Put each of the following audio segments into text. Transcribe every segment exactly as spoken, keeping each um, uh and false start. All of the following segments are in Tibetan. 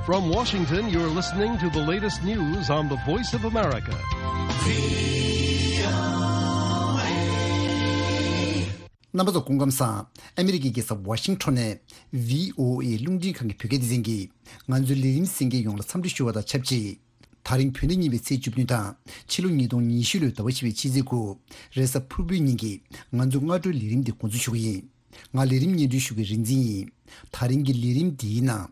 From Washington, you're listening to the latest news on the Voice of America. རྣམ་པ་ཚོ་སྐུ་ཁམས་བཟང་། ཨ་མི་རི་ཀའི་རྒྱལ་ས་ཝ་ཤིང་ཊོན་ནས་བྷི་ཨོ་ཨེ་རླུང་འཕྲིན་ཁང་གི་བོད་སྐད་སྡེ་ཚན་གྱིས་ང་ཚོའི་ལས་རིམ་གསན་མཁན་ཡོངས་ལ་འཚམས་འདྲི་ཞུ་བ་དང་ཆབས་ཅིག་ད་རིང་བོད་ཟླ་གཉིས་པའི་ཚེས་བཅུ་བདུན་དང་ཕྱི་ལོ་ཉིས་སྟོང་ཉི་ཤུ་ལོའི་ཟླ་བ་བཞི་པའི་ཕྱི་ཚེས་དགུ། རེས་གཟའ་ཕུར་བུའི་ཉིན་གྱི་ང་ཚོའི་སྔ་དྲོའི་ལས་རིམ་འདི་འགོ་འཛུགས་ཞུ་གི་ཡིན། ང་ལས་རིམ་སྙན་སྒྲོན་ཞུ་མཁན་རིག་འཛིན་ཡིན། ད་རིང་གི་ལས་རིམ་འདིའི་ནང་།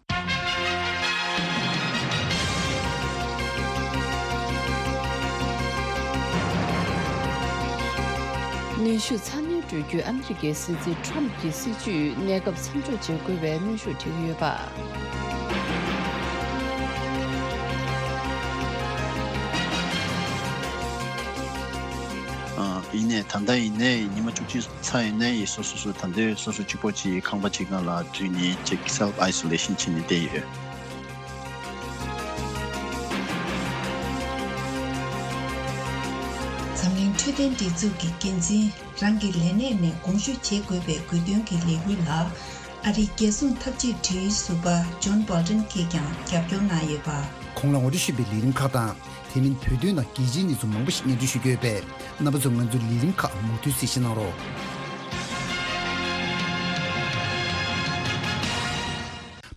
གནོན་ཤུགས་ཚ་ནན་སྤྲོད་རྒྱུའི་ཨ་མི་རི་ཀའི་སྲིད་འཛིན་ཊམ་གྱི་སྲིད་ཇུས་གནས་སྐབས་མཚམས་འཇོག་བྱེད་དགོས་པའི་གནོན་ཤུགས་སྤྲད་ཀྱི་ཡོད་པ། ཨ། ཡིན་ནའི་ད་ལྟ་ཡིན་ནའི་ཉི་མ་བཅུ་གཅིག་ཚར་ཡིན་ནའི་སོ་སོ་སོ་ད་ལྟའི་སོ་སོ་གཅིག་པོ་གཅིག་ཁང་པ་གཅིག་ནང་ལ་འཛུལ་ནས་ཅིག་self isolation་བྱས་ནས་བསྡད་ཡོད། འཛམ་གླིང་འཕྲོད་བསྟེན་སྒྲིག་འཛུགས་ཀྱི་འགན་འཛིན་རང་གི་ལས་གནས་ནས་དགོངས་ཞུ་བྱེད་དགོས་པའི་དགོས་འདུན་གྱི་ལས་འགུལ་ལ། ཨ་རིའི་རྒྱལ་སྲུང་འཐབ་ཇུས་དྲུང་ཡིག་ཟུར་པ་ཇོན་བྷོལ་ཏན་གྱིས་ཀྱང་རྒྱབ་སྐྱོར་གནང་ཡོད་པ། གོང་ལ་ངོ་སྤྲོད་ཞུས་པའི་ལས་རིམ་ཁག་དང་། དེ་མིན་བོད་དོན་དང་རྒྱལ་སྤྱིའི་གནས་ཚུལ་མང་པོ་ཞིག་སྙན་སྒྲོན་ཞུ་རྒྱུ་ཡོད་པས། རྣམ་པ་ཚོས་ང་ཚོའི་ལས་རིམ་ཁག་མུ་མཐུད་གཟིགས་བཞེས་གནང་རོགས།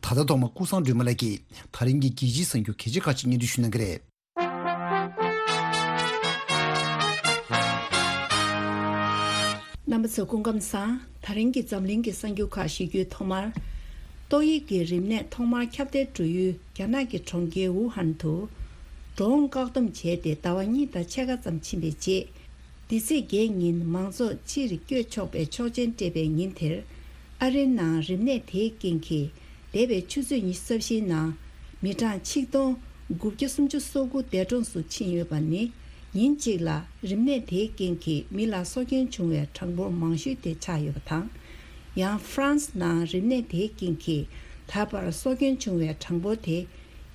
ད་ལྟ་ཐོག་མར་ཀུན་བཟང་སྒྲོལ་མ་ལགས་ཀྱིས་ད་རིང་གི་རྒྱལ་སྤྱིའི་གསར་འགྱུར་གལ་ཆེ་ཁག་ཅིག་སྙན་སྒྲོན་ཞུ་གནང་གི་རེད། རྣམ་པ་ཚོ་སྐུ་ཁམས་བཟང་། ད་རིང་གི་འཛམ་གླིང་གི་གསར་འགྱུར་ཁག་ཞུ་རྒྱུའི་ཐོག་མར། ཏོག་དབྱིབས་ཀྱི་རིམས་ནད་ཐོག་མར་ཁྱབ་གདལ་འགྲོ་ཡུལ་རྒྱ་ནག་གི་གྲོང་ཁྱེར་ཝུ་ཧན་དུ། འགྲོ་འོང་བཀག་སྡོམ་བྱས་ཏེ་ཟླ་བ་གཉིས་དང་ཕྱེད་ཀ་ཙམ་ཕྱིན་པའི་རྗེས། འདི་ཚེས་བརྒྱད་ཉིན་མང་ཚོགས་ཕྱིར་བསྐྱོད་ཆོག་པའི་ཆོག་མཆན་སྤྲད་པའི་ཉིན་དེར། ཨ་རིའི་ནང་རིམས་ནད་དེའི་རྐྱེན་གྱིས། འདས་པའི་ཆུ་ཚོད་ཉི་ཤུ་རྩ་བཞིའི་ནང་། མི་གྲངས་ཆིག་སྟོང་དགུ་བརྒྱ་སུམ་ཅུ་སོ་དགུ་འདས་གྲོངས་སུ་ཕྱིན་ཡོད་པ་ནི། ཉིན་གཅིག་ལ་རིམས་ནད་དེའི་རྐྱེན་གྱིས་མི་ལ་སྲོག་སྐྱོན་བྱུང་བའི་གྲངས་འབོར་མང་ཤོས་དེ་ཆགས་ཡོད་པ་དང་། ཡང་ཧྥ་རན་སི་ནང་རིམས་ནད་དེའི་རྐྱེན་གྱིས་ད་བར་སྲོག་སྐྱོན་བྱུང་བའི་གྲངས་འབོར་དེ།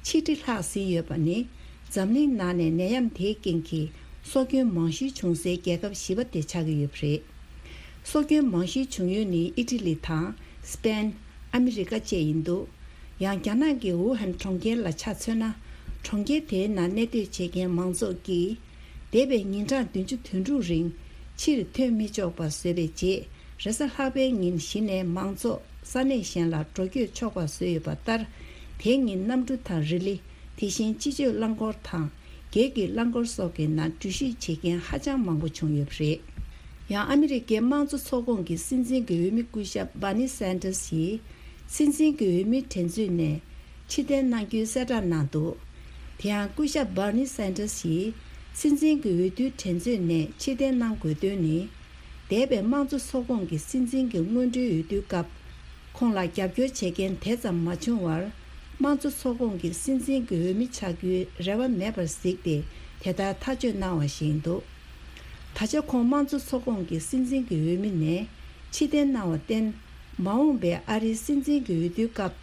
ཆིག་ཁྲི་ལྷག་ཟིན་ཡོད་པ་ནི། འཛམ་གླིང་ནང་ནས་ནད་ཡམས་དེའི་རྐྱེན་གྱིས་སྲོག་སྐྱོན་མང་ཤོས་བྱུང་སའི་རྒྱལ་ཁབ་བཞི་པ་དེ་ཆགས་ཀྱི་ཡོད་པ་རེད། སྲོག་སྐྱོན་མང་ཤོས་བྱུང་ཡུལ་ནི་ཨི་ཊ་ལི་དང་། སི་པེན། ཨ་མི་རི་ཀ་བཅས་ཡིན་འདུག་ཡང་རྒྱ་ནག་གི་ཝུ་ཧན་གྲོང་ཁྱེར་ལ་ཆ་མཚོན་ན། གྲོང་ཁྱེར་དེའི་ནང་གནས་སྡོད་བྱེད་མཁན་མང་ཚོགས་ཀྱིས། འདས་པའི་ཉིན་གྲངས་བདུན་ཅུ་དོན་དྲུག་རིང་ཕྱིར་ཐོན་མི་ཆོག་པ་བཟོས་པའི་རྗེས། རེས་གཟའ་ལྷག་པའི་ཉིན་གཞི་ནས་མང་ཚོགས་ས་གནས་གཞན་ལ་འགྲོ་སྐྱོད་ཆོག་པ་བཟོས་ཡོད་པ་ལྟར། དེ་ཉིན་གནམ་གྲུ་དང་རི་ལི། དེ་བཞིན་སྤྱི་སྤྱོད་རླངས་འཁོར་དང་། སྒེར་གྱི་རླངས་འཁོར་སོགས་ཀྱི་ནང་འགྲུལ་བཞུད་བྱེད་མཁན་ཧ་ཅང་མང་པོ་བྱུང་ཡོད་པ་རེད། ཡང་ཨ་མི་རི་ཀའི་དམངས་གཙོ་ཚོགས་ཁོངས་ཀྱི་སྲིད་འཛིན་གྱི་འོས་མི་སྐུ་ཞབས་སྦར་ནི་སན་ཏར་སི་ཡིས། སྲིད་འཛིན་གྱི་འོས་མིའི་འགྲན་རྩོད་ནས་ཕྱིར་འཐེན་གནང་རྒྱུའི་གསལ་བསྒྲགས་གནང་འདུག་དེ་ཡང་སྐུ་ཞབས་སྦར་ནི་སན་ཏར་སི་ཡིས། སྲིད་འཛིན་གྱི་འོས་བསྡུའི་འགྲན་རྩོད་ནས་ཕྱིར་འཐེན་གནང་དགོས་དོན་ནི། འདས་པའི་དམངས་གཙོ་ཚོགས་ཁོངས་ཀྱི་སྲིད་འཛིན་གྱི་སྔོན་འགྲོའི་འོས་བསྡུའི་སྐབས། ཁོང་ལ་རྒྱབ་སྐྱོར་བྱེད་མཁན་དེ་ཙམ་མ་བྱུང་བར། དམངས་གཙོ་ཚོགས་ཁོངས་ཀྱི་སྲིད་འཛིན་གྱི་འོས་མི་ཆགས་རྒྱུའི་རེ་བ་མེད་པར་གཟིགས་ཏེ། དེ་ལྟར་ཐག་གཅོད་གནང་བ་ཞིག་ཡིན་འདུག་ད་ཆ་ཁོང་དམངས་གཙོ་ཚོགས་ཁོངས་ཀྱི་སྲིད་འཛིན་གྱི་འོས་མི་ནས་ཕྱིར་འཐེན་གནང་བར་བརྟེན། མ་འོངས་པའི་ཨ་རིའི་སྲིད་འཛིན་གྱི་འོས་བསྡུའི་སྐབས།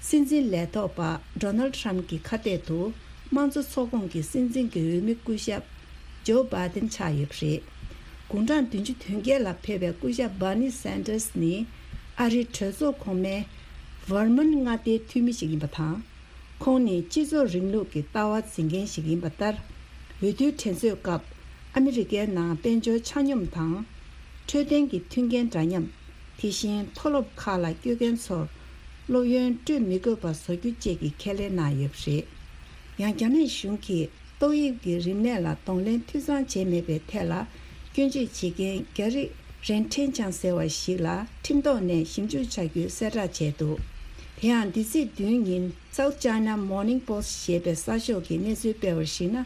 སྲིད་འཛིན་ལས་ཐོག་པ་ཌོ་ནལ་ཌི་ཊརམ་ཕི་གྱི་ཁ་གཏད་དུ། དམངས་གཙོ་ཚོགས་ཁོངས་ཀྱི་སྲིད་འཛིན་གྱི་འོས་མི་སྐུ་ཞབས། ཇོ་བྷའི་ཏིན་ཆགས་ཡོད་པ་རེད། དགུང་གྲངས་བདུན་ཅུ་དོན་བརྒྱད་ལ་ཕེབས་པའི་སྐུ་ཞབས་སྦར་ནི་སན་ཏར་སི་ནི། ཨ་རིའི་གྲོས་ཚོགས་གོང་མའི་ཝར་མན་མངའ་སྡེའི་འཐུས་མི་ཞིག་ཡིན་པ་དང་། ཁོང་ནི་སྤྱི་ཚོགས་རིང་ལུགས་ཀྱི་ལྟ་བ་འཛིན་མཁན་ཞིག་ཡིན་པ་ལྟར། འོས་བསྡུའི་འགྲན་རྩོད་སྐབས། ཨ་མི་རི་ཀའི་ནང་དཔལ་འབྱོར་ཆ་སྙོམས་དང་། འཕྲོད་བསྟེན་གྱི་མཐུན་རྐྱེན་འདྲ་མཉམ། དེ་བཞིན་མཐོ་སློབ་ཁག་ལ་སྐྱོད་མཁན་ཚོར། སློབ་ཡོན་སྤྲོད་མི་དགོས་པ་བཟོ་རྒྱུ་བཅས་ཀྱི་ཁས་ལེན་གནང་ཡོད་པ་རེད། ཡང་རྒྱ་ནག་གཞུང་གིས། ཏོག་དབྱིབས་ཀྱི་རིམས་ནད་ལ་གདོང་ལེན་འཐུས་ཚང་བྱས་མེད་པའི་ཐད་ལ། སྐྱོན་བརྗོད་བྱེད་མཁན་རྒྱ་རིགས་རེན་ཁྲེན་ཅང་ཟེར་བ་ཞིག་ལ་ཁྲིམས་ཐོག་ནས་ཞིབ་འཇུག་བྱ་རྒྱུའི་གསལ་བསྒྲགས་བྱས་འདུག་དེ་ཡང་འདི་ཚེས་བདུན་ཉིན་South China Morning Post་ཞེས་པའི་གསར་ཤོག་གིས་གནས་ཚུལ་སྤེལ་བར་གཞིགས་ན།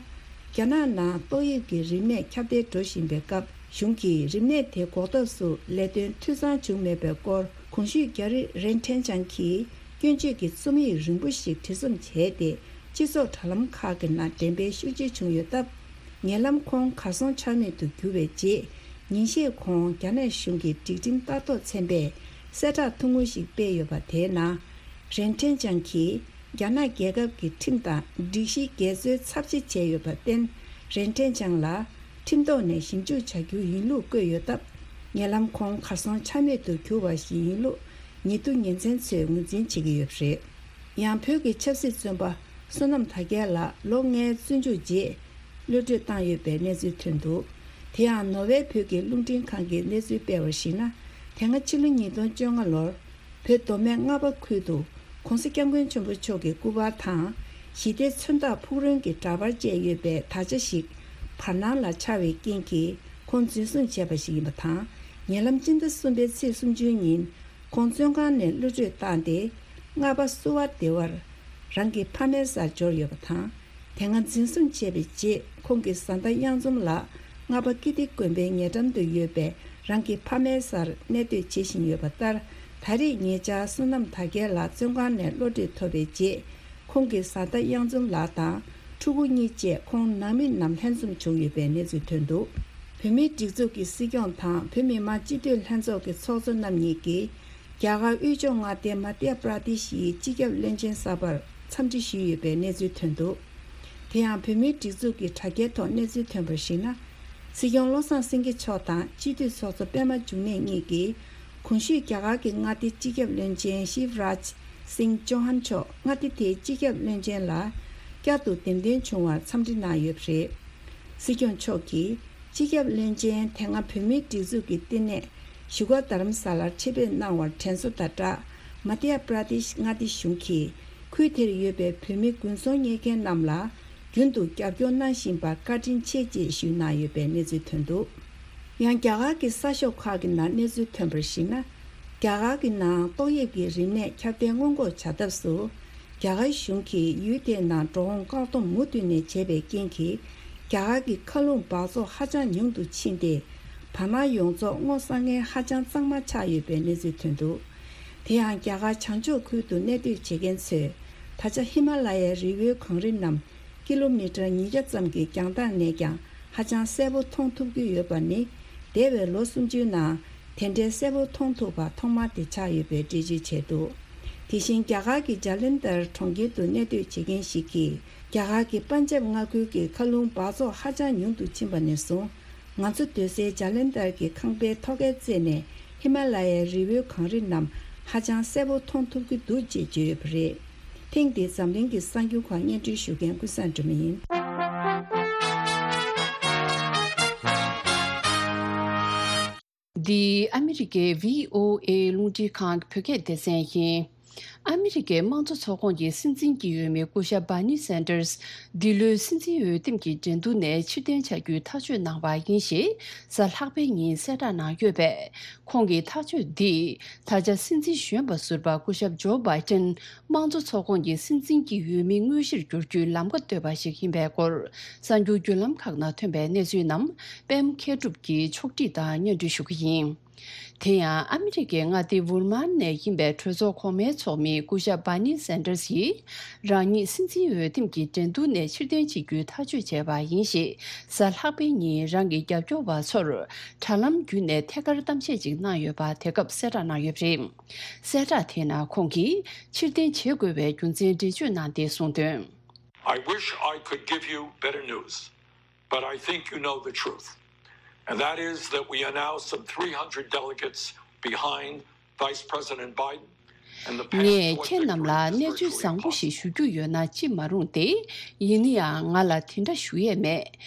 རྒྱ་ནག་ནང་ཏོག་དབྱིབས་ཀྱི་རིམས་ནད་ཁྱབ་གདལ་འགྲོ་བཞིན་པའི་སྐབས། གཞུང་གིས་རིམས་ནད་དེ་འགོག་ཐབས་སུ་ལས་དོན་འཐུས་ཚང་བྱུང་མེད་པའི་སྐོར། གོང་ཞུས་རྒྱ་རིགས་རེན་ཁྲེན་ཅང་གིས། སྐྱོན་བརྗོད་ཀྱི་རྩོམ་ཡིག་རིང་པོ་ཞིག་བྲིས་རྩོམ་བྱས་ཏེ། སྤྱི་ཚོགས་དྲ་ལམ་ཁག་གི་ནང་འགྲེམས་སྤེལ་ཤུགས་ཆེ་བྱུང་ཡོད་སྟབས། ཉེ་ལམ་ཁོང་གར་སོང་ཆ་མེད་དུ་གྱུར་བའི་རྗེས། ཉིན་ཤས་གོང་རྒྱ་ནག་གཞུང་གི་སྒྲིག་ཁྲིམས་ལྟ་རྟོག་ཚན་པས་གསལ་བསྒྲགས་ཐུང་ངུ་ཞིག་སྤེལ་ཡོད་པ་དེའི་ནང་། རེན་ཁྲེན་ཅང་གིས་རྒྱ་ནག་རྒྱལ་ཁབ་ཀྱི་ཁྲིམས་དང་སྒྲིག་གཞིའི་འགལ་འཛོལ་ཚབས་ཆེ་བྱས་ཡོད་པར་བརྟེན། རེན་ཁྲེན་ཅང་ལ་ཁྲིམས་ཐོག་ནས་ཞིབ་འཇུག་བྱ་རྒྱུ་ཡིན་ལུགས་བཀོད་ཡོད་སྟབས། ཉེ་ལམ་ཁོང་གར་སོང་ཆ་མེད་དུ་གྱུར་བ་ཞིག་ཡིན་ལུགས། ཉེ་དུ་ཉེ་ཚན་ཚོས་ངོས་འཛིན་བྱེད་ཀྱི་ཡོད་པ་རེད། ཡང་བོད་ཀྱི་ཆབ་སྲིད་བཙོན་པ་བསོད་ནམས་དར་རྒྱས་ལགས་ལོ་ལྔའི་བཙོན་འཇུག་རྗེས་གློད་གྲོལ་བཏང་ཡོད་པའི་གནས་ཚུལ་ཐོན་འདུག་དེ་ཡང་ནོར་ཝེ་བོད་ཀྱི་རླུང་འཕྲིན་ཁང་གིས་གནས་ཚུལ་སྤེལ་བར་གཞིགས་ན། དེ་སྔ་ཕྱི་ལོ་ཉིས་སྟོང་བཅོ་ལྔ་ལོར་བོད་མདོ་སྨད་རྔ་པ་ཁུལ་དུ་༸གོང་ས་༸སྐྱབས་མགོན་ཆེན་པོ་མཆོག་གི་སྐུ་པར་དང་ཞི་བདེ་མཚོན་རྟགས་ཕུག་རོན་གྱི་འདྲ་པར་བཅས་ཡོད་པའི་དར་ཆ་ཞིག་བར་སྣང་ལ་འཆར་བའི་རྐྱེན་གྱིས་ཁོང་འཛིན་བཟུང་བྱས་པ་ཞིག་ཡིན་པ་དང་། ཉེ་ལམ་སྤྱི་ཟླ་གསུམ་པའི་ཚེས་སུམ་ཅུ་ཉིན་ཁོང་བཙོན་ཁང་ནས་གློད་གྲོལ་བཏང་སྟེ། རྔ་པ་བསུ་བ་སྡེ་བར་རང་གི་ཕ་མའི་སར་འབྱོར་ཡོད་པ་དང་། དེ་སྔ་འཛིན་བཟུང་བྱས་པའི་རྗེས་ཁོང་གི་བཟའ་ཟླ་གཡང་འཛོམས་ལགས་རྔ་པ་ཀིརྟི་དགོན་པའི་ཉེ་འགྲམ་དུ་ཡོད་པའི་རང་གི་ཕ་མའི་སར་གནས་སྡོད་བྱེད་བཞིན་ཡོད་པ་ལྟར། ད་རེས་ཉེ་ཆར་བསོད་ནམས་དར་རྒྱས་ལགས་བཙོན་ཁང་ནས་གློད་གྲོལ་ཐོབ་པའི་རྗེས། ཁོང་གི་བཟའ་ཟླ་གཡང་འཛོམས་ལགས་དང་ཕྲུ་གུ་གཉིས་བཅས་ཁོང་ནང་མི་རྣམས་ལྷན་འཛོམས་བྱུང་ཡོད་པའི་གནས་ཚུལ་ཐོན་འདུག་བོད་མིའི་སྒྲིག་འཛུགས་ཀྱི་སྲིད་སྐྱོང་དང་བོད་མི་མང་སྤྱི་འཐུས་ལྷན་ཚོགས་ཀྱི་ཚོགས་གཙོ་རྣམ་གཉིས་ཀྱིས། རྒྱ་གར་དབུས་ཕྱོགས་མངའ་སྡེ་མ་དྷྱ་པྲ་དེ་ཤིའི་སྤྱི་ཁྱབ་བློན་ཆེན་གསར་པར་འཚམས་འདྲི་ཞུས་ཡོད་པའི་གནས་ཚུལ་ཐོན་འདུག་དེ་ཡང་བོད་མིའི་སྒྲིག་འཛུགས་ཀྱི་དྲ་རྒྱའི་ཐོག་གནས་ཚུལ་ཐོན་པར་གཞིགས་ན། སྲིད་སྐྱོང་བློ་བཟང་སེང་གེ་མཆོག་དང་སྤྱི་འཐུས་ཚོགས་གཙོ་པད་མ་འབྱུང་གནས་གཉིས་ཀྱིས། གོང་ཞུས་རྒྱ་གར་གྱི་མངའ་སྡེའི་སྤྱི་ཁྱབ་བློན་ཆེན་ཤིབ་རཱཇ་སིང་ཅོ་ཧན་མཆོག་མངའ་སྡེ་དེའི་སྤྱི་ཁྱབ་བློན་ཆེན་ལ་བསྐྱར་དུ་འདེམས་ཐོན་བྱུང་བར་འཚམས་འདྲི་གནང་ཡོད་པ་རེད། སྲིད་སྐྱོང་མཆོག་གིས་སྤྱི་ཁྱབ་བློན་ཆེན་དེ་སྔ་བོད་མིའི་སྒྲིག་འཛུགས་ཀྱི་བསྟི་གནས་བཞུགས་སྒར་རྡ་རམ་ས་ལར་ཆེད་ཕེབས་གནང་བར་དྲན་གསོ་དང་སྦྲགས། མ་དྷྱ་པྲ་དེཤ་མངའ་སྡེ་གཞུང་གིས་ཁུལ་དེར་ཡོད་པའི་བོད་མི་དགུན་ཚོང་གཉེར་མཁན་རྣམས་ལ་རྒྱུན་དུ་རྒྱབ་སྐྱོར་གནང་བཞིན་པར་བཀའ་དྲིན་ཆེ་ཅེས་ཞུས་གནང་ཡོད་པའི་གནས་ཚུལ་ཐོན་འདུག་ཡང་རྒྱ་གར་གྱི་གསར་ཤོག་ཁག་གི་ནང་གནས་ཚུལ་ཐོན་པར་གཞིགས་ན། རྒྱ་གར་གྱི་ནང་ཏོག་དབྱིབས་ཀྱི་རིམས་ནད་ཁྱབ་གདལ་སྔོན་འགོག་བྱ་ཐབས་སུ། རྒྱ་གར་གཞུང་གིས་ཡུལ་དེའི་ནང་འགྲོ་འོང་བཀག་སྡོམ་མུ་མཐུད་ནས་བྱས་པའི་རྐྱེན་གྱིས། རྒྱ་གར་གྱི་མཁའ་རླུང་འབག་བཙོག་ཧ་ཅང་ཉུང་དུ་ཕྱིན་ཏེ། བར་སྣང་ཡོངས་རྫོགས་སྔོ་བསངས་མཁན་ཧ་ཅང་གཙང་མ་ཆགས་ཡོད་པའི་གནས་ཚུལ་ཐོན་འདུག་དེ་ཡང་རྒྱ་གར་བྱང་ཕྱོགས་ཁུལ་དུ་གནས་སྡོད་བྱེད་མཁན་ཚོས། ད་ཆ་ཧི་མ་ལ་ཡའི་རི་བོའི་གངས་རི་རྣམས། ཀི་ལོ་མི་ཊར་ཉིས་བརྒྱ་ཙམ་གྱི་རྒྱང་ཐག་ནས་ཀྱང་ཧ་ཅང་གསལ་པོ་མཐོང་ཐུབ་ཀྱི་ཡོད་པ་ནི། འདས་པའི་ལོ་སུམ་ཅུའི་ནང་དེ་འདྲའི་གསལ་པོ་མཐོང་ཐུབ་པ་ཐོག་མ་དེ་ཆགས་ཡོད་པའི་འགྲེལ་བརྗོད་བྱས་འདུག་དེ་བཞིན་རྒྱ་གར་གྱི་ཇཱ་ལན་དར་གྲོང་ཁྱེར་དུ་གནས་སྡོད་བྱེད་མཁན་ཞིག་གིས། རྒྱ་གར་གྱི་པན་ཇབ་མངའ་ཁུལ་གྱི་མཁའ་རླུང་འབག་བཙོག་ཧ་ཅང་ཉུང་དུ་ཕྱིན་པ་ནས་བཟུང་། ང་ཚོ་སྡོད་སའི་ཇཱ་ལན་དར་གྱི་ཁང་པའི་ཐོག་ཁའི་རྩེ་ནས་ཧི་མ་ལ་ཡའི་རི་བོའི་གངས་རི་རྣམས་ཧ་ཅང་གསལ་པོ་མཐོང་ཐུབ་ཀྱི་འདུག་ཅེས་བརྗོད་ཡོད་པ་རེད། ཐེངས་འདིའི་འཛམ་གླིང་གི་གསར་འགྱུར་ཁག་སྙན་སྒྲོན་ཞུ་མཁན་ཀུན་བཟང་སྒྲོལ་མ་ཡིན། འདི་ཨ་མི་རི་ཀའི་བྷི་ཨོ་ཨེ་རླུང་འཕྲིན་ཁང་གི་བོད་སྐད་སྡེ་ཚན་ཡིན། ཨ་མི་རི་ཀའི་དམངས་གཙོ་ཚོགས་ཁོངས་ཀྱི་སྲིད་འཛིན་གྱི་འོས་མི་སྐུ་ཞབས་སྦར་ནི་སན་ཏར་སི་འདི་ལོའི་སྲིད་འཛིན་འོས་འདེམས་ཀྱི་འགྲན་བསྡུར་ནས་ཕྱིར་འཐེན་བྱ་རྒྱུའི་ཐག་གཅོད་གནང་བ་ཡིན་ཞེས་གཟའ་ལྷག་པའི་ཉིན་གསལ་བསྒྲགས་གནང་ཡོད་པས། ཁོང་གི་ཐག་གཅོད་འདིས་ད་ཆ་སྲིད་འཛིན་གཞོན་པ་ཟུར་པ་སྐུ་ཞབས་ཇོ་བྷའི་ཏན་དམངས་གཙོ་ཚོགས་ཁོངས་ཀྱི་སྲིད་འཛིན་གྱི་འོས་མི་དངོས་གཞིར་འགྱུར་རྒྱུའི་ལམ་ཁ་བཏོད་པ་ཞིག་ཡིན་པའི་སྐོར་གསར་འགྱུར་བརྒྱུད་ལམ་ཁག་ནང་ཐོན་པའི་གནས་ཚུལ་རྣམས་པད་མ་མཁས་གྲུབ་ཀྱིས་ཕྱོགས་སྒྲིག་དང་སྙན་སྒྲོན་ཞུ་གི་ཡིན། དེ་ཡང་ཨ་མི་རི་ཀའི་མངའ་སྡེ་ཝུར་མཱན་ནས་ཡིན་པའི་གྲོས་ཚོགས་གོང་མའི་ཚོགས་མི་སྐུ་ཞབས་སྦར་ནི་སན་ཏར་སི་ཡིས་རང་ཉིད་སྲིད་འཛིན་འོས་འདེམས་ཀྱི་འགྲན་བསྡུར་ནས་ཕྱིར་འཐེན་བྱེད་རྒྱུའི་ཐག་གཅོད་བྱས་པ་ཡིན་ཞེས་གཟའ་ལྷག་པའི་ཉིན་རང་གི་རྒྱབ་སྐྱོར་བ་ཚོར་དྲ་ལམ་བརྒྱུད་ནས་ཐད་ཀར་གཏམ་བཤད་ཅིག་གནང་ཡོད་པ་དེ་སྐབས་གསལ་བསྒྲགས་གནང་ཡོད་པ་རེད། གསལ་བསྒྲགས་དེའི་ནང་ཁོང་གིས་ཕྱིར་འཐེན་བྱེད་དགོས་པའི་རྒྱུ་མཚན་འགྲེལ་བརྗོད་གནང་སྟེ་གསུངས་དོན། I wish I could give you better news, but I think you know the truth. And that is that we are now some three hundred delegates behind Vice President Biden. And the path ངས toward ཁྱེད་རྣམས་victory ལ་is གནས་ཚུལ་virtually བཟང་པོ་ཞིག་impossible. ཞུ་རྒྱུ་ཡོད་ན་ཅི་མ་རུང་སྟེ། ཡིན་ན་ཡང་ང་ལ་དེ་འདྲ་ཞུ་ཡས་མེད།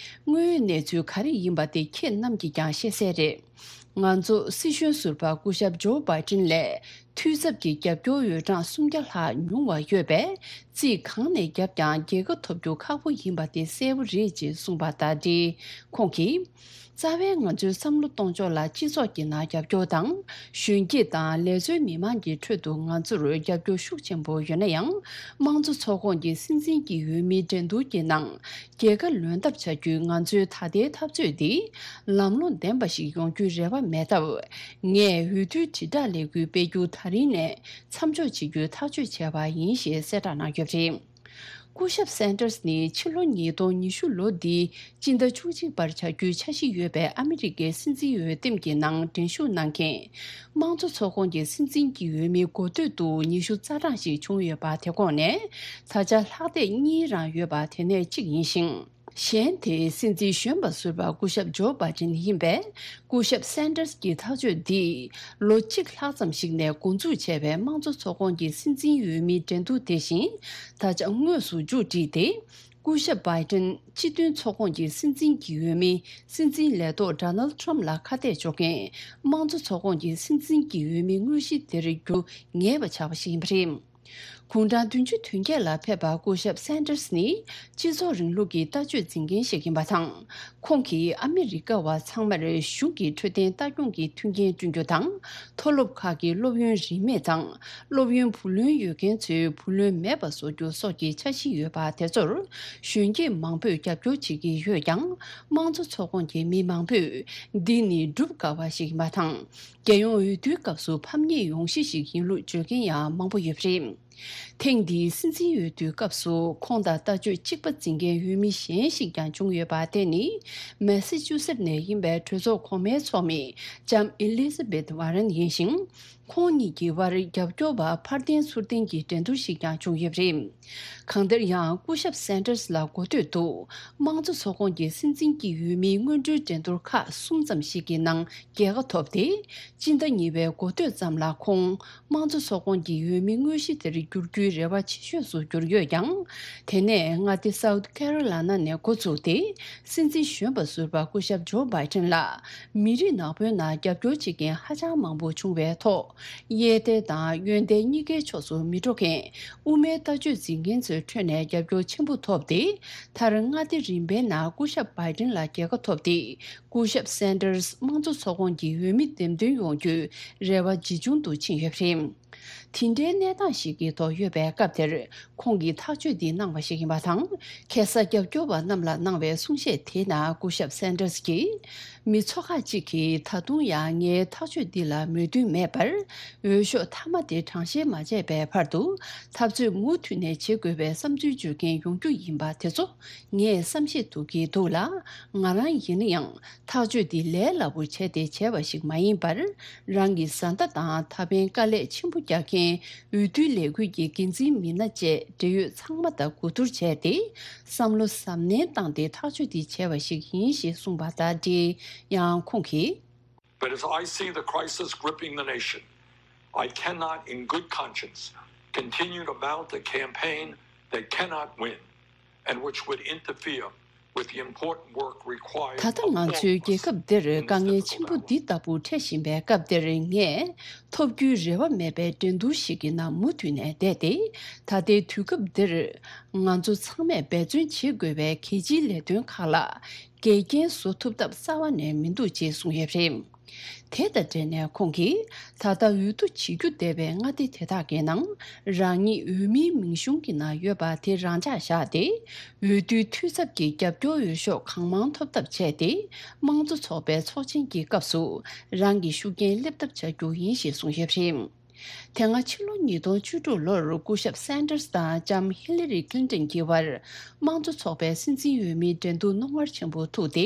དངོས་ཡོད་གནས་ཚུལ་ག་རེ་ཡིན་པ་དེ་ཁྱེད་རྣམས་ཀྱིས་ཀྱང་ཤེས་གསལ་རེད། ང་ཚོ་སྲིད་གཞུང་ཟུར་པ་སྐུ་ཞབས་ཇོ་བྷའི་ཏིན་ལས་འཐུས་ཚབ་ཀྱི་རྒྱབ་སྐྱོར་འོས་གྲངས་སུམ་བརྒྱ་ལྷག་ཉུང་བ་ཡོད་པས། རྩིས་གང་ནས་བརྒྱབ་ཀྱང་རྒྱལ་ཁ་ཐོབ་རྒྱུ་ཁག་པོ་ཡིན་པ་དེ་གསལ་པོ་རེད་ཅེས་གསུངས་པ་དང་འབྲེལ། ཁོང་གིས། རྩ་བའི་ང་ཚོའི་བསམ་བློ་གཏོང་ཕྱོགས་ལ་སྤྱི་ཚོགས་ཀྱི་ནང་རྒྱབ་སྐྱོར་དང་། གཞོན་སྐྱེས་དང་ལས་བཟོའི་མི་མང་གི་ཁྲོད་དུ་ང་ཚོར་རྒྱབ་སྐྱོར་ཤུགས་ཆེན་པོ་ཡོད་ན་ཡང་། དམངས་གཙོ་ཚོགས་ཁོངས་ཀྱི་སྲིད་འཛིན་གྱི་འོས་མིའི་འགྲན་བསྡུར་གྱི་ནང་། རྒྱལ་ཁ་ལོན་ཐབས་བྱ་རྒྱུའི་ང་ཚོའི་ད་ལྟའི་འཐབ་རྩོད་འདི་ལམ་ལྷོང་ལྡན་པ་ཞིག་ཡོང་རྒྱུའི་རེ་བ་མེད་སྟབས། ངས་འོས་བསྡུའི་དྲིལ་བསྒྲགས་ལས་འགུལ་སྤེལ་རྒྱུ་ད་རིང་ནས་མཚམས་འཇོག་བྱེད་རྒྱུའི་ཐག་གཅོད་བྱས་པ་ཡིན་ཞེས་གསལ་བསྒྲགས་གནང་ཡོད་པ་རེད། སྐུ་ཞབས་སན་ཏར་སི་ནི་ཕྱི་ལོ་ཉིས་སྟོང་ཉི་ཤུ་ལོ་འདིའི་སྤྱི་ཟླ་བཅུ་གཅིག་པར་བྱ་རྒྱུའི་འཆར་གཞི་ཡོད་པའི་ཨ་མི་རི་ཀའི་སྲིད་འཛིན་འོས་འདེམས་ཀྱི་ནང་འགྲན་ཞུགས་གནང་མཁན། དམངས་གཙོ་ཚོགས་ཁོངས་ཀྱི་སྲིད་འཛིན་གྱི་འོས་མི་འགོ་སྟོད་དུ་ཉི་ཤུ་རྩ་གྲངས་ཤིག་བྱུང་ཡོད་པ་དེ་ཁོངས་ནས། ད་ཆ་ལྷག་བསྡད་གཉིས་རང་ཡོད་པ་དེ་ནས་གཅིག་ཡིན་ཞིང་། གཞན་དེ་སྲིད་འཛིན་གཞོན་པ་ཟུར་པ་སྐུ་ཞབས་ཇོ་བྷའི་ཏིན་ཡིན་པས། སྐུ་ཞབས་སན་ཏར་སི་གྱི་ཐག་གཅོད་འདིས་ལོ་གཅིག་ལྷག་ཙམ་ཞིག་ནས་འགོ་འཛུགས་བྱས་པའི་དམངས་གཙོ་ཚོགས་ཁོངས་ཀྱི་སྲིད་འཛིན་འོས་མིའི་འགྲན་བསྡུར་དེ་བཞིན་ད་ཆ་དངོས་སུ་མཇུག་བསྒྲིལ་ཏེ། སྐུ་ཞབས་བྷའི་ཏིན་སྤྱི་མཐུན་ཚོགས་ཁོངས་ཀྱི་སྲིད་འཛིན་གྱི་འོས་མི་སྲིད་འཛིན་ལས་ཐོག་ཌོ་ནལ་ཌི་ཊརམ་ཕ་ལ་ཁ་གཏད་གཅོག་མཁན་དམངས་གཙོ་ཚོགས་ཁོངས་ཀྱི་སྲིད་འཛིན་གྱི་འོས་མི་དངོས་གཞི་དེར་འགྱུར་ངེས་པ་ཆགས་པ་ཞིག་ཡིན་པ་རེད། དགུང་གྲངས་བདུན་ཅུ་དོན་བརྒྱད་ལ་ཕེབས་པ་སྐུ་ཞབས་སན་ཏར་སི་ནི་སྤྱི་ཚོགས་རིང་ལུགས་ཀྱི་ལྟ་སྤྱོད་འཛིན་མཁན་ཞིག་ཡིན་པ་དང་། ཁོང་གིས་ཨ་མི་རི་ཀ་བ་ཚང་མར་གཞུང་གི་འཕྲོད་བསྟེན་ལྟ་སྐྱོང་གི་མཐུན་རྐྱེན་བསྐྲུན་རྒྱུ་དང་། མཐོ་སློབ་ཁག་གི་སློབ་ཡོན་རིན་མེད་དང་། སློབ་ཡོན་བུ་ལོན་ཡོད་མཁན་ཚོའི་བུ་ལོན་མེད་པ་བཟོ་རྒྱུ་སོགས་ཀྱི་འཆར་གཞི་ཡོད་པ་དེ་ཚོར་གཞོན་སྐྱེས་མང་པོས་རྒྱབ་སྐྱོར་བྱེད་ཀྱི་ཡོད་ཀྱང་། དམངས་གཙོ་ཚོགས་ཁོངས་ཀྱི་མི་མང་པོས་འདི་ནི་སྒྲུབ་དཀའ་བ་ཞིག་ཡིན་པ་དང་། རྒྱལ་ཡོངས་འོས་བསྡུའི་སྐབས་སུ་ཕམ་ཉེས་ཡོང་གཞི་ཞིག་ཡིན་ལུགས་བརྗོད་མཁན་ཡང་མང་པོ་ཡོད་པ་རེད། ཐེངས་འདིའི་སྲིད་འཛིན་འོས་བསྡུའི་སྐབས་སུ་ཁོང་དང་ལྟ་སྤྱོད་གཅིག་པ་འཛིན་མཁན་འོས་མི་གཞན་ཞིག་ཀྱང་བྱུང་ཡོད་པ་དེ་ནི། མེ་སི་ཅུ་སེད་ནས་ཡིན་པའི་གྲོས་ཚོགས་གོང་མའི་ཚོགས་མི་ལྕམ་ཨེ་ལི་ཛ་བེད་ཝ་རན་ཡིན་ཞིང་། ཁོང་གཉིས་ཀྱི་དབར་རྒྱབ་སྐྱོར་བ་ཕར་འཐེན་ཚུར་འཐེན་གྱི་འགྲན་བསྡུར་ཞིག་ཀྱང་བྱུང་ཡོད་པ་རེད། གང་ལྟར་ཡང་སྐུ་ཞབས་སན་ཏར་སི་ལ་འགོ་སྟོད་དུ་དམངས་གཙོ་ཚོགས་ཁོངས་ཀྱི་སྲིད་འཛིན་གྱི་འོས་མིའི་སྔོན་འགྲོའི་འགྲན་བསྡུར་ཁག་གསུམ་ཙམ་ཞིག་གི་ནང་རྒྱལ་ཁ་ཐོབ་སྟེ། སྤྱི་ཟླ་གཉིས་པའི་འགོ་སྟོད་ཙམ་ལ་ཁོང་དམངས་གཙོ་ཚོགས་ཁོངས་ཀྱི་འོས་མི་དངོས་གཞི་དེར་འགྱུར་རྒྱུའི་རེ་བ་ཆེ་ཤོས་སུ་གྱུར་ཡོད་ཀྱང་། དེ་ནས་མངའ་སྡེ་སའུ་ཐི་ཀེ་རོ་ལ་ན་ནས་འགོ་བཙུགས་ཏེ། སྲིད་འཛིན་གཞོན་པ་ཟུར་པ་སྐུ་ཞབས་ཇོ་བྷའི་ཏིན་ལ་མི་རིགས་ནག་པོའི་ནང་རྒྱབ་སྐྱོར་བྱེད་མཁན་ཧ་ཅང་མང་པོ་བྱུང་བའི་ཐོག་གཡས་ཐལ་དང་གཡོན་ཐལ་གཉིས་ཀའི་ཕྱོགས་སུ་མི་འགྲོ་མཁན་དབུ་མའི་ལྟ་སྤྱོད་འཛིན་མཁན་ཚོའི་ཁྲོད་ནས་རྒྱབ་སྐྱོར་ཆེན་པོ་ཐོབ་སྟེ། མཐར་མངའ་སྡེ་རིམ་པའི་ནང་སྐུ་ཞབས་བྷའི་ཏིན་ལ་རྒྱལ་ཁ་ཐོབ་སྟེ། སྐུ་ཞབས་སན་ཏར་སི་དམངས་གཙོ་ཚོགས་ཁོངས་ཀྱི་འོས་མི་འདེམས་ཐོན་ཡོང་རྒྱུའི་རེ་བ་ཇེ་ཆུང་དུ་ཕྱིན་ཡོད་པ་རེད། དེ་འདྲའི་གནས་སྟངས་ཤིག་གི་ཐོག་ཡོད་པའི་སྐབས་དེར། ཁོང་གིས་ཐག་གཅོད་འདི་གནང་བ་ཞིག་ཡིན་པ་དང་། ཁ་སང་རྒྱབ་སྐྱོར་བ་རྣམས་ལ་གནང་བའི་གསུང་བཤད་དེའི་ནང་སྐུ་ཞབས་སན་ཏར་སི་གྱིས། མི་ཚོ་ཁག་ཅིག་གིས་ད་དུང་ཡང་ངའི་ཐག་གཅོད་འདི་ལ་མོས་མཐུན་མེད་པར། འོས་ཤོག་མཐའ་མ་དེ་གྲངས་བཤེར་མ་བྱས་པའི་བར་དུ། འཐབ་རྩོད་མུ་མཐུད་ནས་བྱེད་དགོས་པའི་བསམ་ཚུལ་བརྗོད་མཁན་ཡོང་རྒྱུ་ཡིན་པ་དེ་ཚོ། ངས་བསམ་ཤེས་ཐུབ་ཀྱི་འདུག་ལ། ང་རང་ཡིན་ན་ཡང་ཐག་གཅོད་འདི་ལས་སླ་པོ་བྱས་ཏེ་བྱས་པ་ཞིག་མ་ཡིན་པར། རང་གི་བཟའ་ཟླ་དང་ད་ཕན་དཀའ་ལས་ཆེན་པོ་རྒྱག་མཁན་འོས་བསྡུའི་ལས་འགུལ་གྱི་འགན་འཛིན་མི་སྣ་བཅས་འབྲེལ་ཡོད་ཚང་མ་དང་གོ་བསྡུར་བྱས་ཏེ། བསམ་བློ་གཟབ་ནན་བཏང་སྟེ་ཐག་གཅོད་འདི་བྱས་པ་ཞིག་ཡིན་ཞེས་གསུངས་པ་དང་འབྲེལ། ཡང་ཁོང་གིས། But as I see the crisis gripping the nation, I cannot in good conscience continue to mount a campaign that cannot win and which would interfere with the important work required ད་ལྟ་ང་ཚོའི་རྒྱལ་ཁབ་འདིར་དཀའ་ངལ་ཆེན་པོ་འདི་ལྟ་བུ་འཕྲད་བཞིན་པའི་སྐབས་འདིར་ངས་ཐོབ་རྒྱུའི་རེ་བ་མེད་པའི་འགྲན་བསྡུར་ཞིག་གི་ནང་མུ་མཐུད་ནས་བསྡད་དེ། ད་ལྟའི་དུས་སྐབས་འདིར་ང་ཚོ་ཚང་མས་འབད་བརྩོན་བྱེད་དགོས་པའི་གལ་ཆེའི་ལས་དོན་ཁག་ལ་འགལ་རྐྱེན་བཟོ་ཐུབ་ཐབས་རྩ་བ་ནས་མི་འདུག་ཅེས་གསུངས་ཡོད་པ་རེད། དེ་དང་འབྲེལ་ནས་ཁོང་གིས། ད་ལྟ་འོས་བསྡུ་བྱེད་རྒྱུ་བསྡད་པའི་མངའ་སྡེ་དེ་དག་གི་ནང་རང་ཉིད་འོས་མིའི་མིང་གཞུང་གི་ནང་ཡོད་པ་དེ་རང་འཇགས་བཞག་སྟེ། འོས་བསྡུའི་འཐུས་ཚབ་ཀྱི་རྒྱབ་སྐྱོར་འོས་ཤོག་གང་མང་ཐོབ་ཐབས་བྱས་ཏེ། དམངས་གཙོ་ཚོགས་པའི་ཚོགས་ཆེན་གྱི་སྐབས་སུ་རང་གི་ཤུགས་རྐྱེན་སླེབས་ཐབས་བྱ་རྒྱུ་ཡིན་ཞེས་གསུངས་ཡོད་པ་རེད། དེ་སྔ་ཕྱི་ལོ་ཉིས་སྟོང་བཅུ་དྲུག་ལོར་སྐུ་ཞབས་སན་ཏར་སི་དང་ལྕམ་ཧི་ལི་རི་ཀླིན་ཏོན་གྱི་དབར་དམངས་གཙོ་ཚོགས་པའི་སྲིད་འཛིན་འོས་མིའི་འགྲན་བསྡུར་རྣོ་ངར་ཆེན་པོ་ཐུག་སྟེ།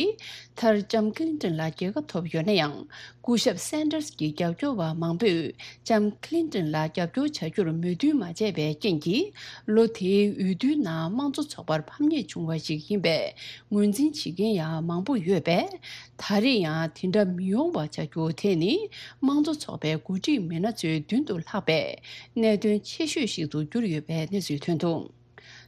མཐར་ལྕམ་ཀླིན་ཏོན་ལ་རྒྱལ་ཁ་ཐོབ་ཡོད་ན་ཡང་། སྐུ་ཞབས་སན་ཏར་སི་གྱི་རྒྱབ་སྐྱོར་བ་མང་པོས་ལྕམ་ཀླིན་ཏོན་ལ་རྒྱབ་སྐྱོར་བྱ་རྒྱུར་མོས་མཐུན་མ་བྱས་པའི་རྐྱེན་གྱིས། ལོ་དེའི་འོས་བསྡུའི་ནང་དམངས་གཙོ་ཚོགས་པར་ཕམ་ཉེས་བྱུང་བ་ཞིག་ཡིན་པས། ངོས་འཛིན་བྱེད་མཁན་ཡང་མང་པོ་ཡོད་པས། ད་རེས་ཡང་དེ་འདྲ་མི་ཡོང་བ་བྱ་རྒྱུ་དེ་ནི་དམངས་གཙོ་ཚོགས་པའི་འགོ་ཁྲིད་མི་སྣ་ཚོའི་མདུན་དུ་ལྷགས་པའི་གནད་དོན་ཆེ་ཤོས་ཤིག་ཏུ་གྱུར་ཡོད་པའི་གནས་ཚུལ་ཐོན་འདུག།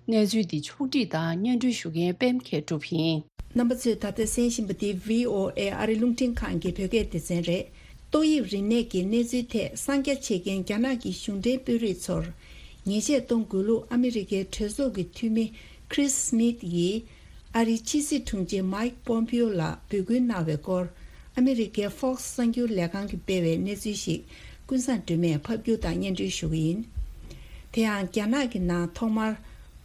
གནས་ཚུལ་འདི་ཕྱོགས་བསྒྲིགས་དང་སྙན་སྒྲོན་ཞུ་མཁན་པད་མ་མཁས་གྲུབ་ཡིན། རྣམ་པ་ཚོས་ད་ལྟ་གསན་བཞིན་པ་འདི་བྷི་ཨོ་ཨེ་ཨ་རི་རླུང་འཕྲིན་ཁང་གི་བོད་སྐད་སྡེ་ཚན་རེད། ཏོག་དབྱིབས་རིམས་ནད་ཀྱི་གནས་ཚུལ་ཐད་གསང་རྒྱ་བྱེད་མཁན་རྒྱ་ནག་གི་གཞུང་འབྲེལ་དཔོན་རིགས་ཚོར། ཉེས་ཆད་གཏོང་དགོས་ལུགས་ཨ་མི་རི་ཀའི་གྲོས་ཚོགས་ཀྱི་འཐུས་མི་ཁྲིས་སྨིད་ཡིས། ཨ་རིའི་ཕྱི་སྲིད་དྲུང་ཆེ་མའིག་པོམ་པིའོ་ལ་འབོད་སྐུལ་གནང་བའི་སྐོར། ཨ་མི་རི་ཀའི་Fox་གསར་འགྱུར་ལས་ཁང་གིས་སྤེལ་བའི་གནས་ཚུལ་ཞིག་ཀུན་བཟང་སྒྲོལ་མས་ཕབ་སྒྱུར་དང་སྙན་སྒྲོན་ཞུ་གི་ཡིན། དེ་ཡང་རྒྱ་ནག་གི་ནང་ཐོག་མར་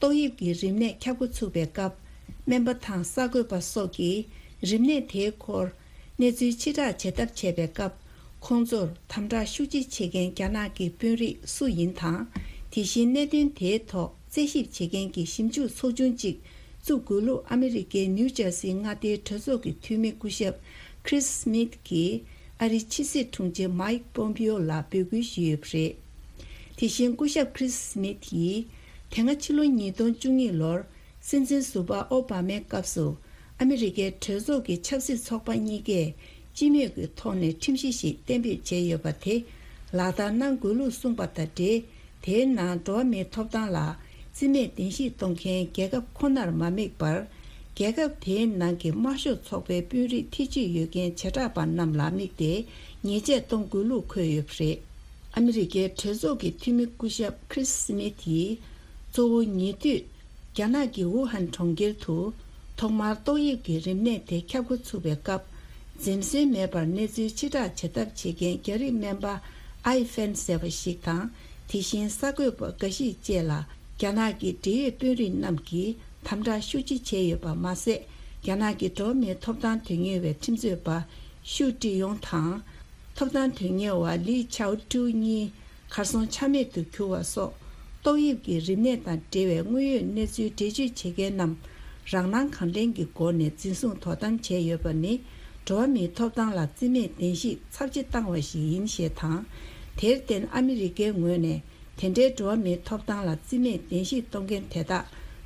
ཏོག་དབྱིབས་ཀྱི་རིམས་ནད་ཁྱབ་འགོ་ཚུགས་པའི་སྐབས། སྨན་པ་དང་གསར་འགོད་པ་སོགས་ཀྱིས་རིམས་ནད་དེའི་སྐོར་གནས་ཚུལ་ཕྱིར་བསྒྲགས་བྱེད་ཐབས་བྱས་པའི་སྐབས། ཁོང་ཚོར་དམ་དྲག་ཤུགས་ཆེ་བྱེད་མཁན་རྒྱ་ནག་གི་དཔོན་རིགས་སུ་ཡིན་དང་། དེ་བཞིན་གནད་དོན་དེའི་ཐོག་རྩད་ཞིབ་བྱེད་མཁན་གྱི་ཞིབ་འཇུག་ཚོགས་ཆུང་གཅིག་བཙུགས་དགོས་ལུགས་ཨ་མི་རི་ཀའི་ནིའུ་ཇར་སིའི་མངའ་སྡེའི་གྲོས་ཚོགས་ཀྱི་འཐུས་མི་སྐུ་ཞབས་ཁྲིས་སྨིད་ཀྱིས་ཨ་རིའི་ཕྱི་སྲིད་དྲུང་ཆེ་མའིག་པོམ་པིའོ་ལ་འབོད་སྐུལ་ཞུས་ཡོད་པ་རེད། དེ་བཞིན་སྐུ་ཞབས་ཁྲིས་སྨིད་ཡིས་དེ་སྔ་ཕྱི་ལོ་ཉིས་སྟོང་བཅུ་གཉིས་ལོར་ སྲིད་འཛིན་ཟུར་པ་ཨོ་བྷ་མའི་སྐབས་སུ་ཨ་མི་རི་ཀའི་གྲོས་ཚོགས་ཀྱི་ཆབ་སྲིད་ཚོགས་པ་གཉིས་ཀས་སྤྱི་མོས་ཀྱི་ཐོག་ནས་ཁྲིམས་གཞི་ཞིག་གཏན་འབེབས་བྱས་ཡོད་པ་དེ་ལག་བསྟར་གནང་དགོས་ལུགས་གསུངས་པ་དང་འབྲེལ། དེའི་ནང་འགྲོ་བ་མིའི་ཐོབ་ཐང་ལ་རྩིས་མེད་བདེན་བཞིག་གཏོང་མཁན་རྒྱལ་ཁབ་ཁོ་ནར་མ་དམིགས་པར། རྒྱལ་ཁབ་དེའི་ནང་གི་དམར་ཤོག་ཚོགས་པའི་དཔོན་རིགས་ཐེ་ཇུས་ཡོད་མཁན་བྱེ་བྲག་པ་རྣམས་ལ་དམིགས་ཏེ་ཉེས་ཆད་གཏོང་དགོས་ལུགས་འཁོད་ཡོད་པ་རེད། ཨ་མི་རི་ཀའི་གྲོས་ཚོགས་ཀྱི་འཐུས་མི་སྐུ་ཞབས་ཁྲིས་སི་མིད་ཡིས་གཙོ་བོ་ཉེ་དུས་རྒྱ་ནག་གི་ཝུ་ཧན་གྲོང་ཁྱེར་དུ་ཐོག་མར་ཏོག་དབྱིབས་ཀྱི་རིམས་ནད་དེ་ཁྱབ་འགོ་ཚུགས་པའི་སྐབས། འཛེམ་ཟོན་མེད་པར་གནས་ཚུལ་ཕྱིར་བསྒྲགས་བྱེད་ཐབས་བྱེད་མཁན་རྒྱ་རིགས་སྨན་པ་ཨའི་ཧྥེན་ཟེར་བ་ཞིག་དང་། དེ་བཞིན་གསར་འགོད་པ་འགའ་ཞིག་བཅས་ལ་རྒྱ་ནག་གི་འབྲེལ་ཡོད་དཔོན་རིགས་རྣམས་ཀྱིས་དམ་དྲག་ཤུགས་ཆེ་བྱས་ཡོད་པ་མ་ཟད། རྒྱ་ནག་གི་འགྲོ་བ་མིའི་ཐོབ་ཐང་དོན་གཉེར་བའི་ཁྲིམས་རྩོད་པ་ཞུ་ཀྲི་ཡོང་དང་། ཐོབ་ཐང་དོན་གཉེར་བ་ལི་ཆའོ་ཀྲུའུ་གཉིས་གར་སོང་ཆ་མེད་དུ་གྱུར་བ་སོགས། ཏོག་དབྱིབས་ཀྱི་རིམས་ནད་དང་འབྲེལ་བའི་དངོས་ཡོད་གནས་ཚུལ་འགྲེལ་བརྗོད་བྱེད་མཁན་རྣམས་རང་སྣང་གང་དྲན་གྱི་སྒོ་ནས་འཛིན་བཟུང་དོ་དམ་བྱས་ཡོད་པ་ནི། འགྲོ་བ་མིའི་ཐོབ་ཐང་ལ་རྩིས་མེད་བདེན་བཞིག་ཚབས་ཆེ་བཏང་བ་ཞིག་ཡིན་ཞེས་དང་། དེར་བརྟེན་ཨ་མི་རི་ཀའི་ངོས་ནས་དེ་འདྲའི་འགྲོ་བ་མིའི་ཐོབ་ཐང་ལ་རྩིས་མེད་བདེན་བཞིག་གཏོང་མཁན་དེ་དག་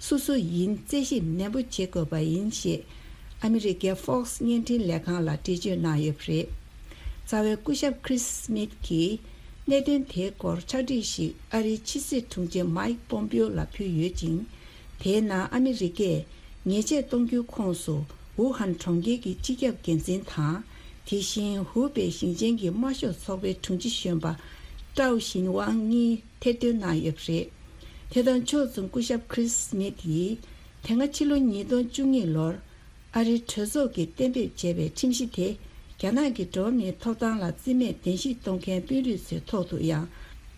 སུ་སུ་ཡིན་རྩད་ཞིབ་ནན་པོ་བྱེད་དགོས་པ་ཡིན་ཞེས། ཨ་མི་རི་ཀའི་Fox་བརྙན་འཕྲིན་ལས་ཁང་ལ་འགྲེལ་བརྗོད་གནང་ཡོད་པ་རེད། རྩ་བའི་སྐུ་ཞབས་ཁྲིས་སི་མིད་ཀྱིས་གནད་དོན་དེའི་སྐོར་ཕྱག་བྲིས་ཤིག་ཨ་རིའི་ཕྱི་སྲིད་དྲུང་ཆེ་མའིག་པོམ་པིའོ་ལ་ཕུལ་ཡོད་ཅིང་། དེའི་ནང་ཨ་མི་རི་ཀས་ཉེས་ཆད་གཏོང་རྒྱུའི་ཁོངས་སུ་ཝུ་ཧན་གྲོང་ཁྱེར་གྱི་སྤྱི་ཁྱབ་འགན་འཛིན་དང་། དེ་བཞིན་ཧུའུ་པེ་ཞིང་ཆེན་གྱི་དམར་ཤོག་ཚོགས་པའི་དྲུང་ཆེ་གཞོན་པ་ཀྲའོ་ཞིན་ཝང་གཉིས་ཐེར་འདོན་གནང་ཡོད་པ་རེད། དེ་དང་ཕྱོགས་མཚུངས་སྐུ་ཞབས་ཁྲིས་སི་མིད་ཡིས་དེ་སྔ་ཕྱི་ལོ་ཉིས་སྟོང་བཅུ་གཉིས་ལོར། ཨ་རིའི་གྲོས་ཚོགས་ཀྱིས་གཏན་འབེབས་བྱས་པའི་ཁྲིམས་གཞི་དེ། རྒྱ་ནག་གི་འགྲོ་བ་མིའི་ཐོབ་ཐང་ལ་རྩིས་མེད་བདེན་བཞིག་གཏོང་མཁན་དཔོན་རིགས་ཚོའི་ཐོག་ཏུ་ཡང་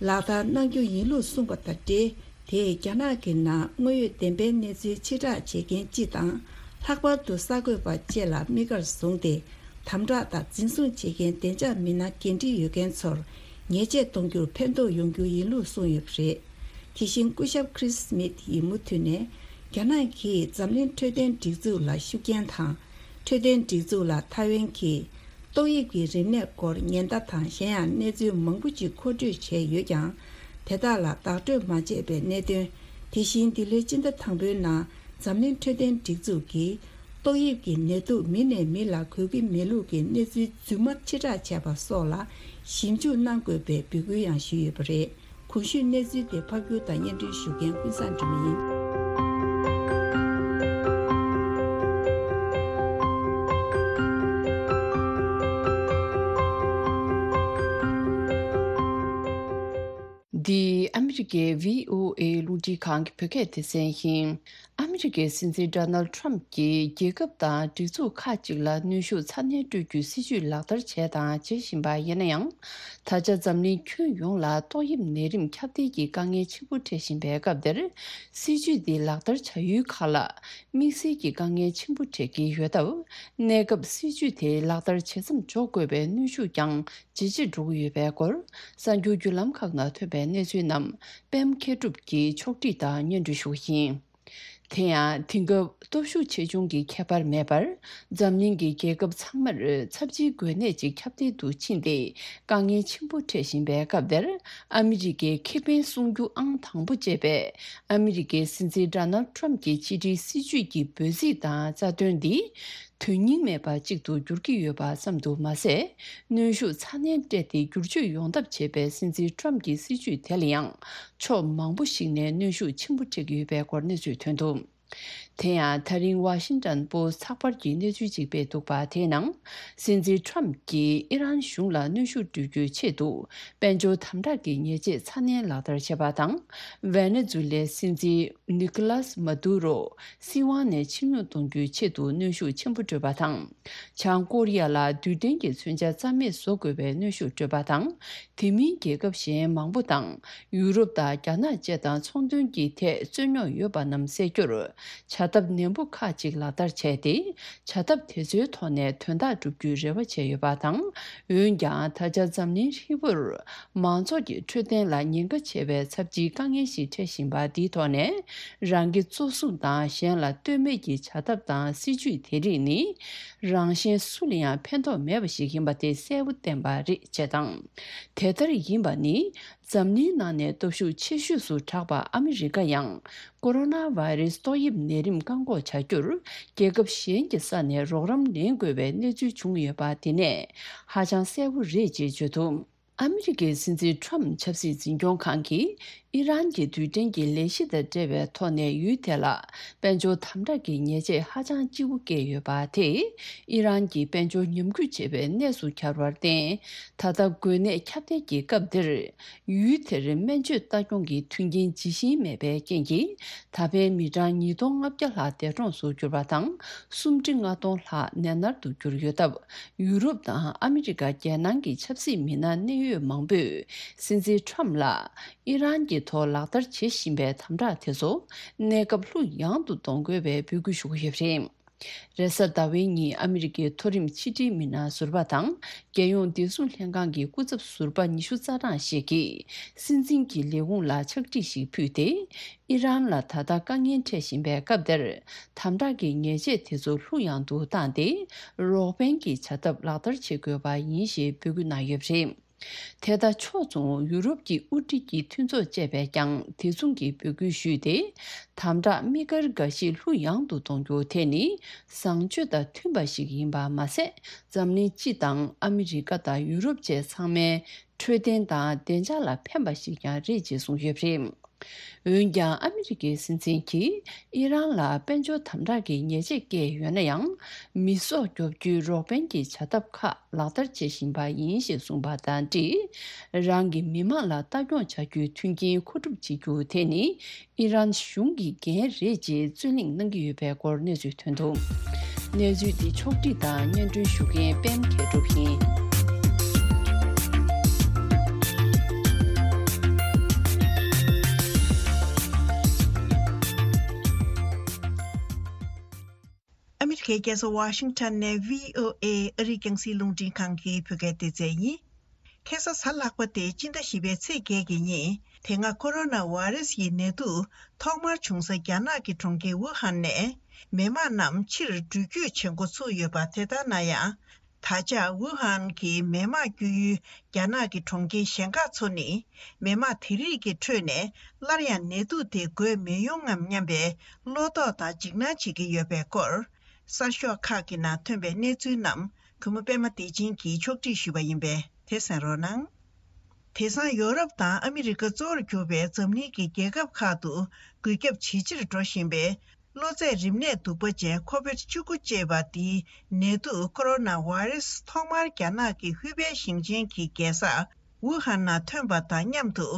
ལག་བསྟར་གནང་རྒྱུ་ཡིན་ལུགས་གསུངས་པ་དང་འབྲེལ། དེས་རྒྱ་ནག་གི་ནང་དངོས་ཡོད་བདེན་པའི་གནས་ཚུལ་ཕྱིར་བསྒྲགས་བྱེད་མཁན་སྤྱི་དང་། ལྷག་པར་དུ་གསར་འགོད་པ་བཅས་ལ་དམིགས་བཀར་བཟུང་སྟེ། དམ་དྲག་དང་འཛིན་བཟུང་བྱེད་མཁན་བདེ་འཇགས་མི་སྣ་འགན་འཁྲི་ཡོད་མཁན་ཚོར་ཉེས་ཆད་གཏོང་རྒྱུར་ཕན་ཐོགས་ཡོང་རྒྱུ་ཡིན་ལུགས་གསུངས་ཡོད་པ་རེད། དེ་བཞིན་སྐུ་ཞབས་ཁྲིས་སི་མིད་ཡིས་མུ་མཐུད་ནས། རྒྱ་ནག་གིས་འཛམ་གླིང་འཕྲོད་བསྟེན་སྒྲིག་འཛུགས་ལ་ཤུགས་རྐྱེན་དང་། འཕྲོད་བསྟེན་སྒྲིག་འཛུགས་ལ་ཐའེ་ཝན་གྱིས་ཏོག་དབྱིབས་ཀྱི་རིམས་ནད་སྐོར་ཉེན་བརྡ་དང་གཞན་ཡང་གནས་ཚུལ་མང་པོ་ཅིག་མཁོ་སྤྲོད་བྱས་ཡོད་ཀྱང་། དེ་དག་ལ་བདག་སྤྲོད་མ་བྱས་པའི་གནད་དོན། དེ་བཞིན་འདི་ལོའི་སྤྱི་ཟླ་དང་པོའི་ནང་འཛམ་གླིང་འཕྲོད་བསྟེན་སྒྲིག་འཛུགས་ཀྱིས་ཏོག་དབྱིབས་ཀྱི་ནད་དུག་མི་ནས་མི་ལ་འགོས་ཀྱི་མེད་ལུགས་ཀྱི་གནས་ཚུལ་རྫུན་མ་ཕྱིར་བསྒྲགས་བྱས་པ་སོགས་ལ་ཞིབ་འཇུག་གནང་དགོས་པའི་འབོད་སྐུལ་ཡང་ཞུས་ཡོད་པ་རེད། གོང་ཞུས་གནས་ཚུལ་དེ་ཕབ་སྒྱུར་དང་སྙན་སྒྲོན་ཞུ་མཁན་ཀུན་བཟང་སྒྲོལ་མ་ཡིན། འདི་ཨ་མི་རི་ཀའི་བྷི་ཨོ་ཨེ་རླུང་འཕྲིན་ཁང་གི་བོད་སྐད་སྡེ་ཚན་ཡིན། ཨ་མི་རི་ཀའི་སྲིད་འཛིན་ཌོ་ནལ་ཊམ་གྱིས་རྒྱལ་ཁབ་དང་སྒྲིག་འཛུགས་ཁག་ཅིག་ལ་གནོན་ཤུགས་ཚ་ནན་སྤྲོད་རྒྱུའི་སྲིད་ཇུས་ལག་བསྟར་བྱས་དང་བྱེད་བཞིན་པ་ཡིན་ན་ཡང་། ད་ཆ་འཛམ་གླིང་ཁྱོན་ཡོངས་ལ་ཏོག་དབྱིབས་ནད་རིམས་ཁྱབ་གདལ་གྱི་དཀའ་ངལ་ཆེན་པོ་འཕྲད་བཞིན་པའི་སྐབས་འདིར། སྲིད་ཇུས་འདི་ལག་བསྟར་བྱ་ཡུལ་ཁག་ལ་དམིགས་བསལ་གྱི་དཀའ་ངལ་ཆེན་པོ་འཕྲད་ཀྱི་ཡོད་སྟབས། གནས་སྐབས་སྲིད་ཇུས་དེ་ལག་བསྟར་ཇེ་མཚམས་འཇོག་དགོས་པའི་གནོན་ཤུགས་ཀྱང་ཇེ་ཆེར་འགྲོ་གི་ཡོད་པའི་སྐོར། གསར་འགྱུར་བརྒྱུད་ལམ་ཁག་ནང་ཐོན་པའི་གནས་ཚུལ་རྣམས་པད་མ་མཁས་གྲུབ་ཀྱིས་ཕྱོགས་སྒྲིག་དང་སྙན་སྒྲོན་ཞུ་གི་ཡིན། དེ་ཡང་དེང་སྐབས་སྟོབས་ཤུགས་ཆེ་ཆུང་གི་ཁྱད་པར་མེད་པར། འཛམ་གླིང་གི་རྒྱལ་ཁབ་ཚང་མར་ཚབས་ཆེའི་འགོས་ནད་ཅིག་ཁྱབ་གདལ་དུ་ཕྱིན་ཏེ། དཀའ་ངལ་ཆེན་པོ་འཕྲད་བཞིན་པའི་སྐབས་འདིར། ཨ་མི་རི་ཀའི་ཁེ་ཕན་སྲུང་རྒྱུ་ཨང་དང་པོ་བཅས་པའི་ཨ་མི་རི་ཀའི་སྲིད་འཛིན་ཌོ་ནལ་ཊམ་གྱི་ཕྱི་འབྲེལ་སྲིད་ཇུས་ཀྱི་འབོད་ཚིག་དང་རྩ་དོན་འདི། དོན་སྙིང་མེད་པ་གཅིག་ཏུ་འགྱུར་གྱི་ཡོད་པ་ཙམ་དུ་མ་ཟད། གནོན་ཤུགས་ཚ་ནན་སྤྲད་དེ་བསྒྱུར་བཅོས་ཡོང་ཐབས་བྱེད་པའི་སྲིད་འཛིན་ཊམ་གྱི་སྲིད་ཇུས་དེ་ལ་ཡང་། ཕྱོགས་མང་པོ་ཞིག་ནས་གནོན་ཤུགས་ཆེན་པོ་འཕྲད་ཀྱི་ཡོད་པའི་སྐོར་གནས་ཚུལ་ཐོན་འདུག་དེ་ཡང་ད་རིང་ཝ་ཤིང་ཊོན་པོ་སི་ཚགས་པར་གྱིས་གནས་ཚུལ་ཅིག་སྤེལ་འདུག་པ། དེའི་ནང་། སྲིད་འཛིན་ཊམ་གྱིས་ཨི་རན་གཞུང་ལ་གནོན་ཤུགས་སྤྲོད་རྒྱུའི་ཆེད་དུ། དཔལ་འབྱོར་དམ་དྲག་གི་ཉེས་ཆད་ཚ་ནན་ལག་བསྟར་བྱས་པ་དང་། ཝེ་ནེ་ཛུ་ལའི་སྲིད་འཛིན་ནི་ཀོ་ལཱས་མ་དུ་རོ། སྲིད་དབང་ནས་ཕྱིར་འོང་གཏོང་རྒྱུའི་ཆེད་དུ་གནོན་ཤུགས་ཆེན་པོ་སྤྲོད་པ་དང་། བྱང་ཀོ་རི་ཡ་ལ་རྡུལ་ཕྲན་གྱི་མཚོན་ཆ་རྩ་མེད་བཟོ་དགོས་པའི་གནོན་ཤུགས་སྤྲོད་པ་དང་། དེ་མིན་རྒྱལ་ཁབ་གཞན་མང་པོ་དང་ཡུ་རོབ་དང་རྒྱ་ནག་བཅས་དང་ཚོང་དོན་གྱི་ཐད་རྩོད་རྙོག་ཡོད་པ་རྣམས་སེལ་རྒྱུར། བྱ་ཐབས་ནན་པོ་ཁག་ཅིག་ལག་བསྟར་བྱས་ཏེ། བྱ་ཐབས་དེ་ཚོའི་ཐོག་ནས་དོན་དག་བསྒྲུབ་རྒྱུའི་རེ་བ་བྱས་ཡོད་པ་དང་། འོན་ཀྱང་ད་ཆ་འཛམ་གླིང་ཧྲིལ་པོར། མང་ཚོགས་ཀྱི་འཕྲོད་བསྟེན་ལ་ཉེན་ཁ་ཆེ་བའི་ཚབས་ཆེའི་དཀའ་ངལ་ཞིག་འཕྲད་བཞིན་པ་འདིའི་ཐོག་ནས། རང་གི་གཙོ་བཟུང་དང་གཞན་ལ་ལྟོས་མེད་ཀྱི་བྱ་ཐབས་དང་སྲིད་ཇུས་དེ་རིགས་ནི། རང་གཞན་སུ་ལ་ཡང་ཕན་ཐོགས་མེད་པ་ཞིག་ཡིན་པ་དེ་གསལ་པོ་བསྟན་པ་རེད་ཅེས་དང་། དེ་ལྟར་ཡིན་པ་ནི། འཛམ་གླིང་ནང་ནས་སྟོབས་ཤུགས་ཆེ་ཤོས་སུ་གྲགས་པ་ཨ་མི་རི་ཀ་ཡང་ཀོ་རོ་ན་བྷའི་རེས་ཏོག་དབྱིབས་ནད་རིམས་བཀག་འགོག་བྱ་རྒྱུར་རྒྱལ་ཁབ་གཞན་གྱི་ས་ནས་རོགས་རམ་ལེན་དགོས་པའི་གནས་ཚུལ་བྱུང་ཡོད་པ་དེ་ནས་ཧ་ཅང་གསལ་པོ་རེད་ཅེས་བརྗོད་འདུག་ཨ་མི་རི་ཀའི་སྲིད་འཛིན་ཁྲོམ་ཆབ་སྲིད་འཛིན་སྐྱོང་ཁང་གིས་ཨི་རན་གྱི་རྡུལ་ཕྲན་གྱི་ལས་གཞི་དང་འབྲེལ་བའི་ཐོག་ནས་ཡུལ་དེ་ལ་དཔལ་འབྱོར་དམ་དྲག་གི་ཉེས་ཆད་ཧ་ཅང་ལྕི་བོ་བཀལ་ཡོད་པ་དེས་ཨི་རན་གྱི་དཔལ་འབྱོར་ཉམས་རྒུད་ཆེ་བའི་གནས་སུ་གྱར་བར་བརྟེན། ད་ལྟ་འགོས་ནད་ཁྱབ་གདལ་གྱི་སྐབས་འདིར། ཡུལ་དེར་སྨན་བཅོས་ལྟ་སྐྱོང་གི་མཐུན་རྐྱེན་ཇི་བཞིན་མེད་པའི་རྐྱེན་གྱིས། ད་ཕན་མི་གྲངས་ཉིས་སྟོང་ལྔ་བརྒྱ་ལྷག་འདས་གྲོངས་སུ་གྱུར་པ་དང་། སུམ་ཁྲི་ལྔ་སྟོང་ལྷག་ནད་མནར་དུ་གྱུར་ཡོད་སྟབས། ཡུ་རོབ་དང་ཨ་མི་རི་ཀ་རྒྱལ་ནང་གི་ཆབ་སྲིད་མི་སྣ་གནད་ཡོད་མང་པོས་སྲིད་འཛིན་ཁྲོམ་ལ་ཨི་རན་གྱི་ཐོག་ལག་བསྟར་བྱེད་བཞིན་པའི་དམ་དྲག་དེ་ཚོ་གནས་སྐབས་ལྷུག་ཡངས་དུ་གཏོང་དགོས་པའི་འབོད་སྐུལ་ཞུ་གི་ཡོད་པ་རེད། རེས་གཟའ་ཟླ་བའི་ཉིན་ཨ་མི་རི་ཀའི་མཐོ་རིམ་ཕྱི་དྲིལ་མི་སྣ་ཟུར་པ་དང་རྒྱལ་ཡོངས་བདེ་སྲུང་ལྷན་ཁང་གི་སྐུ་ཚབ་ཟུར་པ་ཉི་ཤུ་རྩ་གྲངས་ཤིག་གིས་སྲིད་འཛིན་གྱི་ལས་ཁུངས་ལ་ཕྱག་བྲིས་ཤིག་ཕུལ་ཏེ། ཨི་རན་ལ་ད་ལྟ་དཀའ་ངལ་འཕྲད་བཞིན་པའི་སྐབས་འདིར་དམ་དྲག་གི་ཉེས་ཆད་དེ་ཚོ་ལྷུག་ཡངས་དུ་བཏང་སྟེ། རོགས་ཕན་གྱི་བྱ་ཐབས་ལག་བསྟར་བྱེད་དགོས་པ་ཡིན་ཞེས་འབོད་སྐུལ་གནང་ཡོད་པ་རེད། དེ་དང་ཕྱོགས་མཚུངས་ཡུ་རོབ་ཀྱི་དབུ་ཁྲིད་ཀྱི་མཐུན་ཚོགས་བཅས་པས་ཀྱང་དེ་མཚུངས་ཀྱི་འབོད་སྐུལ་ཞུས་ཏེ། དམ་དྲག་དམིགས་བཀར་འགའ་ཞིག་ལྷུག་ཡངས་དུ་གཏོང་རྒྱུ་དེ་ནི་བཟང་སྤྱོད་དང་མཐུན་པ་ཞིག་ཡིན་པ་མ་ཟད། འཛམ་གླིང་སྤྱི་དང་ཨ་མི་རི་ཀ་དང་ཡུ་རོབ་བཅས་ཚང་མའི་འཕྲོད་བསྟེན་དང་བདེ་འཇགས་ལ་ཕན་པ་ཞིག་ཀྱང་རེད་ཅེས་གསུངས་ཡོད་པ་རེད། འོན་ཀྱང་ཨ་མི་རི་ཀའི་སྲིད་འཛིན་གྱིས་ཨི་རན་ལ་དཔལ་འབྱོར་དམ་དྲག་གི་ཉེས་ཆད་བཀལ་ཡོད་ན་ཡང་། མི་སྲོག་སྐྱོབ་རྒྱུའི་རོགས་ཕན་གྱི་བྱ་ཐབས་ཁག་ལག་བསྟར་བྱེད་བཞིན་པ་ཡིན་ཞེས་གསུངས་པ་དང་འབྲེལ། རང་གི་མི་དམངས་ལ་ལྟ་སྐྱོང་བྱ་རྒྱུའི་མཐུན་རྐྱེན་མཁོ་སྒྲུབ་བྱེད་རྒྱུ་དེ་ནི་ཨི་རན་གཞུང་གི་འགན་རེད་ཅེས་རྩོད་གླེང་གནང་གི་ཡོད་པའི་སྐོར་གནས་ཚུལ་ཐོན་འདུག་གནས་ཚུལ་འདི་ཕྱོགས་བསྒྲིགས་དང་སྙན་སྒྲོན་ཞུ་མཁན་པད་མ་མཁས་གྲུབ་ཡིན། ཨ་མི་རི་ཀའི་རྒྱལ་ས་ཝ་ཤིང་ཊོན་ནས་བྷི་ཨོ་ཨེ་ཨ་རིའི་རྒྱང་སྲིང་རླུང་འཕྲིན་ཁང་གི་བོད་སྐད་སྡེ་ཚན་ཡིན། ཁ་སང་གཟའ་ལྷག་པ་སྟེ་སྤྱི་ཟླ་བཞི་པའི་ཚེས་བརྒྱད་ཀྱི་ཉིན་དེ་སྔ་ཀོ་རོ་ན་བྷ་རེ་སི་ཡི་ནད་དུག་ཐོག་མར་བྱུང་ས་རྒྱ་ནག་གི་གྲོང་ཁྱེར་ཝུ་ཧན་ནས་མི་དམངས་རྣམས་ཕྱིར་འགྲུལ་སྐྱོད་བྱེད་འགོ་ཚུགས་ཡོད་པ། དེ་ལྟར་ན་ཡང་། ད་ཆ་ཝུ་ཧན་གྱི་མི་དམངས་སྐྱོད་ཡུལ་རྒྱ་ནག་གི་གྲོང་ཁྱེར་གཞན་ཁག་ཚོ་ནི་མི་དམངས་དེ་རིགས་ཀྱི་ཁྲོད་ནས་སླར་ཡང་ནད་དུག་དེ་འགོས་མི་ཡོང་ངམ་སྙམ་པའི་བློ་དོགས་དང་འཇིགས་སྣང་བྱེད་ཀྱི་ཡོད་པའི་སྐོར། གསར་ཤོག་ཁག་གི་ནང་ཐོན་པའི་གནས་ཚུལ་རྣམས་གུས་མོ་པད་མ་བདེ་ཆེན་གྱིས་ཕྱོགས་སྒྲིག་ཞུས་པ་ཡིན་པས་དེ་གསན་རོགས་གནང་། དེང་སང་ཡོ་རོབ་དང་ཨ་མི་རི་ཀ་གཙོ་བོར་གྱུར་པའི་འཛམ་གླིང་གི་རྒྱལ་ཁབ་ཁག་ཏུ་འགོས་ཁྱབ་ཇེ་ཆེར་འགྲོ་བཞིན་པའི་གློ་ཚད་རིམས་ནད་གདུག་པ་ཅན་ཁོ་བིད་བཅུ་དགུ་ཅེས་པ་འདིའི་ནད་དུག་ཀོ་རོ་ན་བྷ་རེ་སི་ཐོག་མར་རྒྱ་ནག་གི་ཧུའུ་པེ་ཞིང་ཆེན་གྱི་རྒྱལ་ས་ཝུ་ཧན་ནང་ཐོན་པ་དང་མཉམ་དུ།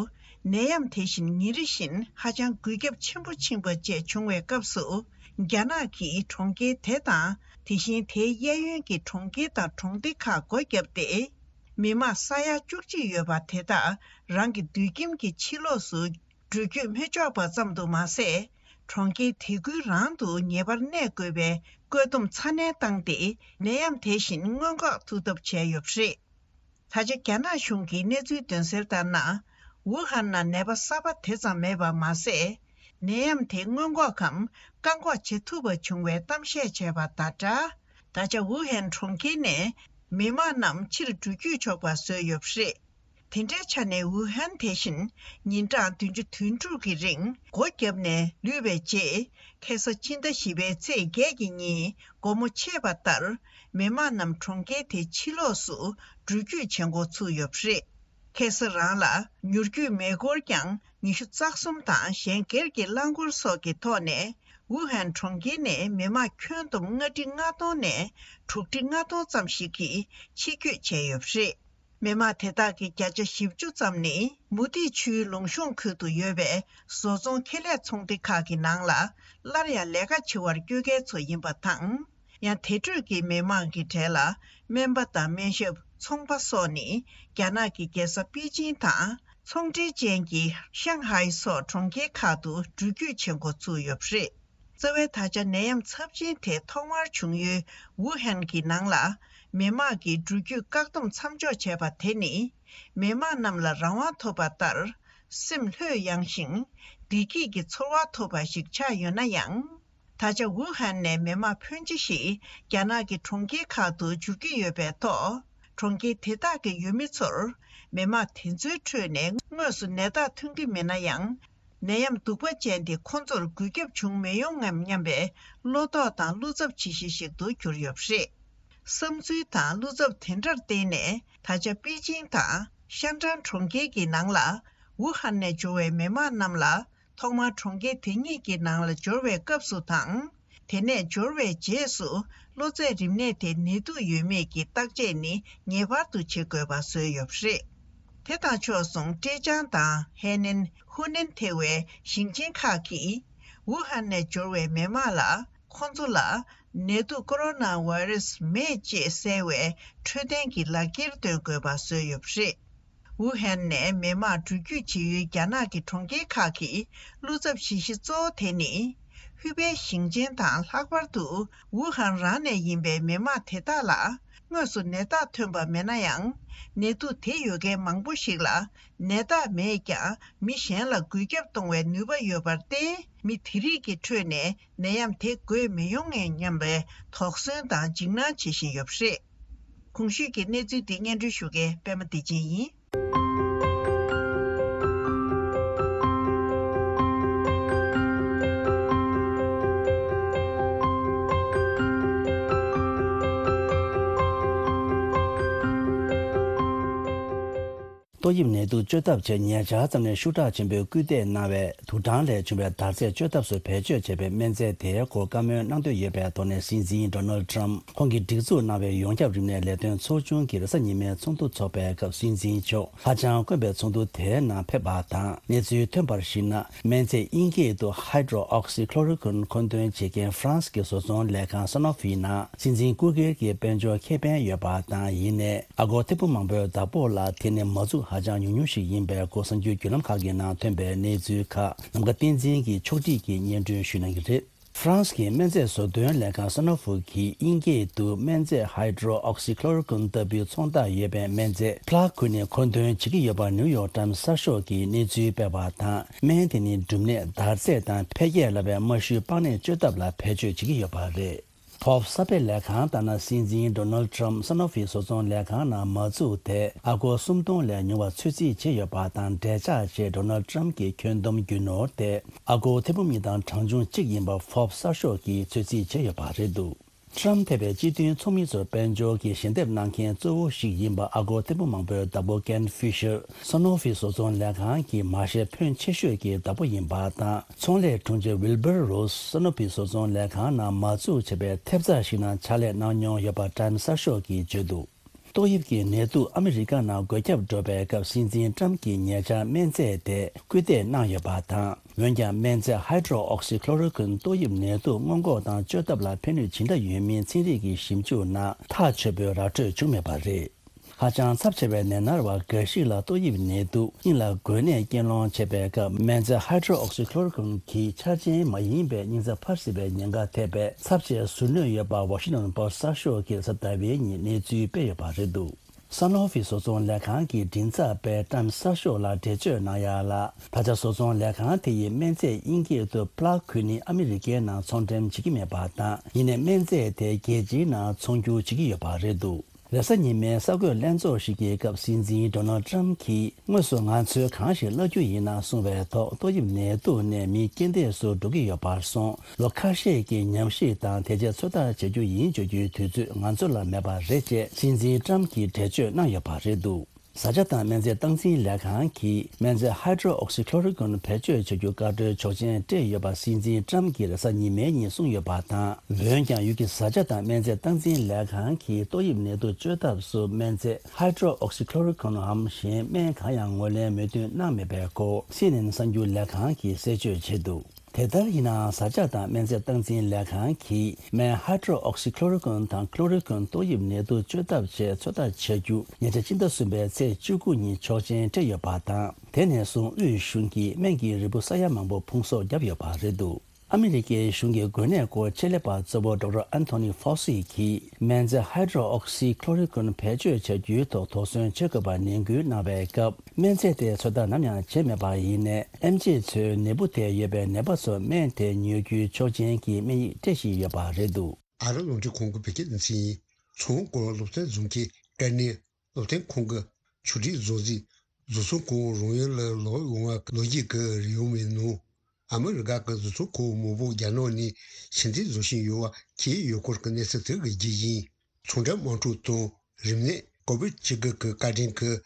ནད་ཡམས་དེ་བཞིན་ཉིན་རེ་བཞིན་ཧ་ཅང་འགོས་ཁྱབ་ཆེན་པོ་ཕྱིན་པ་བཅས་བྱུང་བའི་སྐབས་སུ། རྒྱ་ནག་གིས་གྲོང་ཁྱེར་དེ་དང་དེ་བཞིན་དེའི་གཡས་གཡོན་གྱི་གྲོང་ཁྱེར་དང་གྲོང་སྡེ་ཁག་སྒོ་བརྒྱབ་སྟེ། མི་དམངས་ས་ཡ་བཅུ་གཅིག་ཡོད་པ་དེ་དག་རང་གི་སྡོད་ཁྱིམ་གྱི་ཕྱི་ལོགས་སུ་འགྲུལ་སྐྱོད་མི་ཆོག་པ་ཙམ་དུ་མ་ཟད། གྲོང་ཁྱེར་དེ་ཁུལ་རང་དུ་ངེས་པར་གནས་དགོས་པའི་བཀོད་འདོམས་ཚ་ནན་བཏང་སྟེ། ནད་ཡམས་དེ་བཞིན་སྔོན་འགོག་ཐུབ་ཐབས་བྱས་ཡོད་པ་རེད། ད་ཆ་རྒྱ་ནག་གཞུང་གི་གནས་ཚུལ་འདོན་གསལ་ལྟར་ན། ཝུ་ཧན་ནང་ནད་པ་གསར་པ་དེ་ཙམ་མེད་པ་མ་ཟད། ནད་ཡམས་དེ་སྔོན་འགོག་གམ་བཀག་འགོག་བྱེད་ཐུབ་པ་བྱུང་བའི་གཏམ་བཤད་བྱས་པ་དང་སྦྲགས། ད་ཆ་ཝུ་ཧན་གྲོང་ཁྱེར་ནས་མི་མང་རྣམས་ཕྱིར་འགྲོ་སྐྱོད་ཆོག་པ་བཟོས་ཡོད་པ་རེད། དེ་འདྲའི་ཆ་ནས་ཝུ་ཧན་དེ་བཞིན་ཉིན་གྲངས་བདུན་ཅུ་དོན་དྲུག་གི་རིང་སྒོ་བརྒྱབ་ནས་ལུས་པའི་རྗེས། ཁ་སང་སྤྱི་ཟླ་བཞི་པའི་ཚེས་བརྒྱད་ཀྱི་ཉིན་དགོང་མོ་ཆད་པ་ལྟར། མི་མང་རྣམས་གྲོང་ཁྱེར་དེའི་ཕྱི་ལོགས་སུ་འགྲུལ་སྐྱོད་བྱེད་འགོ་ཚུགས་ཡོད་པ་རེད། ཁ་སང་རང་ལ་མྱུར་སྐྱོད་མེ་འཁོར་ཀྱང་ཉི་ཤུ་རྩ་གསུམ་དང་གཞན་སྒེར་གྱི་རླངས་འཁོར་སོགས་ཀྱི་ཐོག་ནས་ཝུ་ཧན་གྲོང་ཁྱེར་ནས་མི་མང་ཁྱོན་བསྡོམས་ལྔ་ཁྲི་ལྔ་སྟོང་ནས་དྲུག་ཁྲི་ལྔ་སྟོང་ཙམ་ཞིག་གིས་ཕྱིར་སྐྱོད་བྱས་ཡོད་པ་རེད། མི་མང་དེ་དག་གི་བརྒྱ་ཆ་བཞི་བཅུ་ཙམ་ནི་མུ་ཏིག་ཆུའི་ལུང་གཤོང་ཁུལ་དུ་ཡོད་པའི་བཟོ་ཚོང་ཁེ་ལས་ཚོང་སྡེ་ཁག་གི་ནང་ལ་སླར་ཡང་ལས་ཀ་བྱེད་པར་སྐྱོད་མཁན་ཚོ་ཡིན་པ་དང་། ཡང་དེ་འཕྲོས་ཀྱི་མི་མང་གི་གྲས་ལ་སྨན་པ་དང་སྨན་ཞབས། ཚོང་པ་སོགས་ནི་རྒྱ་ནག་གི་རྒྱལ་ས་པེ་ཅིང་དང་ཚོང་འབྲེལ་ཅན་གྱི་ཤང་ཧའེ་སོགས་གྲོང་ཁྱེར་ཁག་ཏུ་འགྲུལ་སྐྱོད་བྱེད་འགོ་ཚུགས་ཡོད་པ་རེད། རྩ་བའི་ད་ཆ་ནད་ཡམས་ཚབས་ཆེན་དེ་ཐོག་མར་བྱུང་ཡུལ་ཝུ་ཧན་གྱི་ནང་ལ་མི་དམངས་ཀྱིས་འགྲུལ་སྐྱོད་བཀག་སྡོམ་མཚམས་འཇོག་བྱས་པ་དེ་ནི་མི་དམངས་རྣམས་ལ་རང་དབང་ཐོབ་པ་ལྟར་སེམས་ལྷོད་ཡངས་ཤིང་བདེ་སྐྱིད་ཀྱི་ཚོར་བ་ཐོབ་པ་ཞིག་ཆགས་ཡོད་ན་ཡང་། ད་ཆ་ཝུ་ཧན་ནས་མི་དམངས་ཕོན་ཆེ་ཞིག་རྒྱ་ནག་གི་གྲོང་ཁྱེར་ཁག་ཏུ་འབྱོར་གྱི་ཡོད་པའི་ཐོག་གྲོང་ཁྱེར་དེ་དག་གི་ཡུལ་མི་ཚོར་མི་མང་དེ་ཚོའི་ཁྲོད་ནས་དངོས་སུ་ནད་རྟགས་ཐོན་གྱི་མེད་ན་ཡང་། ནད་ཡམས་གདུག་པ་ཅན་དེ་ཁོ་ཚོར་འགོས་ཁྱབ་བྱུང་མི་ཡོང་ངམ་སྙམ་པའི་བློ་དོགས་དང་བློ་འཚབ་ཆེ་ཤོས་ཤིག་ཏུ་གྱུར་ཡོད་པ་རེད། བསམ་ཚུལ་དང་བློ་འཚབ་དེ་འདྲར་བརྟེན་ནས། ད་ཆ་པེ་ཅིང་དང་ཤན་ཀྲང་གྲོང་ཁྱེར་གྱི་ནང་ལ་ཝུ་ཧན་ནས་འབྱོར་བའི་མི་མང་རྣམས་ལ་ཐོག་མར་གྲོང་ཁྱེར་དེ་ཉིད་ཀྱི་ནང་ལ་འབྱོར་བའི་སྐབས་སུ་དང་། དེ་ནས་འབྱོར་བའི་རྗེས་སུ་གློ་ཚད་རིམས་ནད་དེ་ནད་དུག་ཡོད་མེད་ཀྱི་བརྟག་དཔྱད་ནི་ངེས་པར་དུ་བྱེད་དགོས་པ་བཟོས་ཡོད་པ་རེད། དེ་དང་ཕྱོགས་མཚུངས་ཀྲེ་ཅང་དང་ཧེ་ནན། ཧུའུ་ནན་ཐེ་བའི་ཞིང་ཆེན་ཁག་གིས་ཝུ་ཧན་ནས་འབྱོར་བའི་མི་མང་ལ་ཁོང་ཚོ་ལ་ནད་དུག་ཀོ་རོ་ན་བྷ་རེ་སི་མེད་ཅེས་གསལ་བའི་འཕྲོད་བསྟེན་གྱི་ལག་འཁྱེར་སྟོན་དགོས་པ་བཟོས་ཡོད་པ་རེད། ཝུ་ཧན་ནས་མི་མང་འགྲུལ་སྐྱོད་བྱེད་ཡུལ་རྒྱ་ནག་གི་གྲོང་ཁྱེར་ཁག་གི་བློ་འཚབ་བྱེད་གཞི་གཙོ་བོ་དེ་ནི། ཧུའུ་པེ་ཞིང་ཆེན་དང་ལྷག་པར་དུ་ཝུ་ཧན་རང་ནས་ཡིན་པའི་མི་མང་དེ་དག་ལ་དངོས་སུ་ནད་རྟགས་ཐོན་པ་མེད་ན་ཡང་། ནད་དུག་དེ་ཡོད་མཁན་མང་པོ་ཞིག་ལ་ནད་རྟགས་མེད་ཀྱང་མི་གཞན་ལ་འགོས་ཁྱབ་གཏོང་བའི་ནུས་པ་ཡོད་པར་བརྟེན། མི་དེ་རིགས་ཀྱི་ཁྲོད་ནས་ནད་ཡམས་དེ་འགོས་མི་ཡོང་ངམ་སྙམ་པའི་དོགས་ཟོན་དང་འཇིགས་སྣང་བྱེད་བཞིན་ཡོད་པ་རེད། གོང་ཞུས་ཀྱི་གནས་ཚུལ་འདི་སྙན་སྒྲོན་ཞུ་མཁན་པད་མ་བདེ་ཆེན་ཡིན། ཏོག་དབྱིབས་ནད་དུག་བཅོས་ཐབས་ཆེད་ཉེ་ཆར་ཙམ་ནས་ཤུགས་དྲག་ཆེན་པོས་སྐུལ་འདེད་གནང་བའི་དུག་སྦྲང་ལས་བྱུང་བའི་འདར་རྫས་བཅོས་ཐབས་སུ་བེད་སྤྱོད་བྱས་པའི་སྨན་རྫས་དེའི་སྐོར་བཀའ་མོལ་གནང་འདོད་ཡོད་པའི་ཐོག་ནས་སྲིད་འཛིན་ཌོ་ནལ་ཊམ་ཁོང་གིས་སྒྲིག་འཛུགས་གནང་བའི་ཡོངས་ཁྱབ་རིམས་ནད་ལས་དོན་ཚོགས་ཆུང་གི་རེས་གཟའ་ཉི་མའི་ཚོགས་འདུ་འཚོགས་པའི་སྐབས་སྲིད་འཛིན་མཆོག་ཧ་ཅང་དཀོན་པའི་ཚོགས་འདུ་དེའི་ནང་ཕེབས་པ་དང་། གནས་ཚུལ་ཐོན་པར་གཞིགས་ན། སྨན་རྫས་དབྱིན་སྐད་དུ་Hydroxychloroquine་མཁོ་འདོན་བྱེད་མཁན་ཧྥ་རན་སི་གི་བཟོ་ཚོང་ལས་ཁང་Sanofi་ནང་སྲིད་འཛིན་སྐུ་སྒེར་གྱི་དཔལ་འབྱོར་ཁེ་ཕན་ཡོད་པ་དང་། ཡིན་ནའི་ཨ་སྒོར་ཐེར་འབུམ་མང་པོའི་བདག་པོ་ལ་དེ་ནི་མ་འཛུགས་ཧ་ཅང་ཉུང་ཉུང་ཞིག་ཡིན་པའི་སྐོར་གསར་འགྱུར་བརྒྱུད་ལམ་ཁག་གི་ནང་ཐོན་པའི་གནས་ཚུལ་ཁག་ནམ་མཁའ་བསྟན་འཛིན་གྱིས་ཕྱོགས་སྒྲིག་གིས་སྙན་སྒྲོན་ཞུ་གནང་གི་རེད། ཧྥ་རན་སི་གི་སྨན་རྫས་བཟོ་འདོན་ལས་ཁང་Sanofi་གིས་དབྱིན་སྐད་དུ་སྨན་རྫས་Hydroxychloroquine་ལྟ་བུའི་ཚོང་རྟགས་ཡོད་པའི་སྨན་རྫས་Plaquenil་མཁོ་འདོན་བྱེད་ཀྱི་ཡོད་པ་New York Times་གསར་ཤོག་གིས་གནས་ཚུལ་སྤེལ་བ་དང་། སྨན་དེ་ནི་འབྲུམ་ནད། འདར་རྫས་དང་འཕེལ་རྒྱས་སླ་བའི་རྨ་ཤུལ་པགས་ནད་བཅོས་ཐབས་ལ་བེད་སྤྱོད་བྱེད་ཀྱི་ཡོད་པ་རེད། Forbes་གསར་སྤེལ་ལས་ཁང་ལྟར་ན། སྲིད་འཛིན་Donald Trump་Sanofi་བཟོ་ཚོང་ལས་ཁང་ནང་མ་བཙུགས་དེ་ཨ་སྒོར་སུམ་སྟོང་ལས་ཉུང་བ་ཚོད་རྩིས་བྱས་ཡོད་པ་དང་། འབྲེལ་ཆགས་ཆེད་Donald Trump་གྱི་ཁྱོན་བསྡོམས་རྒྱུ་ནོར་དེ་ཨ་སྒོར་ཐེར་འབུམ་གཉིས་དང་གྲངས་ཆུང་གཅིག་ཡིན་པ་Forbes་གསར་ཤོག་གིས་ཚོད་རྩིས་བྱས་ཡོད་པ་རེད་འདུག Trump་ཐེ་བའི་སྤྱི་མཐུན་ཚོགས་མི་ཚོར་དཔལ་འབྱོར་གྱི་ཞལ་འདེབས་གནང་མཁན་གཙོ་བོ་ཞིག་ཡིན་པ་ཨ་སྒོར་ཐེར་འབུམ་མང་པོའི་བདག་པོ་Ken Fisher་Sanofi་བཟོ་ཚོང་ལས་ཁང་གི་མ་ཤེས་ཕོན་ཆེ་ཤོས་ཀྱི་བདག་པོ་ཡིན་པ་དང་། ཚོང་ལས་དྲུང་ཆེ་Wilbur Ross་Sanofi་བཟོ་ཚོང་ལས་ཁང་ནང་མ་བཙུགས་བྱས་པའི་ཐེབས་རྩ་ཞིག་ནང་ཕྱག་ལས་གནང་མྱོང་ཡོད་པ་Time་གསར་ཤོག་གིས་བརྗོད་འདུག་ཏོག་དབྱིབས་ཀྱི་ནད་དུག་ཨ་མི་རི་ཀ་ནང་འགོས་ཁྱབ་འགྲོ་བའི་སྐབས་སྲིད་འཛིན་Trump་གྱིས་ཉེ་ཆར་སྨན་རྫས་དེ་སྐུལ་འདེད་གནང་ཡོད་པ་དང་། འོན་ཀྱང་སྨན་རྫས་Hydroxychloroquine་ཏོག་དབྱིབས་ནད་དུག་སྔོན་འགོག་དང་བཅོས་ཐབས་ལ་ཕན་ནུས་ཇི་འདྲ་ཡོད་མིན་ཚན་རིག་གི་ཞིབ་འཇུག་ནང་ཐག་ཆོད་པོའི་ར་སྤྲོད་བྱུང་མེད་པ་རེད། ཧ་ཅང་ཚབས་ཆེ་བའི་ནད་མནར་བ་འགའ་ཞིག་ལ་ཏོག་དབྱིབས་ནད་དུག་སྙིང་ལ་འགོས་ནད་རྐྱེན་སློང་བྱེད་པའི་སྐབས་སྨན་རྫས་Hydroxychloroquine་གྱི་འཆར་ཅན་མ་ཡིན་པའི་སྙིང་རྩ་འཕར་སྲིད་པའི་ཉེན་ཁ་ཐེབས་པའི་ཚབས་ཆེའི་ཟུར་གནོད་ཡོད་པ་Washington Post་གསར་ཤོག་གིས་གཟའ་ཟླ་བའི་ཉིན་གནས་ཚུལ་སྤེལ་ཡོད་པ་རེད་འདུག Sanofi་བཟོ་ཚོང་ལས་ཁང་གི་མགྲིན་ཚབ་པས་Time་གསར་ཤོག་ལ་འགྲེལ་བརྗོད་གནང་ཡ་ལ། ད་ཆ་བཟོ་ཚོང་ལས་ཁང་དེ་ཡིས་སྨན་རྫས་དབྱིན་སྐད་དུ་Plaquenil་ཨ་མི་རི་ཀའི་ནང་ཚོང་འགྲེམས་བྱེད་ཀྱི་མེད་པ་དང་། ཡིན་ནའི་སྨན་རྫས་དེ་རྒྱལ་སྤྱིའི་ནང་ཚོང་སྒྱུར་བྱེད་ཀྱི་ཡོད་པ་རེད་འདུག་རེས་གཟའ་ཉི་མའི་གསར་འགོད་ལྷན་ཚོགས་ཤིག་གི་སྐབས་སྲིད་འཛིན་Donald Trump་གྱིས་དངོས་སུ་ང་ཚོས་གང་ཞིག་གླ་རྒྱུ་ཡིན་ན་གསུངས་པའི་ཐོག་ཏོག་དབྱིབས་ནད་དུག་ནས་མི་རྐྱེན་འདས་སུ་འགྲོ་གི་ཡོད་པར་སོང་། ལོ་ཁ་ཤས་ཀྱི་ཉམས་ཞིབ་དང་དེ་རྗེས་ཚོད་ལྟ་བྱེད་རྒྱུ་ཡིན་བརྗོད་རྒྱུའི་དུས་ཚོད་ང་ཚོ་ལ་མེད་པ་རེད་ཅེས་སྲིད་འཛིན་Trump་གྱིས་འགྲེལ་བརྗོད་གནང་ཡོད་པ་རེད་འདུག་བཟའ་བཅའ་དང་སྨན་རྫས་སྟངས་འཛིན་ལས་ཁང་གིས་སྨན་རྫས་Hydroxychloroquine་བེད་སྤྱོད་བྱ་རྒྱུ་བཀའ་འཁྲོལ་ཆོག་མཆན་སྤྲད་ཡོད་པ་སྲིད་འཛིན་Trump་གྱིས་རེས་གཟའ་ཉི་མའི་ཉིན་གསུངས་ཡོད་པ་དང་། འོན་ཀྱང་ཡུལ་གྱི་བཟའ་བཅའ་དང་སྨན་རྫས་སྟངས་འཛིན་ལས་ཁང་གིས་ཏོག་དབྱིབས་ནད་དུག་བཅོས་ཐབས་སུ་སྨན་རྫས་Hydroxychloroquine་འམ་གཞན་སྨན་གང་ཡང་ངོས་ལེན་མོས་མཐུན་གནང་མེད་པའི་སྐོར་CNN་གསར་འགྱུར་ལས་ཁང་གིས་གསལ་བརྗོད་བྱས་འདུག་དེ་ལྟར་ཡིན་ནའང་བཟའ་བཅའ་དང་སྨན་རྫས་སྟངས་འཛིན་ལས་ཁང་གིས་སྨན་Hydroxychloroquine་དང་Chloroquine་ཏོག་དབྱིབས་ནད་དུག་བཅོས་ཐབས་ཆེད་ཚོད་ལྟ་བྱ་རྒྱུ་ཉེ་ཆར་སྤྱི་ཟླ་གསུམ་པའི་ཚེས་བཅུ་དགུ་ཉིན་ཆོག་མཆན་སྤྲད་ཡོད་པ་དང་། དེ་ནས་བཟུང་དབུས་གཞུང་གིས་སྨན་གྱི་རིལ་བུ་ས་ཡ་མང་པོ་ཕུང་གསོག་བརྒྱབ་ཡོད་པ་རེད་འདུག་ཨ་མི་རི་ཀའི་གཞུང་གི་འགོས་ནད་སྐོར་ཆེད་ལས་པ་གཙོ་བོ་Doctor Anthony Fauci་གིས་སྨན་རྫས་Hydroxychloroquine་བེད་སྤྱོད་བྱ་རྒྱུའི་ཐོག་དོགས་ཟོན་བྱེད་དགོས་པར་ནན་སྐུལ་གནང་བའི་སྐབས། སྨན་རྫས་དེ་ཚོད་ལྟ་ནམ་ཡང་བྱས་མེད་པ་ཡིན་ནའི། ཨེམ་ཆི་ཚོས་ནད་འབུ་དེ་ཡོད་པའི་ནད་པ་ཚོར་སྨན་དེ་ཉོ་རྒྱུའི་ཆོག་མཆན་གྱི་སྨན་ཡིག་སྤྲད་བཞིན་ཡོད་པ་རེད་འདུག་ཨ་རི་རླུང་འཕྲིན་ཁང་གི་བོད་སྐད་སྡེ་ཚན་ཡིན། མཚོ་སྔོན་སྐོར་སློབ་ཚན་འཛོམས་ཀྱི་དཀའ་གནད། སློབ་སྟོན་ཁང་གི་ཆོས་སྒྲིག་བཟོ་རྩིས་བཟོ་ཚོང་ཁང་རང་ཡུལ་ལ་ལོག་ཡོང་བ་ལོ་རྒྱུས་ཀྱི་རིགས་ཡོད་མེད་ནང་། ཨ་མི་རི་ཀ་གི་བཟོ་ཚོང་ཁང་མང་པོ་རྒྱ་ནག་ནས་ཕྱིར་འཐེན་བཟོ་བཞིན་ཡོད་པ་འཁྱེར་ཡོད་སྐོར་གྱི་གནས་ཚུལ་དེ་གི་རྒྱུ་ཡིན། ཚོང་འབྲེལ་དམག་འཁྲུག་དང་རིམས་ནད་ཀོ་བིད་བཅུ་དགུ་གི་བཀའ་དྲིན་གྱིས་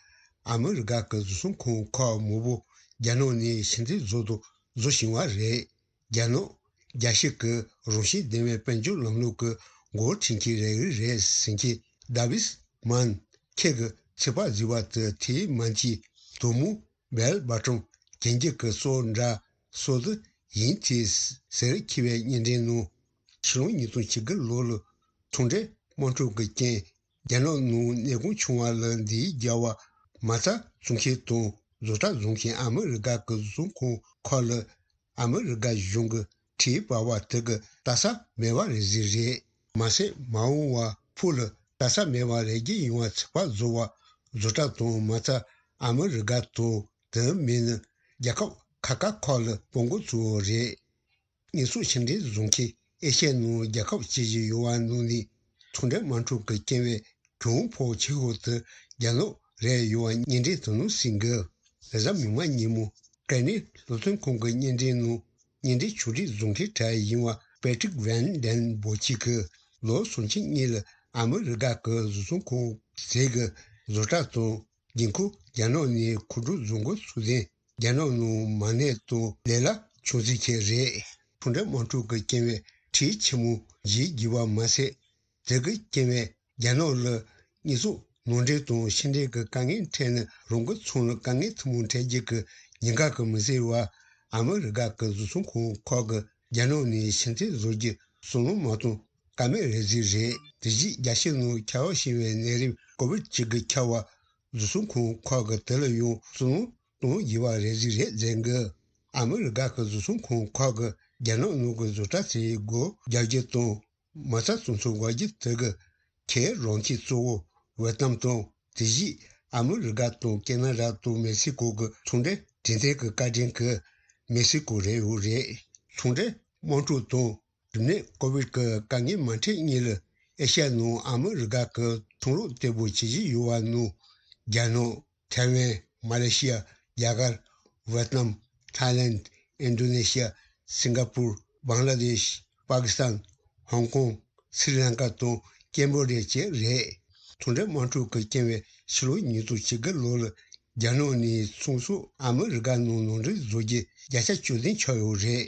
ཨ་མི་རི་ཀ་གི་བཟོ་ཚོང་ཁང་ཁག་མང་པོ་རྒྱ་ནག་ནས་ཕྱིར་འཐེན་བཟོ་དང་བཟོ་བཞིན་པ་རེད། རྒྱ་ནག་རྒྱལ་སྤྱི་གི་རང་བཞིན་ལྡན་པའི་དཔལ་འབྱོར་ལམ་ལུགས་ཀྱི་འགོ་ཁྲིད་མཁན་རེ་རེ་རེད་ཟེར་མཁན་ཌེ་ཝིད་མན་ཁྱེད་ཀྱིས་ཚིག་པ་བཟོས་པ་དེ་དེའི་མན་གྱི་དོ་མོ་བེལ་བ་ཀྲོང་གན་རྒྱུད་ཀྱི་སྲོག་འདྲ་སྲོག་ཏུ་ཡིན་ཏེ་ཟེར་འཁྱེར་བའི་བརྙན་འཕྲིན་ནང་ཕྱི་ལོ་ཉིས་སྟོང་བཅུ་དགུ་ལོ་ལ་ཚོང་འབྲེལ་དམག་འཁྲུག་གི་རྐྱེན་རྒྱ་ནག་ནང་ནད་ཁོང་བྱུང་བ་ལ་འདིའི་རྒྱལ་བ་མ་རྩ་བཙོང་མཁན་དང་བཟོ་གྲྭ་བཟོ་མཁན་ཨ་མི་རི་ཀ་གི་བཟོ་ཚོང་ཁང་ཁག་ལ་ཨ་མི་རི་ཀ་གཞུང་གི་ཁྲིམས་པ་བ་དེ་གི་ལྟ་ས་མེད་པ་རེད་ཟེར་རེད། མ་ཟད་མ་འོངས་པ་ཕུགས་ལ་ལྟ་ས་མེད་པ་རེད་རྒྱུ་ཡོང་བ་ཚིག་པ་བཟོ་བ་བཟོ་གྲྭ་དང་མ་རྩ་ཨ་མི་རི་ཀ་དང་དེ་མིན་ན་རྒྱལ་ཁབ་ཁག་ཁག་ཁག་ལ་སྤོ་འགོ་ཚུགས་པ་རེད། དངོས་ཟོག་ཕྱིར་འཐེན་བཟོ་མཁན་ཨེ་ཤ་ཡའི་ནང་རྒྱལ་ཁབ་ཅི་ཞིག་ཡོད་པ་ནང་ནས་ཚོང་འབྲེལ་དམག་འཁྲུག་གི་རྐྱེན་པས་གྱོང་ཕོག་ཆེ་ཤོས་དེ་རྒྱ་ནག་རེད་ཡོད་པ་བརྙན་འཕྲིན་དེ་ནང་གསལ་འགི། ལེ་ཚན་མིག་དམར་ཉིན་མོ་སྐད་སྣོན་སློབ་སྟོན་ཁང་གི་བརྙན་འཕྲིན་ནང་བརྙན་འཕྲིན་ཕྱོགས་སྒྲིག་བཟོ་མཁན་གྲས་ཡིན་པ་པེ་ཀྲིག་ཝན་ལྡན་བོ་ཆི་གིས་ལོ་སུམ་ཅུ་གཉིས་ལ་ཨ་མི་རི་ཀ་གི་བཟོ་ཚོང་ཁང་ཟིག་གི་བཟོ་གྲྭ་དང་། རྒྱལ་ཁབ་རྒྱ་ནག་ནས་མཁོ་སྤྲོད་བཟོ་འགོ་ཚུགས་ཏེ་རྒྱ་ནག་ནང་མ་གནས་དང་ལས་གླ་ཆུང་ཙག་ཅིག་རེད། ཚོང་འབྲེལ་དམག་འཁྲུག་གི་རྐྱེན་པས་ཁྲལ་ཆེན་མོ་འཇལ་དགོས་པ་མ་ཟད། དེ་གི་རྐྱེན་པས་རྒྱ་ནག་ལ་དངོས་ཟོག་ནང་འདྲེན་དང་ཕྱི་འདྲེན་གྱི་དཀའ་ངལ་འཕྲད་ནས་རང་གི་ཚོང་ལ་དཀའ་ངལ་ཐུན་མོང་འཕྲད་རྒྱུ་གི་ཉེན་ཁ་གིས་མི་བཟོད་པར་ཨ་མི་རི་ཀ་གི་བཟོ་ཚོང་ཁང་ཁག་གིས་རྒྱ་ནག་ནས་ཕྱིར་འཐེན་བཟོ་རྒྱུ་བསམ་བློ་མ་གཏོང་ཀ་མེད་རེད་ཟེར་རེད། དེ་བཞིན་རྒྱལ་སྤྱི་ནང་ཁྱབ་པ་ཕྱིན་པའི་ནད་རིམས་ཀོ་བིད་བཅུ་དགུ་ཁྱབ་པ་བཟོ་ཚོང་ཁང་ཁག་གིས་དེ་ལ་ཡང་བསམ་བློ་གཏོང་དགོས་པ་རེད་ཟེར་རེད་ཟེར་གི། ཨ་མི་རི་ཀ་གི་བཟོ་ཚོང་ཁང་ཁག་གིས་རྒྱ་ནག་ནང་གི་བཟོ་གྲྭ་ཚོའི་སྒོ་རྒྱག་རྒྱུ་དང་མ་རྩ་བཙོང་ཚུགས་པ་རྒྱུ་དེ་གི་ཁྱེད་རང་ཁྱེད་གཙོ་བོ་ཝེ་ཏམ་དང་དེ་བཞིན་ཨ་མི་རི་ཀ་དང་ཀེ་ན་ཌ་དང་མེག་སི་ཀོ་གི་ཚོང་འབྲེལ་འབྲེལ་མཐུད་ཀྱི་བཀའ་དྲིན་གྱིས་མེག་སི་ཀོ་རེད་ཡོད་རེད། ཚོང་འབྲེལ་དམག་འཁྲུག་དང་། རིམས་ནད་ཀོ་བིད་ཀྱི་དཀའ་ངལ་མ་འཕྲད་སྔོན་ལ་ཨེ་ཤ་ཡ་ནང་ཨ་མི་རི་ཀ་གི་ཚོང་རོགས་བརྟན་པོ་བྱེད་བཞིན་ཡོད་པ་ནང་རྒྱ་ནག་ཐའེ་ཝན། མ་ལེ་ཤི་ཡ། རྒྱ་གར། ཝེ་ཏི་ནམ། ཐའི་ལེན། ཨིན་ཌོ་ནེ་ཤི་ཡ། སིང་ག་པུར། བང་ལ་དེཤ། པ་ཀི་སི་ཐན། ཧོང་ཀོང་། སི་རི་ལང་ཀ་དང་ཀེམ་བོ་ཌི་ཡ་བཅས་རེད། ཚོང་འབྲེལ་དམག་འཁྲུག་གི་རྐྱེན་པས་ཕྱི་ལོ་ཉིས་སྟོང་བཅུ་དགུ་ལོ་ལ་རྒྱ་ནག་ནས་ཚོང་ཟོག་ཨ་མི་རི་ཀ་ནང་ནང་འདྲེན་བཟོ་རྒྱུ་བརྒྱ་ཆ་བཅུ་བདུན་ཆགས་ཡོད་རེད།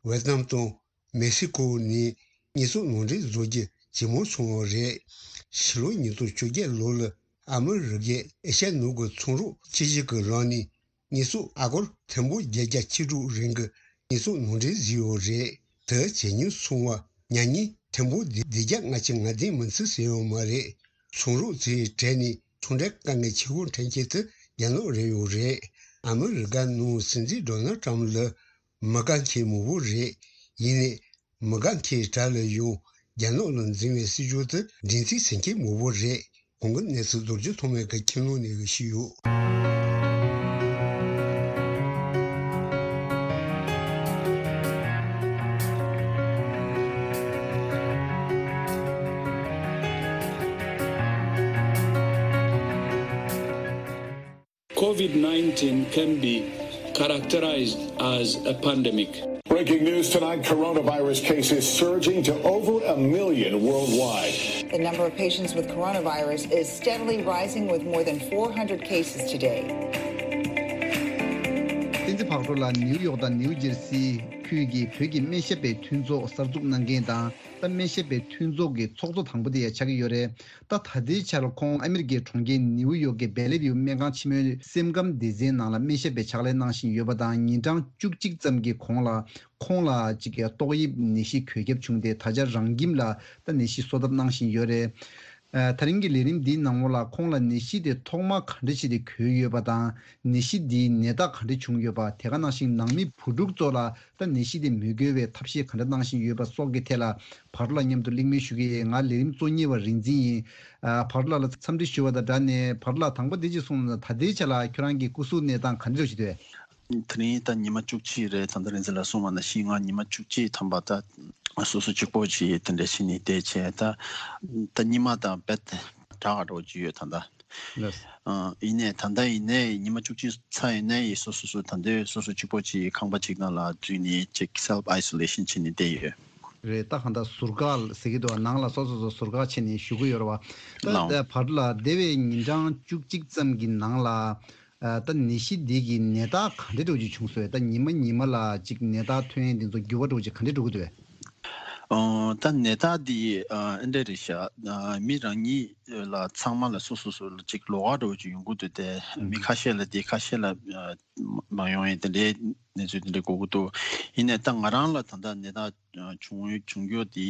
ཝེ་ཏི་ནམ་དང་། མེག་སི་ཀོ་ནས་དངོས་ཟོག་ནང་འདྲེན་བཟོ་རྒྱུ་ཇེ་མང་སོང་བ་རེད། ཕྱི་ལོ་ཉིས་སྟོང་བཅོ་བརྒྱད་ལོ་ལ་ཨ་མི་རི་ཀས་ཨེ་ཤ་ཡ་ནང་གི་ཚོང་རོགས་ཆེ་ཤོས་ཀྱི་རང་ནས་དངོས་ཟོག་ཨ་སྒོར་ཐེར་འབུམ་བརྒྱད་བརྒྱ་བཅུ་དྲུག་རིང་གི་དངོས་ཟོག་ནང་འདྲེན་བཟོས་ཡོད་རེད། དེ་ཇེ་ཉུང་སོང་བ་ཉག་ཉིས་ཐེར་འབུམ་བདུན་བརྒྱ་ལྔ་བཅུ་ང་བདུན་མིན་ཚུལ་ཟིན་ཡོད་མ་རེད། ཚོང་རོགས་ཚོའི་གྲས་ནས་ཚོང་འབྲེལ་དཀའ་ངལ་ཆེ་ཤོས་འཕྲད་མཁན་དེ་རྒྱ་ནག་རེད་ཡོད་རེད། ཨ་མི་རི་ཀ་ནང་སྲིད་འཛིན་ཌོ་ནལ་ཊམ་ལ་མི་དགའ་མཁན་མང་པོ་རེད། ཡིན་ནའི་མི་དགའ་མཁན་གྲས་ལ་ཡང་རྒྱ་ནག་ལ་འཛིན་པའི་སྲིད་ཇུས་དེ་སྒྲིག་འཛུགས་ཟིན་མཁན་མང་པོ་རེད། གོང་གི་གནས་ཚུལ་རྡོ་རྗེ་ཐོགས་མེད་ཀྱི་ཁྱིམ་ནང་ནས་ཞུས་ཡོད། COVID nineteen can be characterized as a pandemic. Breaking news tonight, coronavirus cases surging to over a million worldwide. The number of patients with coronavirus is steadily rising, with more than four hundred cases today. བསྟན་འཛིན་བག་རོ་ལགས་ནིའུ་ཡོག་དང་ནིའུ་ཇེར་སི་ཁུལ་གྱི་བོད་ཀྱི་སྨན་ཞབས་པའི་མཐུན་ཚོགས་གསར་འཛུགས་གནང་མཁན་དང་། ད་སྨན་ཞབས་པའི་མཐུན་ཚོགས་ཀྱི་ཚོགས་གཙོ་དང་པོ་དེ་ཡང་ཆགས་ཀྱི་ཡོད་རེད། ད་ད་ལྟའི་ཆར་ཁོང་ཨ་མི་རི་ཀའི་གྲོང་ཁྱེར་ནིའུ་ཡོག་གི་བེ་ལི་ཝིའུ་སྨན་ཁང་ཆེན་མོའི་སེམས་ཁམས་སྡེ་ཚན་ནང་ལ་སྨན་ཞབས་པའི་ཕྱག་ལས་གནང་བཞིན་ཡོད་པ་དང་། ཉིན་གྲངས་བཅུ་གཅིག་ཙམ་གྱི་གོང་ལ་ཁོང་ལ་ཅིག་ཏོག་དབྱིབས་ནད་གཞི་འགོས་ཁྱབ་བྱུང་སྟེ། ད་ཆ་རང་ཁྱིམ་ལ་ད་ནད་གཞི་གསོ་ཐབས་གནང་བཞིན་ཡོད་རེད། ཨ། ད་རིང་གི་ལས་རིམ་འདིའི་ནང་ལོགས་ལ་ཁོང་ལ་ནད་གཞི་དེ་ཐོག་མར་ག་འདྲ་བྱས་ཏེ་འགོས་ཡོད་པ་དང་། ནད་གཞི་འདིའི་ནད་རྟགས་ག་འདྲ་བྱུང་ཡོད་པ། དེ་ག་ནང་བཞིན་ནང་མི་བུ་ཕྲུག་ཚོ་ལ་ད་ནད་གཞི་དེ་མི་འགོས་པའི་ཐབས་ཤེས་ག་འདྲ་གནང་བཞིན་ཡོད་པ་སོགས་ཀྱི་ཐད་ལ་བར་ལ་མཉམ་དུ་གླེང་མོལ་ཞུ་གི་ཡིན། ང་ལས་རིམ་གཙོ་གཉེར་བ་རིག་འཛིན་ཡིན། ཨ། བར་ལ་ལ་འཚམས་འདྲི་ཞུ་བ་དང་སྦྲགས་ནས། བར་ལ་དང་པོ་དེ་ཅིག་གསུངས་ན། ད་ལྟའི་ཆ་ལ་ཁྱོད་རང་གི་སྐུ་གཟུགས་གནས་སྟངས་ག་འདྲ་ཞིག་འདུག་དེ་རིང་ད་ཉི་མ་བཅུ་གཅིག་རེད། ད་ལྟ་རིང་འཛིན་ལ་གསུངས་པ་ནང་བཞིན་ང་ཉི་མ་བཅུ་གཅིག་ཐམ་པ་ད་སོ་སོ་གཅིག་པོ་ཅིག་དེ་འདྲ་ཞིག་ནས་བསྡད་བྱས། ད་ད་ཉི་མ་དང་རྦད་དྲག་ག་འགྲོ་གི་ཡོད། ད་ད་ ལགས། ཨ། ཡིན་ནའི་ད་ལྟ་ཡིན་ནའི་ཉི་མ་བཅུ་གཅིག་ཚར་ཡིན་ནའི་སོ་སོ་སོ་ད་ལྟའི་སོ་སོ་གཅིག་པོ་གཅིག་ཁང་པ་གཅིག་ནང་ལ་འཛུལ་ནས་ཅིག་self isolation བྱས་ནས་བསྡད་ཡོད། རེད། ད་གང་ལྟར་ཟུར་བཀག་ཟེར་གྱི་འདུག་ནང་ལ་སོ་སོ་སོ་ཟུར་བཀག་བྱས་ནས་བཞུགས་ཀྱི་ཡོད་རེད་བ། ད་ལགས། ད་བར་ལ་འདས་པའི་ཉིན་གྲངས་བཅུ་གཅིག་ཙམ་གྱི་ནང་ལ། ཨ། ད་ནད་གཞི་འདི་གི་ནད་རྟགས་ག་འདྲ་འདྲ་བོ་ཅིག་བྱུང་སོང་བས། ད་ཉི་མ་ཉི་མ་ལ་ཅིག་ནད་རྟགས་ཐོན་ཡས་འདི་ཚོ་འགྱུར་བ་འདྲ་བོ་ཅིག་ག་འདྲ་འགྲོ་གི་འདུག་བས། ཨོ། ད་ནད་རྟགས་འདི་ཨ་འདྲ་རེད་ཤག་ཨ། མི་རང་ཉིད་ལ་ཚང་མ་ལ་སོ་སོ་སོ་ལ་ཅིག་ལོགས་ཀ་འདྲ་བོ་ཅིག་ཡོང་གི་འདུག་སྟེ། ཨུམ། མི་ཁ་ཤས་ལ་དེ་ཁ་ཤས་ལ་ཨ་མ་ཡོང་ཡས་དེ་འདྲའི་གནས་ཚུལ་དེ་འདྲ་གོ་གི་འདུག་ཡིན་ནའི་ད་ང་རང་ལ་ད་ལྟ་ནད་རྟགས་བྱུང་བྱུང་རྒྱུ་དེ་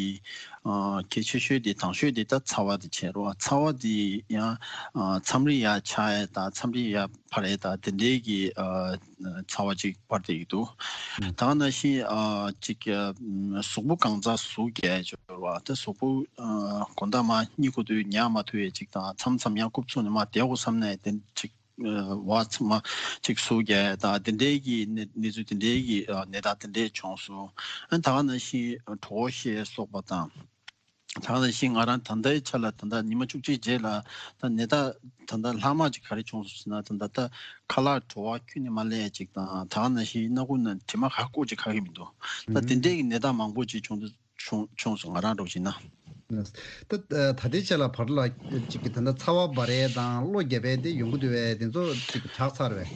ཨ་གལ་ཆེ་ཤོས་དེ་དང་ཤོས་དེ་ད་ཚ་བ་དེ་བྱས་རོགས། ཚ་བ་དེ་ཡང་ཨ་མཚམས་རེ་ཡར་ཆག་ཡས་དང་མཚམས་རེ་ཡར་འཕར་ཡས་དང་དེ་འདྲའི་གི་ཨ་ཚ་བ་ཅིག་འཕར་བསྡད་ཀྱི་འདུག་ཨུམ། ད་ག་ནང་བཞིན་ཨ་ཅིག་ཨ་གཟུགས་པོ་གང་ཚ་ཟུག་རྒྱག་ཡས་ཅིག་ཡོད་རེད་བ། ད་གཟུགས་པོ་ཨ་དགོང་དག་མར་གཉིད་ཁུག་དུས་ཉལ་མ་ཐུབ་ཡས་ཅིག་དང་མཚམས་མཚམས་ཡང་རྐུབ་ཚུགས་ནས་མར་བསྡད་དགོས་བསམ་ནས་དེ་ཅིག་ཨ་བ་ཚང་མ་ཅིག་ཟུག་རྒྱག་ཡས་དང་དེ་འདྲའི་གི་གནས་གནས་ཚུལ་དེ་འདྲའི་གི་ཨ་ནད་རྟགས་དེ་འདྲའི་བྱུང་སོང་། ཨ་ད་ག་ནང་བཞིན་གྲོད་ཁོག་བཤལ་སོགས་པ་དང་། ད་ག་ནང་བཞིན་ང་རང་ད་ལྟའི་ཆ་ལ་ད་ལྟ་ཉི་མ་བཅུ་གཅིག་རྗེས་ལ་ད་ནད་རྟགས་ད་ལྟ་ལྷག་མ་ཅིག་ག་རེ་བྱུང་སོང་ཟེར་ན། ད་ལྟ་ད་ཁ་ལག་བྲོ་བ་ཁྱོན་ནས་མ་སླེབས་ཅིག་དང་། ད་ག་ནང་བཞིན་སྣ་ཁུག་ནང་དྲི་མ་ག་སྐོར་ཅིག་ག་གི་མི་འདུག་ད་དེ་འདྲའི་གི་ནད་རྟགས་མང་པོ་ཅིག་བྱུང་འདུག་བྱུང་བྱུང་སོང་། ང་རང་འདྲ་བོ་ཅིག་ན། ད་ད་ལྟའི་ཆ་ལ་བར་ལ་ཅིག་གི་ད་ལྟ་ཚ་བ་འབར་ཡས་དང་གློ་རྒྱབ་ཡས་དེ་ཡོང་གི་འདུག་བས། དེ་ཚོ་ཅིག་དྲག་ཚར་བས།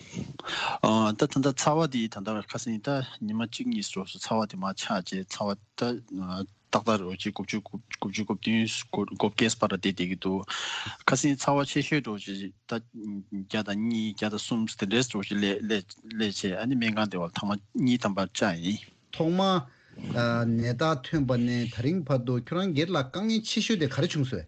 ཨ་ད་ད་ལྟ་ཚ་བ་དེ་ད་ལྟ་ཁ་སང་ད་ཉི་མ་གཅིག་གཉིས་སོ་སོ་ཚ་བ་དེ་མར་ཆག་རྗེས་ཚ་བ་ད་ཏག་ཏག་རེད་བ། ཅིག་དགུ་བཅུ་དགུ་བཅུ་དགུ་བདུན་དགུ་བརྒྱད་བར་དེ་བསྡད་ཀྱི་འདུག་ཁ་སང་ཚ་བ་ཆེ་ཤོས་འདྲ་བོ་ཅིག་ད་བརྒྱ་དང་གཉིས་བརྒྱ་དང་གསུམ་དེ་འདྲས་འདྲ་བོ་ཅིག་སླེབས་སླེབས་སླེབས་བྱས། ཨ་ནི་སྨན་ཁང་བདེ་བར་ཐེངས་མ་གཉིས་ཐམ་པ་བཅར་ཡིན། ཐོག་མ་ཨ་ནད་རྟགས་ཐོན་པ་ནས་ད་རིང་བར་དུ་ཁྱོད་རང་སྒེར་ལ་དཀའ་ངལ་ཆེ་ཤོས་དེ་ག་རེ་བྱུང་སོང་།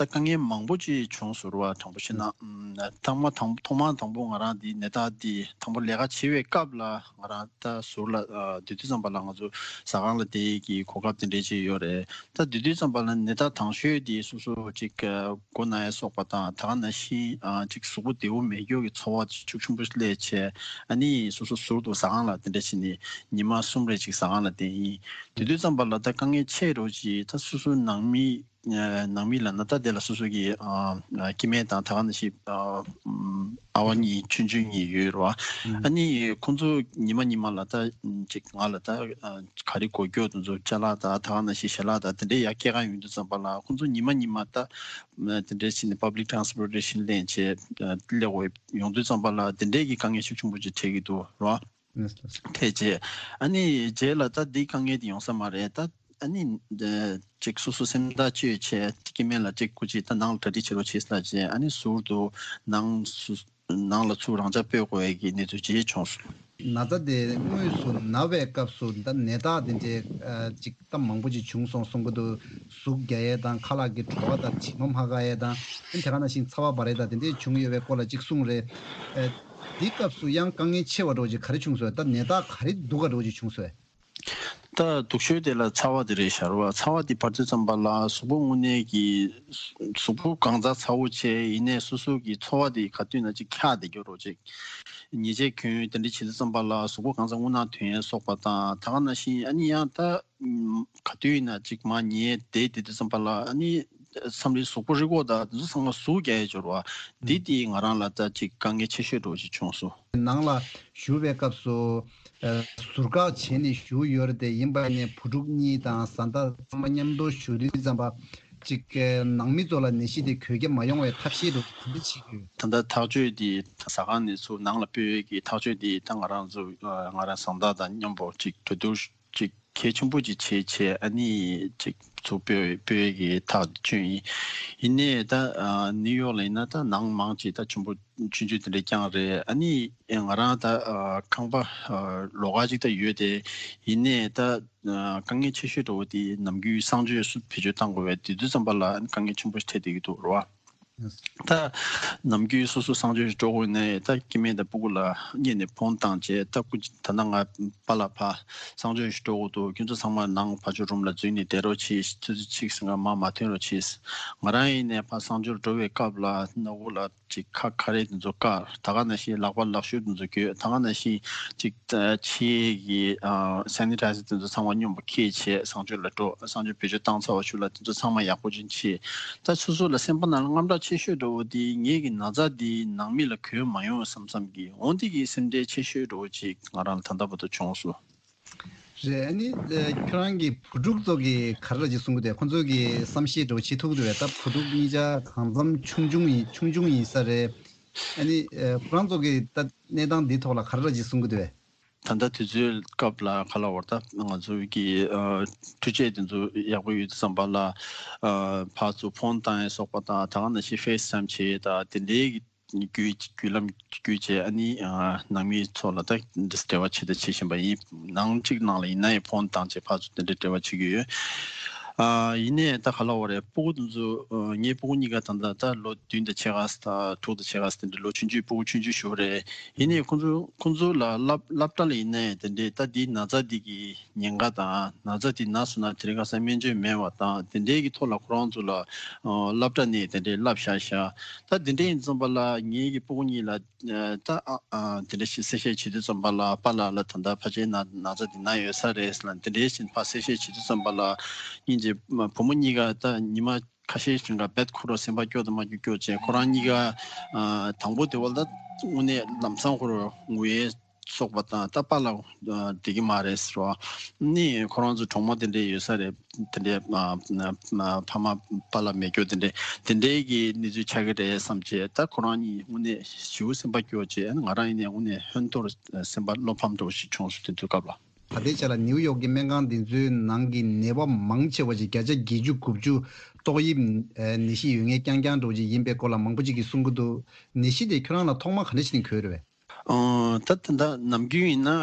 ད་དཀའ་ངལ་མང་པོ་ཅིག་བྱུང་སོང་རེད་བ། དྲང་པོ་བཤད་ན། ཨུམ། ཐོག་མ་དང་ཐོག་མ་དང་པོ་ང་རང་འདི་ནད་རྟགས་འདི་དང་པོ་ལས་ཀ་བྱེད་པའི་སྐབས་ལ་ང་རང་ད་ཟུར་ལ་ཨ་སྡོད་དུས་ཙམ་པ་ལ་ང་ཚོ་ཟ་ཁང་ལ་བསྡད་ཀྱི་གོ་སྐབས་དེ་འདྲས་ཅིག་ཡོད་རེད། ད་སྡོད་དུས་ཙམ་པ་ལ་ནད་རྟགས་དང་ཤོས་དེ་སོ་སོ་ཅིག་ཨ་མགོ་ན་ཡ་སོགས་པ་དང་། ད་ག་ནང་བཞིན་ཨ་ཅིག་གཟུགས་པོ་བདེ་པོ་མེད་རྒྱུ་གི་ཚོར་བ་ཤུགས་ཆེན་པོ་སླེབས་བྱས། ཨ་ནི་སོ་སོ་ཟུར་དུ་ཟ་ཁང་ལ་དེ་འདྲ་བྱས་ནས་ཉི་མ་གསུམ་རེ་ཅིག་ཟ་ཁང་ལ་བསྡད་ཡིན། དེ་དུས་ཙམ་པ་ལ་ད་དཀའ་ངལ་ཆེ་རུ་ཅིག་ད་སོ་སོ་ནང་མི་ཨ་ནང་མི་ལབ་ན་ད་དེ་ལ་སོ་སོ་གི་ཨ་ཨ་སྐྱེ་དམན་དང་། ད་ག་ནང་བཞིན་ཨ་ཨམ་ཨ་བ་གཉིས་ཆུང་ཆུང་གཉིས་ཡོད་རེད་བ། ཨ་ནི་ཁོང་ཚོ་ཉི་མ་ཉི་མ་ལ་ད་ཅིག་ང་ལ་ད་ཨ་ག་རེ་དགོས་རྒྱུ་དེ་ཚོ་ཅ་ལག་དང་། ད་ག་ནང་བཞིན་ཞལ་ལག་དང་དེ་འདྲའི་ཡར་སྐྱེལ་ག་ཡོང་དུས་ཙམ་པ་ལ་ཁོང་ཚོ་ཉི་མ་ཉི་མ་ད་ཨ་དེ་འདྲའི་བྱས་ནས་public transportation ལེན་བྱས་ཨ་སླེབས་དགོས་ཡོང་དུས་ཙམ་པ་ལ་དེ་འདྲའི་གི་དཀའ་ངལ་ཤུགས་ཆེན་པོ་ཅིག་འཕྲད་ཀྱི་འདུག་རེད་བ། ལགས་ལགས། ཐེ་ཆེ། ཨ་ནི་རྗེས་ལ་ད་འདི་དཀའ་ངལ་འདི་ཡོང་ས་མ་རེད། ད་ཨ་ནི་འདི་ཅིག་སོ་སོ་སེམས་ཐག་གཅོད་བྱས། སྐྱེ་དམན་ལ་ཅིག་སྐུ་མཁྱེན་ད་ནང་ལ་གྲ་སྒྲིག་བྱེད་རོགས་བྱེད་ཟེར་བྱས། ཨ་ནི་ཟུར་དུ་ནང་སུ་ནང་ལ་ཚུར་རང་འཇགས་སྤོས་དགོས་ཡས་ཀྱི་གནས་ཚུལ་ཅིག་བྱུང་སོང་། ན་ཚ་དེ་དངོས་སུ་ན་བའི་སྐབས་སུ་ད་ནད་རྟགས་དེ་འདྲའི་ཨ་ཅིག་ད་མང་པོ་ཅིག་བྱུང་སོང་གསུང་གི་འདུག་གཟུགས་རྒྱག་ཡས་དང་། ཁ་ལག་གི་བྲོ་བ་དང་། དྲི་མ་མ་འགག་ཡས་དང་། ཨ་ནི་དེ་ག་ནང་བཞིན་ཚ་བ་འབར་ཡས་དང་དེ་འདྲའི་བྱུང་ཡོད་པའི་སྐོར་ལ་ཅིག་གསུངས་རེད། ཨ་འདི་སྐབས་སུ་ཡང་དཀའ་ངལ་ཆེ་བ་འདྲ་བོ་ཅིག་ག་རེ་བྱུང་སོང་། ད་ནད་རྟགས་ག་རེ་སྡུག་ག་འདྲ་བོ་ཅིག་བྱུང་སོང་། ད་སྡུག་ཤོས་དེ་ལ་ཚ་བ་དེ་རེད་ཤག་རེད་བ། ཚ་བ་དེ་འབར་དུས་ཙམ་པ་ལ་གཟུགས་པོ་དངོས་གནས་ཀྱི་གཟུགས་པོ་གང་ཚ་ཚ་བོ་བྱས། ཡིན་ནའི་སོ་སོ་གི་ཚོར་བ་དེ་ག་དུས་ན་ཅིག་འཁྱག་བསྡད་རྒྱུ་འདྲ་བོ་ཅིག་ཉལ་ཆས་གྱོན་དེ་འདྲ་བྱེད་དུས་ཙམ་པ་ལ་གཟུགས་པོ་གང་ཚ་རྔུལ་ནག་ཐོན་ཡས་སོགས་པ་དང་། ད་ག་ནང་བཞིན་ཨ་ནི་ཡང་ད་ཨུམ་ག་དུས་ཡིན་ན་ཅིག་མར་ཉལ་བསྡད་བསྡད་དུས་ཙམ་པ་ལ་ཨ་ནི་མཚམས་རེ་གཟུགས་པོ་རི་མགོ་དང་དེ་ཚོ་ཚང་མ་ཟུག་རྒྱག་ཡས་ཅིག་ཡོད་རེད་བ། འདི་དེ་ང་རང་ལ་ད་ཅིག་དཀའ་ངལ་ཆེ་ཤོས་འདྲ་བོ་ཅིག་བྱུང་སོང་། ནང་ལ་བཞུགས་པའི་སྐབས་སུ་ཨ་ཟུར་བཀག་བྱས་ནས་བཞུགས་ཡོད་རེད་དེ། ཡིན་པ་ཡིན་ནའི་བུ་ཕྲུག་གཉིས་དང་བཟའ་ཟླ་ཚང་མ་མཉམ་དུ་བཞུགས་དུས་ཙམ་པ་ཅིག་ཨ་ནང་མི་ཚོ་ལ་ནད་གཞི་དེ་འགོས་ཀྱི་མ་ཡོང་བའི་ཐབས་ཤེས་འདྲ་བོ་ག་འདྲ་བྱེད་ཀྱི་ཡོད། ད་ལྟ་ཐག་གཅོད་དེ་ཟ་ཁང་ནས་ཚུར་ནང་ལ་སྤོས་ཡས་ཀྱི་ཐག་གཅོད་དེ་ད་ང་རང་ཚོ་ཨ་ང་རང་བཟའ་ཟླ་དང་མཉམ་པོ་ཅིག་གྲོས་བསྡུར་ཅིག་གལ་ཆེན་པོ་ཅིག་བྱས་བྱས། ཨ་ནི་ཅིག་ཚུར་སྤོས་སྤོས་ཀྱི་ཐག་བཅད་ཡིན། ཡིན་ནའི་ད་ཨ་ནིའུ་ཡོག་ལ་ཡིན་ན་ད་ནང་མང་ཅིག་ད་ཆེན་པོ་ཆུང་ཆུང་དེ་འདྲ་རྐྱང་རེད། ཨ་ནི་ང་རང་ད་ཨ་ཁང་པ་ཨ་ལོགས་ཀ་ཅིག་ད་ཡོད་དེ། ཡིན་ནའི་ད་ཨ་དཀའ་ངལ་ཆེ་ཤོས་འདྲ་བོ་དེ་ནམ་རྒྱུན་གསང་སྤྱོད་སུ་བེད་སྤྱོད་གཏང་དགོས་པས། དེ་དུས་ཙམ་པ་ལ་ཨ་ནི་དཀའ་ངལ་ཆེན་པོ་ཞིག་འཕྲད་བསྡད་ཀྱི་འདུག་རེད་བ། ད་ནམ་རྒྱུན་སོ་སོ་གསང་སྤྱོད་ཞིག་འགྲོ་དགོས་ནའི་ད་སྐྱེ་དམན་དང་སྤུ་གུ་ལ་སྔོན་ནས་ཕོན་བཏང་བྱས། ད་སྐུ་ད་ལྟ་ང་པཱ་ལགས་ཕར་གསང་སྤྱོད་ཞིག་འགྲོ་དགོས་འདུག་ཁྱོད་ཚོ་ཚང་མ་ནང་ཕར་ཕྱོགས་རུམ་ལ་འཛུལ་ནས་བསྡད་རོགས་གྱིས། ཆུ་ཚོད་གཅིག་ཟིན་ག་མར་མ་ཐོན་རོགས་གྱིས། ང་རང་ཡིན་ནའི་ཕར་གསང་སྤྱོད་འགྲོ་བའི་སྐབས་ལ་སྣ་ཁུག་ལ་ཅིག་ཁ་ཁ་རས་དེ་ཚོ་བཀག་ད་ག་ནང་བཞིན་ལག་པ་ལག་ཤུབས་དེ་ཚོ་གྱོན། ད་ག་ནང་བཞིན་ཅིག་ཕྱིའི་གི་ཨ་sanitizer དེ་ཚོ་ཚང་མ་སྙོམས་པོ་འཁྱེར་བྱས་གསང་སྤྱོད་ལ་འགྲོ། གསང་སྤྱོད་བེད་སྤྱོད་བཏང་ཚར་བ་ཤུལ་ལ་དེ་ཚོ་ཚང་མ་ཡག་པོ་ཅིག་བྱས། ད་སོ་སོ་ལ་སེམས་པ་ནང་ལ་དངངས་སྐྲག་ ཆེ་ཤོས་འདྲ་བོ་དེ་ངེད་ཀྱི་ན་ཚ་དེ་ནང་མི་ལ་གོན་མ་ཡོང་བསམ་བསམ་གྱི་འོ་འདི་གི་སེམས་ཁྲལ་ཆེ་ཤོས་འདྲ་བོ་ཅིག་ང་རང་ལ་ད་ལྟ་བར་དུ་བྱུང་སོང་། རེད། ཨ་ནི་ཁྱོད་རང་གི་བུ་ཕྲུག་ཚོ་གི་ག་རེ་ཅིག་གསུང་གི་འདུག་ཁོང་ཚོ་གི་བསམ་ཤེས་འདྲ་བོ་བྱེད་ཐུབ་ཀྱི་འདུག་བས། ད་བུ་ཕྲུག་གཉིས་ཆ་གང་འཚམ་ཆུང་ཆུང་ཡིན་ཆུང་ཆུང་ཡིན་ས་རེད། ཨ་ནི་ཁོ་རང་ཚོ་གི་ད་གནས་སྟངས་འདིའི་ཐོག་ལ་ག་རེ་ཅིག་གསུང་གི་འདུག་བས། ད་ལྟ་དུས་ཚོད་སྐབས་ལ་ག་ལ་བར་ད་ང་ཚོ་གི་འཕྲུལ་ཆས་དེ་ཚོ་ཡག་པོ་ཡོད་དུས་ཙམ་པ་ལ་ཕར་ཚུར་ཕོན་བཏང་ཡས་སོགས་པ་དང་ད་ག་ནང་བཞིན་ཕེ་སི་ཊའིམ་བྱས་ད་དེ་འདྲའི་གི་བརྒྱུད་བརྒྱུད་ལམ་བརྒྱུད་བྱས་ཨ་ནི་ནང་མི་ཚོ་ལ་ད་འབྲེལ་བ་བྱེད་ད་བྱེད་བཞིན་པ་ཡིན། ནང་གཅིག་ནང་ལ་ཡིན་ན་ཡང་ཕོན་བཏང་བྱས་ཕར་ཚུར་དེ་འདྲའི་འབྲེལ་བ་བྱེད་ཀྱི་ཡོད། ཡིན་ནའི་ད་ག་ལ་བར་རེད། སྤུ་གུ་དེ་ཚོ་ངའི་སྤུ་གུ་གཉིས་ཀ་ད་ལྟ་ད་ལོ་བདུན་དང་ཕྱེད་ཀ་ད་དྲུག་དང་ཕྱེད་ཀ་དེ་འདྲའི་ལོ་ཆུང་ཆུང་སྤུ་གུ་ཆུང་ཆུང་ཞིག་རེད། ཡིན་ནའི་ཁོང་ཚོ་ཁོང་ཚོ་ལ་སླབ་སླབ་གྲྭ་ལ་ཡིན་ནའི་དེ་འདྲའི་ད་འདིའི་ན་ཚ་འདི་གི་ཉེན་ཁ་དང་ན་ཚ་འདི་ན་སོང་ན་དེ་རིང་ཁ་སང་སྨན་བཅོས་མེད་པ་དང་དེ་འདྲའི་གི་ཐོག་ལ་ཁོ་རང་ཚོ་ལ་སླབ་གྲྭ་ནས་དེ་འདྲའི་སླབ་བཞག་བཞག་ད་དེ་འདྲའི་ཡིན་ཙམ་པ་ལ་ངེད་ཀྱི་སྤུ་གུ་གཉིས་ལ་ད་དེ་འདྲ་ཞིག་གསལ་བཤད་བྱེད་དུས་ཙམ་པ་ལ་པཱ་ལགས་ལ་ད་ལྟ་ཕལ་ཆེར་ན་ན་ཚ་འདི་ན་ཡོད་ས་རེད་ལ་དེ་འདྲའི་ཞིག་ཕར་གསལ་བཤད་བྱེད་དུས་ཙམ་པ་ལ་སྙིང་རྗེ་བུ་མོ་གཉིས་ཀ་ད་ཉི་མ་ཁ་ཤས་ཤིག་ག་རྦད་ཁོ་རང་སེམས་པ་སྐྱོ་དང་མ་སྐྱོ་སྐྱོ་བྱས་ཁོ་རང་གཉིས་ཀ་དང་པོ་དེ་བ་ལ་དངོས་གནས་ལམ་སང་ཁོ་རང་ངུ་ཡས་སོགས་པ་དང་ད་པཱ་ལགས་བསྡད་ཀྱི་མ་རེད་ཟེར་བ་ནི་ཁོ་རང་ཚོ་གྲོགས་མོ་དེ་འདྲས་ཡོད་ས་རེད། དེ་འདྲས་ཕ་མ་པཱ་ལགས་མེད་སྐྱོ་དེ་འདྲས་དེ་འདྲས་ཀྱི་གནས་ཚུལ་ཆགས་ཀྱི་རེད་བསམ་བྱས་ད་ཁོ་རང་གཉིས་དངོས་གནས་ཞེ་པོ་སེམས་པ་སྐྱོ་བྱས་ང་རང་ཡིན་ནའི་དངོས་གནས་ཧོན་ཐོར་སེམས་པ་བློ་ཕམ་འདྲ་བོ་ཞིག་བྱུང་སོང་དེ་དུས་སྐབས་ལ། ད་ལྟའི་ཆ་ལ་ནིའུ་ཡོག་གི་སྨན་ཁང་འདི་ཚོའི་ནང་གི་ནད་པ་མང་ཆེ་བ་ཞིག་བརྒྱ་ཆ་བརྒྱད་ཅུ་དགུ་བཅུ་ཏོག་དབྱིབས་ནད་གཞི་ཡོད་མཁན་རྐྱང་རྐྱང་འདྲ་བོ་ཅིག་ཡིན་པའི་སྐོར་ལ་མང་པོ་ཅིག་གིས་གསུང་གི་འདུག་ནད་གཞི་དེ་ཁྱོད་རང་ལ་ཐོག་མ་ག་འདྲ་ཞིག་ནས་འགོས་རེད་བས། ད་ད་ལྟ་ནམ་རྒྱུན་ཡིན་ན་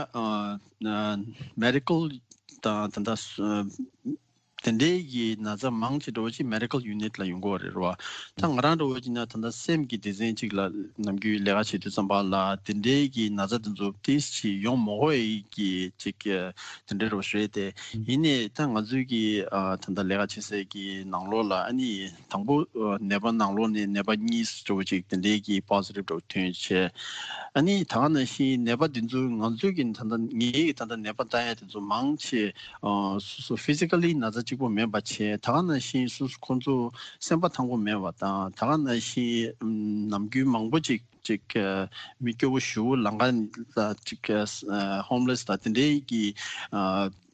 མེ་ཌི་ཀལ་དང་ད་ལྟ་དེ་འདྲའི་གི་ན་ཚ་མང་ཆེ་འདྲ་བོ་ཅིག་མེ་ཌི་ཀལ་ཡུ་ནིཊ་ལ་ཡོང་གི་ཡོད་རེད་རོ། ད་ང་རང་འདྲ་བོ་ཅིག་ན་ད་ལྟ་སེམས་ཀྱི་སྡེ་ཚན་ཅིག་ལ་ནམ་རྒྱུན་ལས་ཀ་བྱེད་དུས་ཙམ་པ་ལ་དེ་འདྲའི་གི་ན་ཚ་དེ་ཚོ་ཏིས་ཅིག་ཡོང་མ་དགོས་ཡི་གི་ཅིག་དེ་འདྲའི་རོ་ཞིག་རེད་དེ། ཡིན་ནའི་ད་ང་ཚོའི་གི་ད་ལྟ་ལས་ཀ་བྱེད་སའི་གི་ནང་ལོགས་ལ་ཨ་ནི་དང་པོ་ནད་པ་ནང་ལོགས་ནས་ནད་པ་གཉིས་འདྲ་བོ་ཅིག་དེ་འདྲའི་གི་པོ་ཛི་ཊིབ་འདྲ་བོ་ཐོན་བྱས། ཨ་ནི་ད་ག་ནང་བཞིན་ནད་པ་དེ་ཚོ་ང་ཚོའི་གི་ད་ལྟ་ངའི་གི་ད་ལྟ་ནད་པ་ལྟ་ཡ་དེ་ཚོ་མང་ཆེ་སོ་སོ་ཕི་ཛི་ཀལ་ལི་ན་ཚ་གཅིག་པོ་མེད་པ་བྱས་ད་ག་ནང་བཞིན་སོ་སོ་ཁོང་ཚོ་སེམས་པ་ཐང་པོ་མེད་པ་དང་ད་ག་ནང་བཞིན་ནམ་རྒྱུན་མང་པོ་ཅིག་ཅིག་མི་སྐྱོ་བོ་ཞུ་ལང་ཀ་ལ་ཅིག་ཧོམ་ལེ་སི་ལ་དེ་འདྲའི་གི་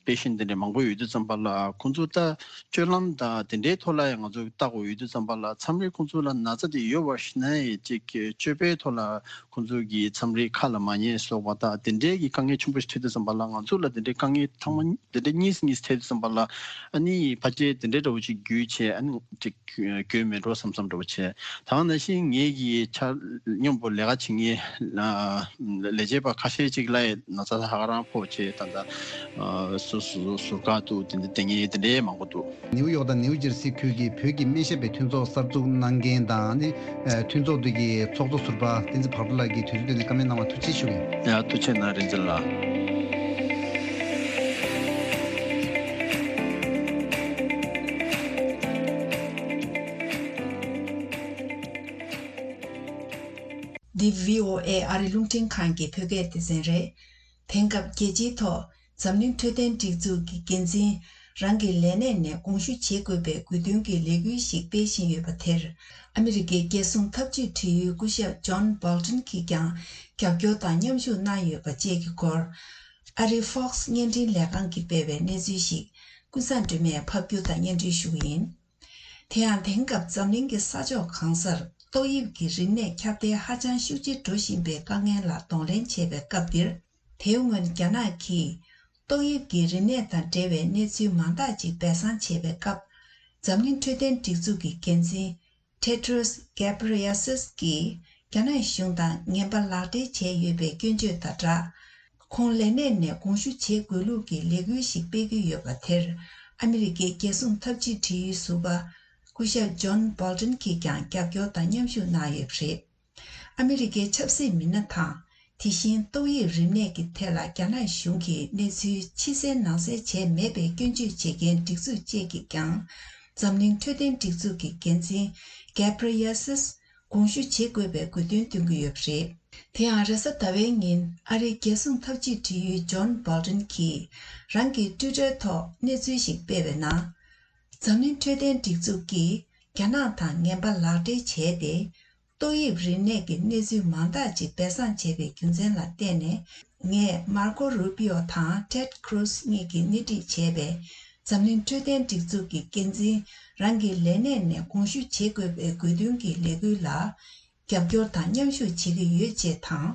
པེ་ཤེན་དེ་འདྲའི་མང་པོ་ཡོད་དུས་ཙམ་པ་ལ་ཁོང་ཚོ་ད་སྤྱོད་ལམ་དང་དེ་འདྲའི་ཐོག་ལ་ཡང་ང་ཚོ་ལྟ་དགོས་ཡོད་དུས་ཙམ་པ་ལ་མཚམས་རེ་ཁོང་ཚོ་ལ་ན་ཚ་དེ་ཡོད་པ་ཤེས་ན་ཡང་ཅིག་སྤྱོད་པའི་ཐོག་ལ་ཁོང་ཚོ་གི་མཚམས་རེ་ཁ་ལ་མ་ཉན་སོགས་པ་དང་དེ་འདྲའི་གི་དཀའ་ངལ་ཆེན་པོ་ཞིག་འཕྲད་དུས་ཙམ་པ་ལ་ང་ཚོ་ལ་དེ་འདྲའི་དཀའ་ངལ་ཚང་མ་དེ་འདྲའི་གཉིས་གཉིས་འཕྲད་དུས་ཙམ་པ་ལ་ཨ་ནི་ཕལ་ཆེར་དེ་འདྲའི་འདྲ་བོ་ཅིག་རྒྱུས་བྱས་ཨ་ནི་ཅིག་གྱོད་མེད་འགྲོ་བསམ་བསམ་འདྲ་བོ་བྱས། ད་ག་ནང་བཞིན་ངེད་ཀྱི་ཆ་སྙོམས་པོ་ལས་ཀ་བྱེད་མཁན་ལས་བྱེད་པ་ཁ་ཤས་ཅིག་ལ་ཡང་ན་ཚ་ཧ་ག་རང་ཕོག་བྱས་ད་ལྟ་སུ་སུ་ཟུར་བཀག་ཏུ་དེ་འདྲ་བསྡད་མཁན་དེ་འདྲའི་མང་པོ་འདུག་ནིའུ་ཡོག་དང་ནིའུ་ཇར་སི་ཁུལ་གྱི་བོད་ཀྱི་སྨན་ཞབས་པའི་མཐུན་ཚོགས་གསར་འཛུགས་གནང་མཁན་དང་ནི་མཐུན་ཚོགས་དེ་གི་ཚོགས་གཙོ་ཟུར་པ་བསྟན་འཛིན་བག་དྲོ་ལགས་ཀྱིས་དུས་ཚོད་བཏོན་ནས་བཀའ་མོལ་གནང་བར་ཐུགས་རྗེ་ཆེ་ཞུ་གི་ཡིན། ཡ་ཐུགས་རྗེ་གནང་རིན་ཆེན་ལགས། འདི་བྷི་ཨོ་ཨེ་ཨ་རི་རླུང་འཕྲིན་ཁང་གི་བོད་སྐད་སྡེ་ཚན་རེད། དེང་སྐབས་རྒྱལ་སྤྱིའི་ཐོག་འཛམ་གླིང་འཕྲོད་བསྟེན་སྒྲིག་འཛུགས་ཀྱི་འགན་འཛིན་རང་གི་ལས་གནས་ནས་དགོངས་ཞུ་བྱེད་དགོས་པའི་དགོས་འདུན་གྱི་ལས་འགུལ་ཞིག་སྤེལ་བཞིན་ཡོད་པ་དེར། ཨ་མི་རི་ཀའི་རྒྱལ་སྲུང་འཐབ་ཇུས་འབྲེལ་ཡོད་སྐུ་ཞབས་ཇོན་བྷོལ་ཏོན་གྱིས་ཀྱང་རྒྱབ་སྐྱོར་དང་མཉམ་ཞུགས་གནང་ཡོད་པ་བཅས་ཀྱི་སྐོར། ཨ་རིའི་Fox་བརྙན་འཕྲིན་ལས་ཁང་གིས་སྤེལ་བའི་གནས་ཚུལ་ཞིག་ཀུན་བཟང་སྒྲོལ་མས་ཕབ་སྒྱུར་དང་སྙན་སྒྲོན་ཞུ་གི་ཡིན། དེ་ཡང་དེང་སྐབས་འཛམ་གླིང་གི་ས་ཕྱོགས་གང་སར་ཏོག་དབྱིབས་ཀྱི་རིམས་ནད་ཁྱབ་གདལ་ཧ་ཅང་ཤུགས་ཆེ་འགྲོ་བཞིན་པའི་དཀའ་ངལ་ལ་གདོང་ལེན་བྱེད་པའི་སྐབས་འདིར། དེའི་སྔོན་རྒྱ་ནག་གིས་ཏོག་དབྱིབས་ཀྱི་རིམས་ནད་དང་འབྲེལ་བའི་གནས་ཚུལ་མང་དག་ཅིག་སྦས་གསང་བྱེད་པའི་སྐབས། འཛམ་གླིང་འཕྲོད་བསྟེན་སྒྲིག་འཛུགས་ཀྱི་འགན་འཛིན་Tedros Ghebreyesus་གིས་རྒྱ་ནག་གཞུང་དང་ངན་པ་ལག་འབྲེལ་བྱས་ཡོད་པའི་སྐྱོན་བརྗོད་དང་སྦྲགས། ཁོང་ལས་གནས་ནས་དགོངས་ཞུ་བྱེད་དགོས་ལུགས་ཀྱི་ལས་འགུལ་ཞིག་སྤེལ་གྱི་ཡོད་པ་དེར། ཨ་མི་རི་ཀའི་རྒྱལ་སྲུང་འཐབ་ཇུས་འབྲེལ་ཡོད་ཟུར་པ་སྐུ་ཞབས་ཇོན་བྷོལ་ཏོན་གྱིས་ཀྱང་རྒྱབ་སྐྱོར་དང་མཉམ་ཞུགས་གནང་ཡོད་པ་རེད། ཨ་མི་རི་ཀའི་ཆབ་སྲིད་མི་སྣ་དང་། དེ་བཞིན་ཏོག་དབྱིབས་རིམས་ནད་ཀྱི་ཐད་ལ་རྒྱ་ནག་གཞུང་གིས་གནས་ཚུལ་ཕྱི་གསལ་ནང་གསལ་བྱས་མེད་པའི་སྐྱོན་བརྗོད་བྱེད་མཁན་སྒྲིག་འཛུགས་བཅས་ཀྱིས་ཀྱང་། འཛམ་གླིང་འཕྲོད་བསྟེན་སྒྲིག་འཛུགས་ཀྱི་འགན་འཛིན་Ghebreyesus་དགོངས་ཞུ་བྱེད་དགོས་པའི་དགོས་འདུན་བཏོན་གྱི་ཡོད་པ་རེད། དེ་ཡང་རེས་གཟའ་ཟླ་བའི་ཉིན་ཨ་རིའི་རྒྱལ་སྲུང་འཐབ་ཇུས་འབྲེལ་ཡོད་ཇོན་བྷོལ་ཏོན་གྱིས་རང་གི་ཊུའི་ཊར་ཐོག་གནས་ཚུལ་ཞིག་སྤེལ་བའི་ནང་། འཛམ་གླིང་འཕྲོད་བསྟེན་སྒྲིག་འཛུགས་ཀྱིས་ རྒྱ་ནག་དང་ངན་པ་ལག་སྦྲེལ་བྱས་ཏེ། ཏོག་དབྱིབས་རིམས་ནད་ཀྱི་གནས་ཚུལ་མང་དག་ཅིག་སྦས་གསང་བྱས་པའི་རྒྱུ་མཚན་ལ་བརྟེན་ནས། ངས་མར་ཀོ་རུ་པིའོ་དང་ཊེཌ་ཁུ་རུ་སི་གཉིས་ཀྱིས་སྣེ་ཁྲིད་བྱས་པའི་འཛམ་གླིང་འཕྲོད་བསྟེན་སྒྲིག་འཛུགས་ཀྱི་འགན་འཛིན་རང་གི་ལས་གནས་ནས་དགོངས་ཞུ་བྱེད་དགོས་པའི་དགོས་འདུན་གྱི་ལས་འགུལ་ལ་རྒྱབ་སྐྱོར་དང་མཉམ་ཞུགས་བྱེད་ཀྱི་ཡོད་ཅེས་དང་།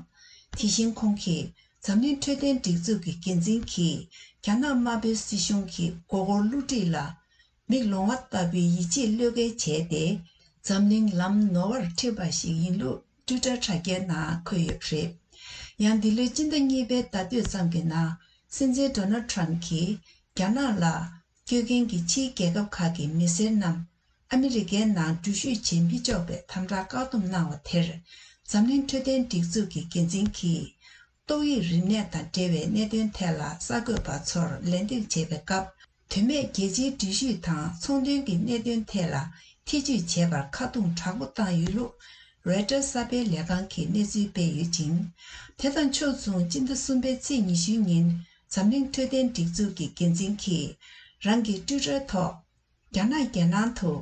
དེ་བཞིན་ཁོང་གིས་འཛམ་གླིང་འཕྲོད་བསྟེན་སྒྲིག་འཛུགས་ཀྱི་འགན་འཛིན་གྱིས་རྒྱ་ནག་དམར་པོའི་སྲིད་གཞུང་གི་མགོ་སྐོར་བསླུ་བྲིད་ལ། མིག་ལོང་བ་ལྟ་བུའི་ཡིད་ཆེས་བློས་འགེལ་བྱས་ཏེ། འཛམ་གླིང་ལམ་ནོར་བར་ཁྲིད་པ་ཞིག་ཡིན་ལུགས་ཊུའི་ཊར་དྲ་རྒྱའི་ནང་འཁོད་ཡོད་པ་རེད། ཡང་འདི་ལོའི་སྤྱི་ཟླ་གཉིས་པའི་ཟླ་སྟོད་ཙམ་གྱི་ནང་། སྲིད་འཛིན་ཌོ་ནལ་ཊམ་གྱིས་རྒྱ་ནག་ལ། སྐྱོད་མཁན་གྱི་ཕྱིའི་རྒྱལ་ཁབ་ཁག་གི་མི་སེར་རྣམས་ཨ་མི་རི་ཀའི་ནང་འགྲུལ་བཞུད་བྱེད་མི་ཆོག་པའི་དམ་དྲག་བཀག་སྡོམ་གནང་བ་དེར། འཛམ་གླིང་འཕྲོད་བསྟེན་སྒྲིག་འཛུགས་ཀྱི་འགན་འཛིན་གྱིས། ཏོག་དབྱིབས་རིམས་ནད་དང་འབྲེལ་བའི་གནད་དོན་ཐད་ལ་གསར་འགོད་པ་ཚོར་ལན་འདེབས་བྱེད་པའི་སྐབས། དོན་མེད་རྒྱལ་སྤྱིའི་འགྲུལ་བཞུད་དང་ཚོང་དོན་གྱི་གནད་དོན་ཐད་ལ་ཐེ་ཇུས་བྱས་པར་ཁ་རྡུང་དྲག་པོ་བཏང་ཡོད་ལུགས། རོའི་ཊར་གསར་སྤེལ་ལས་ཁང་གིས་གནས་ཚུལ་སྤེལ་ཡོད་ཅིང་། དེ་དང་ཕྱོགས་མཚུངས། སྤྱི་ཟླ་གསུམ་པའི་ཚེས་ཉི་ཤུའི་ཉིན། འཛམ་གླིང་འཕྲོད་བསྟེན་སྒྲིག་འཛུགས་ཀྱི་འགན་འཛིན་གྱིས། རང་གི་ཊུའི་ཊར་ཐོག་རྒྱ་ནག་རྒྱལ་ནང་དུ་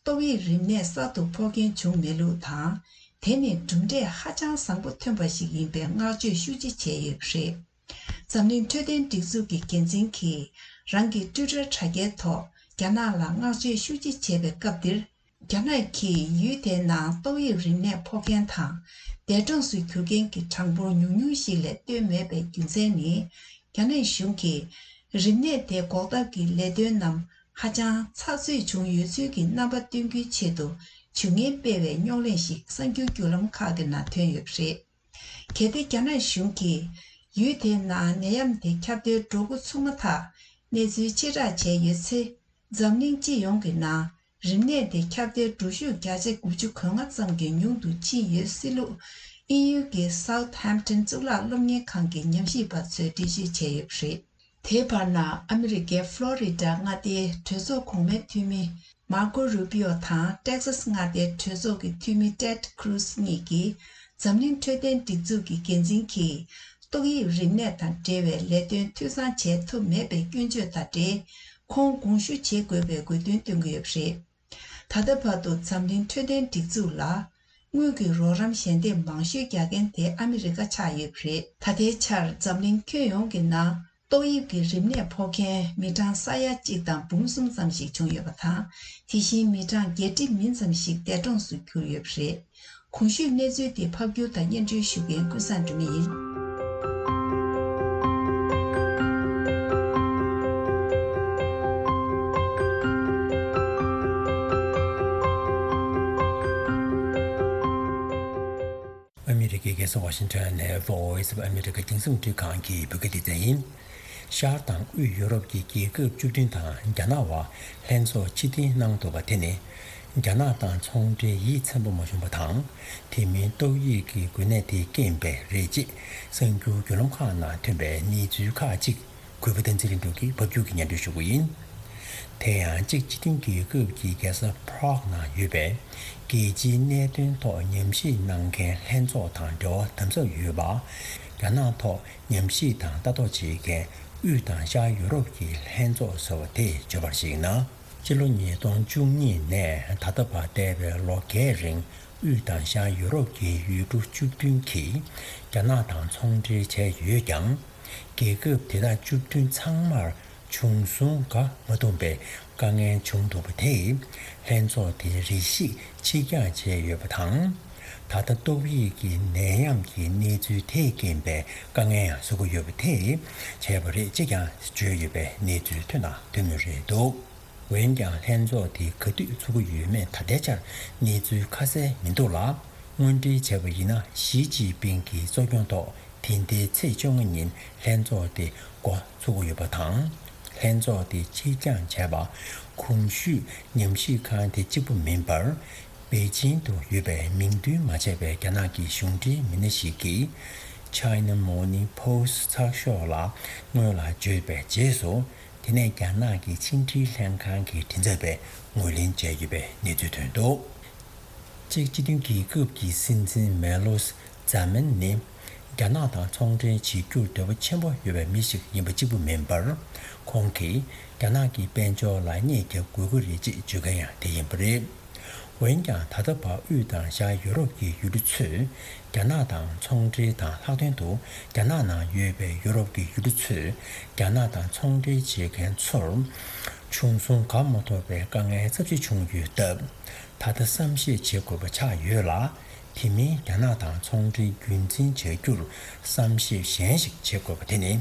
ཏོག་དབྱིབས་རིམས་ནད་གསར་དུ་ཕོག་མཁན་བྱུང་མེད་ལུགས་དང་། དེ་ནི་གྲུབ་འབྲས་ཧ་ཅང་བཟང་པོ་ཐོན་པ་ཞིག་ཡིན་པའི་བསྔགས་བརྗོད་ཤུགས་ཆེ་བྱས་ཡོད་པ་རེད། འཛམ་གླིང་འཕྲོད་བསྟེན་སྒྲིག་འཛུགས་ཀྱི་འགན་འཛིན་གྱིས་རང་གི་ཊུའི་ཊར་དྲ་རྒྱའི་ཐོག་རྒྱ་ནག་ལ་བསྔགས་བརྗོད་ཤུགས་ཆེ་བྱས་པའི་སྐབས་འདིར། རྒྱ་ནག་གིས་ཡུལ་དེའི་ནང་ཏོག་དབྱིབས་རིམས་ནད་ཕོག་མཁན་དང་། འདས་གྲོངས་སུ་གྱུར་མཁན་གྱི་གྲངས་འབོར་ཉུང་ཉུང་ཞིག་ལས་བཏོན་མེད་པའི་རྒྱུ་མཚན་ནི། རྒྱ་ནག་གཞུང་གིས་རིམས་ནད་དེ་འགོག་ཐབས་ཀྱི་ལས་དོན་རྣམས་ཧ་ཅང་ཚགས་ཚུད་བྱུང་ཡོད་ཚུལ་གྱི་རྣམ་པ་སྟོན་རྒྱུའི་ཆེད་དུ་བྱུས་ངན་སྤེལ་བའི་རྙོག་གླེང་ཞིག་གསར་འགྱུར་བརྒྱུད་ལམ་ཁག་གི་ནང་ཐོན་ཡོད་པ་རེད། གལ་ཏེ་རྒྱ་ནག་གཞུང་གིས་ཡུལ་དེའི་ནང་ནད་ཡམས་དེ་ཁྱབ་གདལ་འགྲོ་འགོ་ཚུགས་མ་ཐག་གནས་ཚུལ་ཕྱིར་བསྒྲགས་བྱས་ཡོད་ཚེ། འཛམ་གླིང་སྤྱི་ཡོངས་ཀྱི་ནང་རིམས་ནད་དེ་ཁྱབ་གདལ་འགྲོ་ཤུགས་བརྒྱ་ཆ་དགུ་བཅུ་གོ་ལྔ་ཙམ་གྱིས་ཉུང་དུ་ཕྱིན་ཡོད་སྲིད་ལུགས། དབྱིན་ཡུལ་གྱི་Southampton་གཙུག་ལག་སློབ་གཉེར་ཁང་གི་ཉམས་ཞིབ་པ་ཚོས་འགྲེལ་བརྗོད་བྱས་ཡོད་པ་རེད། དེའི་བར་ན། ཨ་མི་རི་ཀའི་ཕློ་རི་ཌ་མངའ་སྡེའི་གྲོས་ཚོགས་གོང་མའི་འཐུས་མི་མར་ཀོ་རུ་པིའོ་དང་ཏེག་སཱས་མངའ་སྡེའི་གྲོས་ཚོགས་ཀྱི་འཐུས་མི་ཊེཌ་ཁུ་རུ་སི་གཉིས་ཀྱིས། འཛམ་གླིང་འཕྲོད་བསྟེན་སྒྲིག་འཛུགས་ཀྱི་འགན་འཛིན་གྱིས། ཏོག་དབྱིབས་རིམས་ནད་དང་འབྲེལ་བའི་ལས་དོན་འཐུས་ཚང་བྱས་ཐུབ་མེད་པའི་སྐྱོན་བརྗོད་དང་འབྲེལ། ཁོང་དགོངས་ཞུ་བྱེད་དགོས་པའི་དགོས་འདུན་བཏོན་གྱི་ཡོད་པ་རེད། ད་ལྟ་བར་དུ་འཛམ་གླིང་འཕྲོད་བསྟེན་སྒྲིག་འཛུགས་ལ། དངུལ་གྱི་རོགས་རམ་ཞལ་འདེབས་མང་ཤོས་རྒྱག་མཁན་དེ་ཨ་མི་རི་ཀ་ཆགས་ཡོད་པ་རེད། ད་ལྟའི་ཆར་འཛམ་གླིང་ཁྱོན་ཡོངས་ཀྱི་ནང་ཏོག་དབྱིབས་ཀྱི་རིམས་ནད་ཕོག་མཁན་མི་གྲངས་ས་ཡ་གཅིག་དང་འབུམ་གསུམ་ཙམ་ཞིག་བྱུང་ཡོད་པ་དང་། དེ་བཞིན་མི་གྲངས་བརྒྱད་ཁྲི་མིན་ཙམ་ཞིག་འདས་གྲོངས་སུ་གྱུར་ཡོད་པ་རེད། གོང་ཞུས་གནས་ཚུལ་དེ་ཕབ་སྒྱུར་དང་སྙན་སྒྲོན་ཞུ་མཁན་ཀུན་བཟང་སྒྲོལ་མ་ཡིན། ཨ་མི་རི་ཀའི་རྒྱལ་ས་ཝ་ཤིང་ཊོན་ནས་Voice of America་རྒྱང་སྲིང་རླུང་འཕྲིན་ཁང་གི་བོད་སྐད་སྡེ་ཚན་ཡིན། ཤར་དང་དབུས་ཡོ་རོབ་ཀྱི་རྒྱལ་ཁབ་བཅུ་བདུན་དང་རྒྱ་ནག་བར་ལྷན་ཚོགས་ཕྱིར་འཐེན་གནང་འདུག་པ་དེ་ནི། རྒྱ་ནག་དང་ཚོང་འབྲེལ་ཡིད་ཚིམ་པོ་མ་བྱུང་བ་དང་། དེ་མིན་ཏོག་དབྱིབས་ཀྱི་འགོས་ནད་དེའི་རྐྱེན་པས་རེད་ཅེས་གསར་འགྱུར་བརྒྱུད་ལམ་ཁག་ནང་ཐོན་པའི་གནས་ཚུལ་ཁག་ཅིག་གུས་པ་བསྟན་འཛིན་ལྷུན་གྲུབ་ཀྱིས་ཕབ་སྒྱུར་གྱིས་སྙན་སྒྲོན་ཞུ་གི་ཡིན། དེ་ཡང་གཅིག་སྤྱི་མཐུན་རྒྱལ་ཁབ་ཀྱི་རྒྱལ་ས་Prague་ནང་ཡོད་པའི་རྒྱལ་སྤྱིའི་གནད་དོན་ཐོག་ཉམས་ཞིབ་གནང་མཁན་ལྷན་ཚོགས་དང་འབྲེལ་བ་དམ་ཟབ་ཡོད་པ། རྒྱ་ནག་ཐོག་ཉམས་ཞིབ་དང་ལྟ་རྟོག་བྱེད་མཁན་དབུས་དང་ཤར་ཡུ་རོབ་ཀྱི་ལྷན་ཚོགས་ཟེར་བ་དེ་བརྗོད་པར་གཞིགས་ན། སྤྱི་ལོ་ཉིས་སྟོང་བཅུ་གཉིས་ནས་ད་ལྟ་བར་འདས་པའི་ལོ་འགའི་རིང་དབུས་དང་ཤར་ཡུ་རོབ་ཀྱི་ཡུལ་གྲུ་བཅུ་བདུན་གྱིས་རྒྱ་ནག་དང་ཚོང་འབྲེལ་བྱས་ཡོད་ཀྱང་། རྒྱལ་ཁབ་དེ་དག་བཅུ་བདུན་ཚང་མར་བྱུང་སོང་ག་མ་ཐུབ་པའི་དཀའ་ངལ་བྱུང་འདུག་པ་དེས་ལྷན་ཚོགས་དེའི་རེ་ཞིག་ཕྱིར་འགྱངས་བྱས་ཡོད་པ་དང་། ད་ལྟ་ཏོག་དབྱིབས་ཀྱི་ནད་ཡམས་ཀྱི་གནས་ཚུལ་དེས་རྐྱེན་པས་དཀའ་ངལ་ཡང་བཟོ་གི་ཡོད་པ་དེས་བྱས་པ་རེད་ཅེས་ཀྱང་བརྗོད་ཡོད་པའི་གནས་ཚུལ་ཐོན་དང་ཐོན་མུས་རེད་འདུག་འོན་ཀྱང་ལྷན་ཚོགས་དེ་ག་དུས་ཚུགས་ཀྱི་ཡོད་མེད་ད་ལྟའི་ཆར་གནས་ཚུལ་ཁ་གསལ་མི་འདུག་ལ། དངོས་འབྲེལ་བྱས་པ་ཡིན་ན་ཞི་ཅིན་ཕིང་གི་གཙོ་སྐྱོང་ཐོག་དེ་ཟླའི་ཚེས་བཅོ་ལྔ་ཉིན་ལྷན་ཚོགས་དེ་འགོ་ཚུགས་ཀྱི་ཡོད་པ་དང་། ལྷན་ཚོགས་དེ་ཕྱིར་འགྱངས་བྱས་པ་གོང་ཞུས་ཉམས་ཞིབ་ཁང་དེ་གཅིག་པུ་མིན་པར། པེ་ཅིང་དུ་ཡོད་པའི་མིང་འདོན་མ་བྱས་པའི་རྒྱ་ནག་གི་གཞུང་འབྲེལ་མི་སྣ་ཞིག་གིས་China Morning Post་ཚགས་ཤོག་ལ་སྔོན་ལ་བརྗོད་པའི་རྗེས་སུ། དེ་ནས་རྒྱ་ནག་གི་ཕྱི་འབྲེལ་ལྷན་ཁང་གི་མགྲིན་ཚབ་པས་ངོས་ལེན་བྱས་ཡོད་པའི་གནས་ཚུལ་ཐོན་འདུག་གཅིག་སྤྱི་མཐུན་རྒྱལ་ཁབ་ཀྱི་སྲིད་འཛིན་མེ་ལོ་ཛ་མན་ནི་རྒྱ་ནག་དང་ཚོང་འབྲེལ་བྱེད་རྒྱུར་འདོད་པ་ཆེན་པོ་ཡོད་པའི་མི་ཞིག་ཡིན་པ་གཅིག་པུ་མིན་པར། ཁོང་གིས་རྒྱ་ནག་གི་དཔལ་འབྱོར་ལ་བརྙས་བརྒྱབ་དགོས་ཀྱི་རེད་ཅེས་བརྗོད་མཁན་ཡང་དེ་ཡིན་པ་རེད། འོན་ཀྱང་ད་ལྟ་བར་དབུས་དང་ཤར་ཡོ་རོབ་ཀྱི་ཡུལ་གྲུ་ཚོས་རྒྱ་ནག་དང་ཚོང་འབྲེལ་དང་ལྷག་དོན་དུ་རྒྱ་ནག་ནང་ཡོད་པའི་ཡོ་རོབ་ཀྱི་ཡུལ་གྲུ་ཚོས་རྒྱ་ནག་དང་ཚོང་འབྲེལ་བྱེད་མཁན་ཚོར་བྱུང་སོང་གང་མ་ཐོབ་པའི་དཀའ་ངལ་ཚབས་ཆེ་བྱུང་ཡོད་སྟབས། ད་ལྟ་བསམ་ཤེས་བྱེད་དགོས་པ་ཆགས་ཡོད་ལ། དེ་མིན་རྒྱ་ནག་དང་ཚོང་འབྲེལ་རྒྱུན་འཛིན་བྱ་རྒྱུར་བསམ་ཤེས་གཞན་ཞིག་བྱེད་དགོས་པ་དེ་ནི།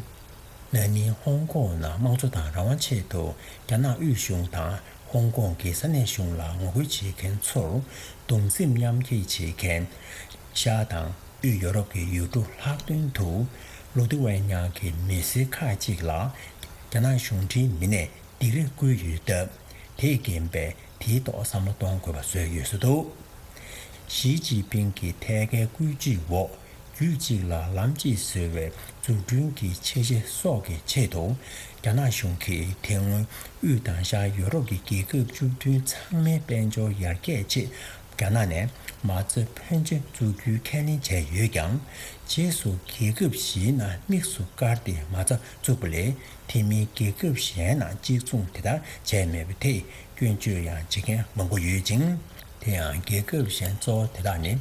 ན་ནིང་ཧོང་ཀོང་ནང་དམངས་གཙོ་དང་རང་དབང་ཆེད་དུ་རྒྱ་ནག་དབུས་གཞུང་དང་ཧོང་ཀོང་གི་ས་གནས་གཞུང་ལ་ངོ་རྒོལ་བྱེད་མཁན་ཚོར་གདུང་སེམས་མཉམ་སྐྱེད་བྱེད་མཁན། ཤར་དང་དབུས་ཡོ་རོབ་ཀྱི་ཡུལ་གྲུ་ལྷག་དོན་དུ་ལུ་ཐི་ཝེ་ཉ་གི་མི་སེར་ཁག་ཅིག་ལ་རྒྱ་ནག་གཞུང་འབྲེལ་མི་སྣས་སྡིགས་ར་བསྐུལ་ཡོད་སྟབས། དེས་རྐྱེན་པས་དེའི་ཐོག་བསམ་བློ་གཏོང་དགོས་པ་བཟོས་ཡོད་བཟོ་འདུག། ཞི་ཅིན་ཕིང་གི་ཐད་ཀའི་བཀོད་ཇུས་འོག་རྒྱུད་གཅིག་ལ་ལམ་གཅིག་བཟོ་བའི་འཛུགས་སྐྲུན་གྱི་འཆར་གཞི་སོགས་ཀྱི་ཆེད་དུ། རྒྱ་ནག་གཞུང་གིས་དེ་སྔོན་དབུས་དང་ཤར་ཡོ་རོབ་ཀྱི་རྒྱལ་ཁབ་བཅུ་བདུན་ཚང་མའི་དཔལ་འབྱོར་ཡར་རྒྱས་ཆེད་རྒྱ་ནག་ནས་མ་རྩ་ཕོན་ཆེ་བཙུགས་རྒྱུའི་ཁས་ལེན་བྱས་ཡོད་ཀྱང་། རྗེས་སུ་རྒྱལ་ཁབ་བཞིའི་ནང་དམིགས་སུ་བཀར་ཏེ་མ་རྩ་བཙུགས་པ་ལས། དེ་མིན་རྒྱལ་ཁབ་གཞན་ནང་གཅིག་མཚུངས་དེ་ལྟར་བྱས་མེད་པ་དེས་སྐྱོན་བརྗོད་ཡང་བྱེད་མཁན་མང་པོ་ཡོད་ཅིང་། དེ་ཡང་རྒྱལ་ཁབ་གཞན་གཙོ་བོ་དེ་དག་ནི།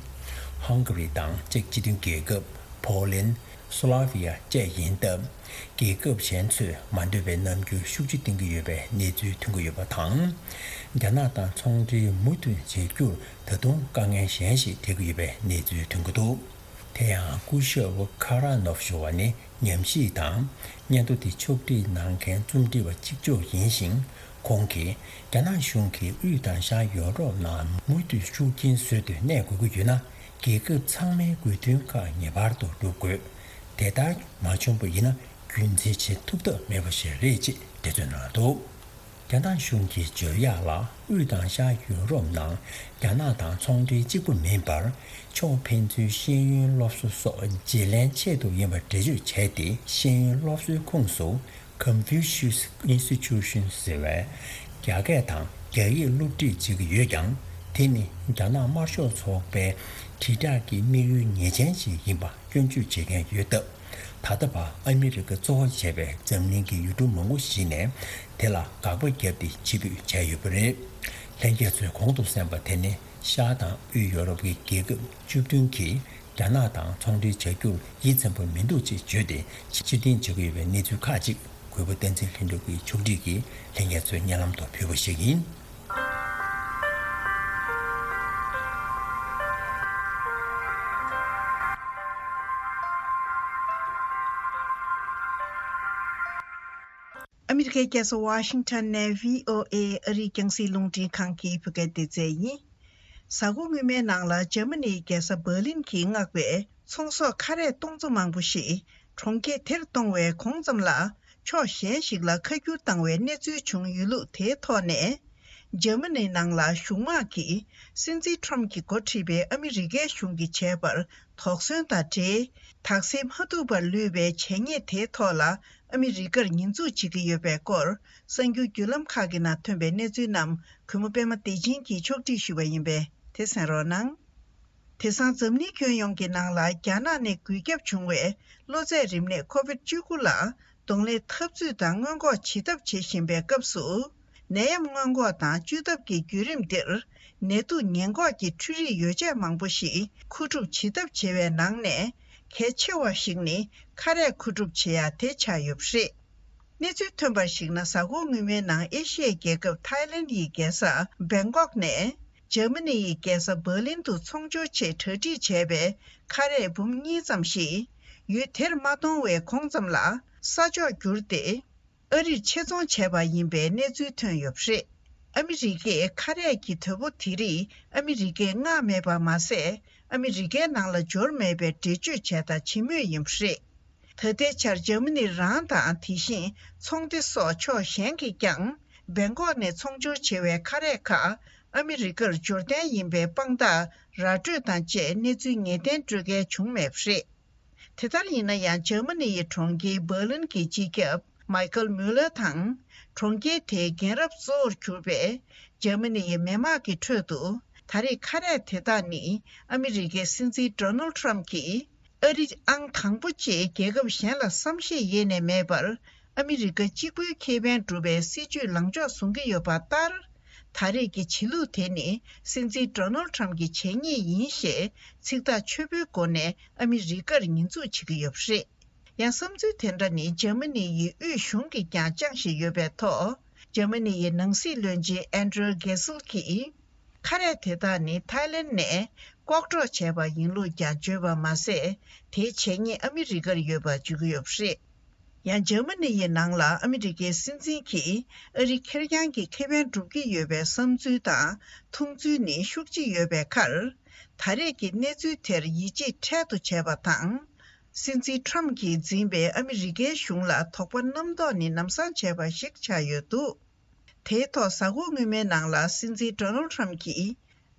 ཧང་ག་རི་དང་ཅེཀ་སྤྱི་མཐུན་རྒྱལ་ཁབ། ཕོ་ལན། སོ་ལ་བྷི་ཡ་བཅས་ཡིན་སྟབས། རྒྱལ་ཁབ་གཞན་ཚོས་མ་འདོད་པའི་རྣམ་འགྱུར་ཤུགས་ཆེ་བསྟན་གྱི་ཡོད་པའི་གནས་ཚུལ་ཐོན་གྱི་ཡོད་པ་དང་། རྒྱ་ནག་དང་ཚོང་འབྲེལ་མུ་མཐུད་བྱེད་རྒྱུར་ད་དུང་དཀའ་ངལ་གཞན་ཞིག་འཕྲད་ཀྱི་ཡོད་པའི་གནས་ཚུལ་ཐོན་གྱི་འདུག། དེ་ཡང་སྐུ་ཞབས་ཁ་ར་ནོབ་ཞུ་བ་ནི་ཉམས་ཞིབ་དང་སྙན་ཐོ་དེ་ཕྱོགས་སྒྲིག་གནང་མཁན་རྩོམ་སྒྲིག་པ་གཅིག་ལྕོགས་ཡིན་ཞིང་། ཁོང་གིས་རྒྱ་ནག་གཞུང་གིས་དབུས་དང་ཤར་ཡོ་རོབ་ནང་མུ་མཐུད་ཤུགས་རྐྱེན་བཟོས་ཏེ་གནས་དགོས་ཀྱི་ཡོད་ན། རྒྱལ་ཁབ་ཚང་མའི་དགོས་འདུན་ཁག་ངེས་པར་དུ་སྒྲུབ་དགོས། དེ་ལྟར་མ་བྱུང་བ་ཡིན་ན་རྒྱུན་འཛིན་བྱེད་ཐུབ་ཐབས་མེད་པ་ཞིག་རེད་ཅེས་འགྲེལ་བརྗོད་གནང་འདུག། རྒྱ་ནག་གཞུང་གིས་བརྗོད་ཡག་ལ། དབུས་དང་ཤར་ཡུ་རོབ་ནང་རྒྱ་ནག་དང་ཚོང་འབྲེལ་གཅིག་པུ་མིན་པར། ཕྱོགས་ཕན་ཚུན་ཤེས་ཡོན་སློབ་གསོ་སོགས་བརྗེ་ལེན་ཆེད་དུ་ཡིན་པ་འགྲེལ་བརྗོད་བྱས་ཏེ། ཤེས་ཡོན་སློབ་གསོའི་ཁོངས་སུ་Confucius Institution ཟེར་བའི་རྒྱ་སྐད་དང་རྒྱ་ཡིག་སློབ་ཁྲིད་བྱེད་ཀྱི་ཡོད་ཀྱང་། དེ་ནི་རྒྱ་ནག་དམར་ཤོག་ཚོགས་པའི་དྲིལ་བསྒྲགས་ཀྱི་དམིགས་ཡུལ་ངེས་ཅན་ཞིག་ཡིན་པ་སྐྱོན་བརྗོད་བྱེད་མཁན་ཡོད་སྟབས། ད་ལྟ་བར་ཨ་མི་རི་ཀ་གཙོ་བོ་བྱས་པའི་འཛམ་གླིང་གི་ཡུལ་གྲུ་མང་པོ་ཞིག་ནས་དེ་ལ་དགག་པ་བརྒྱབ་སྟེ་ཕྱིར་འབུད་བྱས་ཡོད་པ་རེད། ལྷན་རྒྱས་ཚོས་གོང་དུ་གསན་པ་དེ་ནི་ཤར་དང་དབུས་ཡོ་རོབ་ཀྱི་རྒྱལ་ཁབ་བཅུ་བདུན་གྱིས་རྒྱ་ནག་དང་ཚོང་འབྲེལ་བྱ་རྒྱུར་ཡིད་ཚིམ་པོ་མི་འདུག་ཅེས་བརྗོད་དེ་ཕྱིར་འཐེན་བྱེད་ཀྱི་ཡོད་པའི་གནས་ཚུལ་ཁག་ཅིག་གུས་པ་བསྟན་འཛིན་ལྷུན་གྲུབ་ཀྱིས་ཕྱོགས་སྒྲིག་གིས་ལྷན་རྒྱས་ཚོའི་སྙན་ལམ་དུ་ཕུལ་བ་ཞིག་ཡིན། ཨ་མི་རི་ཀའི་རྒྱལ་ས་ཝ་ཤིང་ཊོན་ནས་བྷི་ཨོ་ཨེ་ཨ་རིའི་རྒྱང་སྲིང་རླུང་འཕྲིན་ཁང་གི་བོད་སྐད་སྡེ་ཚན་ཡིན། གཟའ་འཁོར་སྔོན་མའི་ནང་ལ་འཇར་མ་ནིའི་རྒྱལ་ས་འབར་ལིན་གྱིས་མངགས་པའི་ཚོང་ཟོག་ཁ་རས་སྟོང་ཚོ་མང་པོ་ཞིག་གྲོང་ཁྱེར་དེར་གཏོང་བའི་གོང་ཙམ་ལ། ཕྱོགས་གཞན་ཞིག་ལ་ཁ་བསྒྱུར་བཏང་བའི་གནས་ཚུལ་བྱུང་ཡོད་ལུགས་དེའི་ཐོག་ནས། འཇར་མ་ནིའི་ནང་ལ་གཞུང་དམག་གིས་སྲིད་འཛིན་ཁྲོམ་གྱིས་འགོ་ཁྲིད་པའི་ཨ་མི་རི་ཀའི་གཞུང་གིས་བྱས་པར་དོགས་ཟོན་དང་འབྲེལ། དག་སེལ་མ་ཐུབ་པར་ལུས་པའི་བྱས་ཉེས་དེའི་ཐོག་ལ་ཨ་མི་རི་ཀར་ཉེས་འཛུགས་བྱེད་ཀྱི་ཡོད་པའི་སྐོར། གསར་འགྱུར་བརྒྱུད་ལམ་ཁག་གི་ནང་ཐོན་པའི་གནས་ཚུལ་རྣམས་གུས་མོ་པད་མ་བདེ་ཆེན་གྱིས་ཕྱོགས་སྒྲིག་ཞུས་པ་ཡིན་པས་དེ་གསན་རོགས་གནང་། དེང་སང་འཛམ་གླིང་ཁྱོན་ཡོངས་ཀྱི་ནང་ལ་རྒྱ་ནག་ནས་འགོས་ཁྱབ་བྱུང་བའི་གློ་ཚད་རིམས་ནད་ཁོ་བིད་བཅུ་དགུ་ལ་གདོང་ལེན་འཐབ་རྩོད་དང་སྔོན་འགོག་བྱེད་ཐབས་བྱེད་བཞིན་པའི་སྐབས་སུ། ནད་ཡམས་སྔོན་འགོག་དང་བཅོས་ཐབས་ཀྱི་བརྒྱུད་རིམ་འདིར། ནད་དུག་ཉེན་འགོག་གི་འཕྲུལ་རིག་ཡོ་བྱད་མང་པོ་ཞིག་མཁོ་སྒྲུབ་བྱེད་ཐབས་བྱེད་པའི་ནང་ནས། གལ་ཆེ་བ་ཞིག་ནི་ཁ་རས་མཁོ་སྒྲུབ་བྱེད་ཡ་དེ་ཆགས་ཡོད་པ་རེད། གནས་ཚུལ་ཐོན་པར་གཞིགས་ན། གཟའ་འཁོར་སྔོན་མའི་ནང་ཨེ་ཤི་ཡའི་རྒྱལ་ཁབ་ཐའི་ལེན་ཡི་རྒྱལ་ས་བེང་ཀོག་ནས་འཇར་མ་ནི་ཡི་རྒྱལ་ས་འབར་ལིན་དུ་ཚོང་སྦྱོར་ཆེད་གྲ་སྒྲིག་བྱས་པའི་ཁ་རས་འབུམ་གཉིས་ཙམ་ཞིག་ཡུལ་དེར་མ་གཏོང་བའི་གོང་ཙམ་ལ་ས་ཕྱོགས་བསྒྱུར་ཏེ། ཨ་རིར་ཆེད་རྫོང་བྱས་པ་ཡིན་པའི་གནས་ཚུལ་ཐོན་ཡོད་པ་རེད། ཨ་མི་རི་ཀས་ཁ་རས་ཀྱི་དོ་པོ་དེ་རིགས་ཨ་མི་རི་ཀས་མངགས་མེད་པ་མ་ཟད། ཨ་མི་རི་ཀའི་ནང་ལ་འབྱོར་མེད་པའི་འགྲེལ་བརྗོད་བྱས་དང་བྱེད་མུས་ཡིན་པ་རེད། ད་ལྟའི་ཆར་འཇར་མ་ནི་རང་དང་། དེ་བཞིན་ཚོང་སྡེ་སོགས་ཕྱོགས་གཞན་གྱིས་ཀྱང་། བེང་ཀོག་ནས་ཚོང་སྦྱོར་བྱེད་པའི་ཁ་རས་ཁག་ཨ་མི་རི་ཀར་འབྱོར་གཏན་ཡིན་པའི་དཔང་རྟགས་ར་སྤྲོད་དང་བཅས་གནས་ཚུལ་ངེས་གཏན་སྤྲོད་མཁན་བྱུང་མེད་པ་རེད། དེ་ལྟར་ཡིན་ན་ཡང་། འཇར་མ་ནི་ཡི་གྲོང་ཁྱེར་འབར་ལིན་གྱི་སྤྱི་ཁྱབ་མའི་ཁལ་མུ་ལར་དང་། གྲོང་ཁྱེར་དེའི་རྒན་རབས་གཙོ་བོར་གྱུར་པའི་འཇར་མ་ནི་ཡི་མི་དམངས་ཀྱི་ཁྲོད་དུ། ད་རེས་ཁ་རས་དེ་དག་ནི་ཨ་མི་རི་ཀའི་སྲིད་འཛིན་ཌོ་ནལ་ཁྲམ་གྱིས། ཨ་རི་ཨང་དང་པོ་བཅས་རྒྱལ་ཁབ་གཞན་ལ་བསམ་ཤེས་ཡེ་ནས་མེད་པར། ཨ་མི་རི་ཀ་གཅིག་པུའི་ཁེ་ཕན་སྒྲུབ་པའི་སྲིད་ཇུས་ལངས་ཕྱོགས་བཟུང་གི་ཡོད་པ་ལྟར། ད་ ད་རེས་ཀྱི་བྱེད་ལུགས་དེ་ནི་སྲིད་འཛིན་ཌོ་ནལ་ཊམ་གྱི་བྱས་ཉེས་ཡིན་ཞེས་ཚིག་ཐག་ཆོད་པོའི་སྒོ་ནས་ཨ་མི་རི་ཀར་ཉེས་འཛུགས་བྱེད་ཀྱི་ཡོད་པ་རེད། ཡང་བསམ་ཚུལ་དེ་འདྲ་ནི་འཇར་མ་ནི་ཡི་དབུས་གཞུང་གིས་ཀྱང་བཅངས་བཞིན་ཡོད་པའི་ཐོག་འཇར་མ་ནི་ཡི་ནང་སྲིད་བློན་ཆེན་ཨན་ཌྲུ་གེ་སིལ་གྱིས། ཁ་རས་དེ་དག་ནི་ཐའི་ལེན་ནས་ལྐོག་འགྲོ་བྱས་པ་ཡིན་ལུགས་ཀྱང་བརྗོད་པ་མ་ཟད། དེའི་བྱས་ཉེས་ཨ་མི་རི་ཀར་ཡོད་པ་བརྗོད་ཀྱི་ཡོད་པ་རེད། ཡང་འཇར་མ་ནི་ཡི་ནང་ལ་ཨ་མི་རི་ཀའི་སྲིད་འཛིན་གྱིས་ཨ་རི་ཁེར་རྐྱང་གི་ཁེ་ཕན་སྒྲུབ་ཀྱི་ཡོད་པའི་བསམ་ཚུལ་དང་མཐོང་ཚུལ་ནི་ཤུགས་ཆེ་ཡོད་པའི་ཁར། ད་རེས་ཀྱི་གནས་ཚུལ་དེར་ཡིད་ཆེས་འཕྲལ་དུ་བྱས་པ་དང་། སྲིད་འཛིན་ཊམ་གྱིས་འཛིན་པའི་ཨ་མི་རི་ཀའི་གཞུང་ལ་དོགས་པ་རྣམ་རྟོག་ནི་ལམ་སང་བྱས་པ་ཞིག་ཆགས་ཡོད་འདུག་དེའི་ཐོག་གཟའ་འཁོར་སྔོན་མའི་ནང་ལ་སྲིད་འཛིན་ཌོ་ནལ་ཊམ་གྱིས།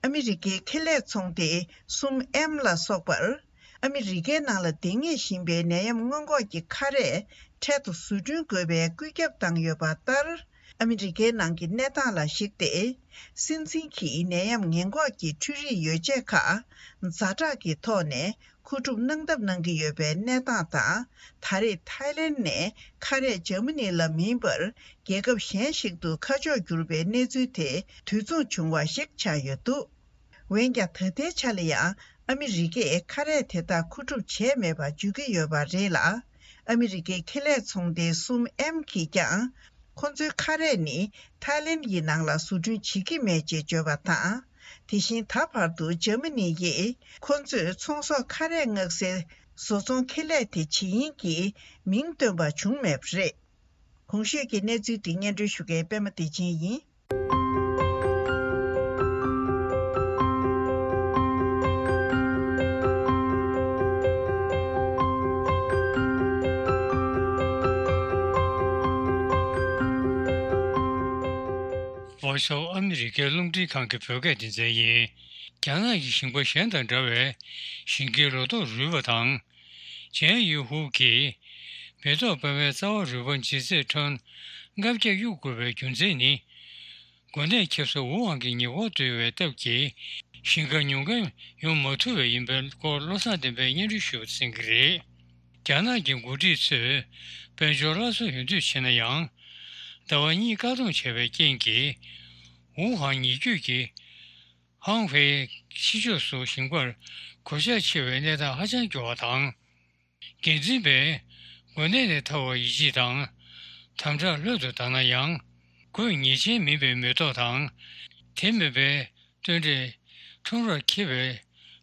ཨ་མི་རི་ཀའི་ཁེ་ལས་ཚོང་སྡེ་གསུམ་ཨེམ་ལ་སོགས་པར། ཨ་མི་རི་ཀའི་ནང་ལ་འདེང་ངེས་བཞིན་པའི་ནད་ཡམས་སྔོན་འགོག་གི་ཁ་རས་འཕྲལ་དུ་བཟོ་སྐྲུན་དགོས་པའི་བཀོད་ཁྱབ་བཏང་ཡོད་པ་ལྟར། ཨ་མི་རི་ཀའི་ནང་གི་གནས་སྟངས་ལ་གཞིགས་ཏེ། སྲིད་འཛིན་གྱིས་ནད་ཡམས་ངན་འགོག་གི་འཕྲུལ་རིག་ཡོ་བྱད་ཁག་ཛ་དྲག་གི་ཐོག་ནས། མཁོ་སྒྲུབ་གནང་ཐབས་གནང་གི་ཡོད་པའི་གནས་སྟངས་དང་། ད་རེས་ཐའི་ལེན་ནས་ཁ་རས་འཇར་མ་ནི་ལ་མིན་པར། རྒྱལ་ཁབ་གཞན་ཞིག་ཏུ་ཁ་ཕྱོགས་བསྒྱུར་བའི་གནས་ཚུལ་དེ་དུས་མཚུངས་བྱུང་བ་ཞིག་ཆགས་ཡོད་འདུག་འོན་ཀྱང་། ད་ལྟའི་ཆ་ལ་ཡང་ཨ་མི་རི་ཀས་ཁ་རས་དེ་དག་མཁོ་སྒྲུབ་བྱས་མེད་པ་བརྗོད་ཀྱི་ཡོད་པ་རེད་ལ། ཨ་མི་རི་ཀའི་ཁེ་ལས་ཚོང་སྡེ་གསུམ་ཨེམ་གྱིས་ཀྱང་། ཁོ་ཚོའི་ཁ་རས་ནི་ཐའི་ལེན་ཡི་ནང་ལ་བཟོ་སྐྲུན་བྱེད་ཀྱི་མེད་ཅེས་བརྗོད་པ་དང་། དེ་བཞིན་ད་བར་དུ་འཇར་མ་ནི་ཡིས་ཁོ་ཚོས་ཚོང་ཟོག་ཁ་རས་མངགས་སའི་བཟོ་ཚོང་ཁེ་ལས་དེ་ཇི་ཡིན་གྱི་མིང་བཏོན་པ་བྱུང་མེད་པ་རེད། གོང་ཞུས་ཀྱི་གནས་ཚུལ་འདི་སྙན་སྒྲོན་ཞུ་མཁན་པད་མ་བདེ་ཆེན་ཡིན། ཝ་ཤོ་ཨ་མི་རི་ཀའི་རླུང་འཕྲིན་ཁང་གི་བོད་སྐད་སྡེ་ཚན་ཡིན། རྒྱ་ནག་གི་ཞིང་པ་གཞན་དང་འདྲ་བའི་ཞིང་ཁའི་ལོ་ཏོག་རུལ་བ་དང་། ཇན་ཡུ་ཧུའུ་གིས་མེ་ཏོག་པད་མའི་རྩ་བ་རུལ་པ་ལྗིད་ཚད་ཁྲོན་ལྔ་བརྒྱ་གཡུག་དགོས་པའི་རྒྱུ་མཚན་ནི། འགོ་ནད་ཁྱབ་ས་ཝུ་ཧན་གྱི་ཉེ་འཁོར་དུ་ཡོད་པའི་སྟབས་ཀྱིས་ཞིང་ཁ་ཉོ་མཁན་ཡོང་མ་ཐུབ་པས་ཡིན་པའི་སྐོར་བློ་བཟང་བསྟན་པས་སྙན་སྒྲོན་ཞུས་པ་གསན་གྱི་རེད། རྒྱ་ནག་གི་འགོ་ཁྲིད་ཚོས་དཔལ་འབྱོར་སླར་གསོ་ཡོང་འདོད་བྱས་ན་ཡང་། ཟླ་བ་གཉིས་བཀག་སྡོམ་བྱས་པའི་རྐྱེན་གྱིས། ཝུ་ཧན་ཉེ་བརྒྱུད་ཀྱི་ཧང་ཧྥེ་ཕྱི་ཕྱོགས་སུ་ཞིང་པར་གོད་ཆག་ཆེ་བའི་གནས་སྟངས་ཧ་ཅང་སྐྱོ་བ་དང་། འགན་འཛིན་པས་འགོ་ནད་ནས་ཐར་བར་ཡིད་ཆེས་དང་། དམ་དྲག་ལྷོད་དུ་བཏང་ན་ཡང་། འགོས་ཉེས་ཅན་མིན་པའི་མེ་ཏོག་དང་། དེ་མིན་པའི་སྟོན་འབྲས་ཁྲོམ་རར་འཁེལ་བའི་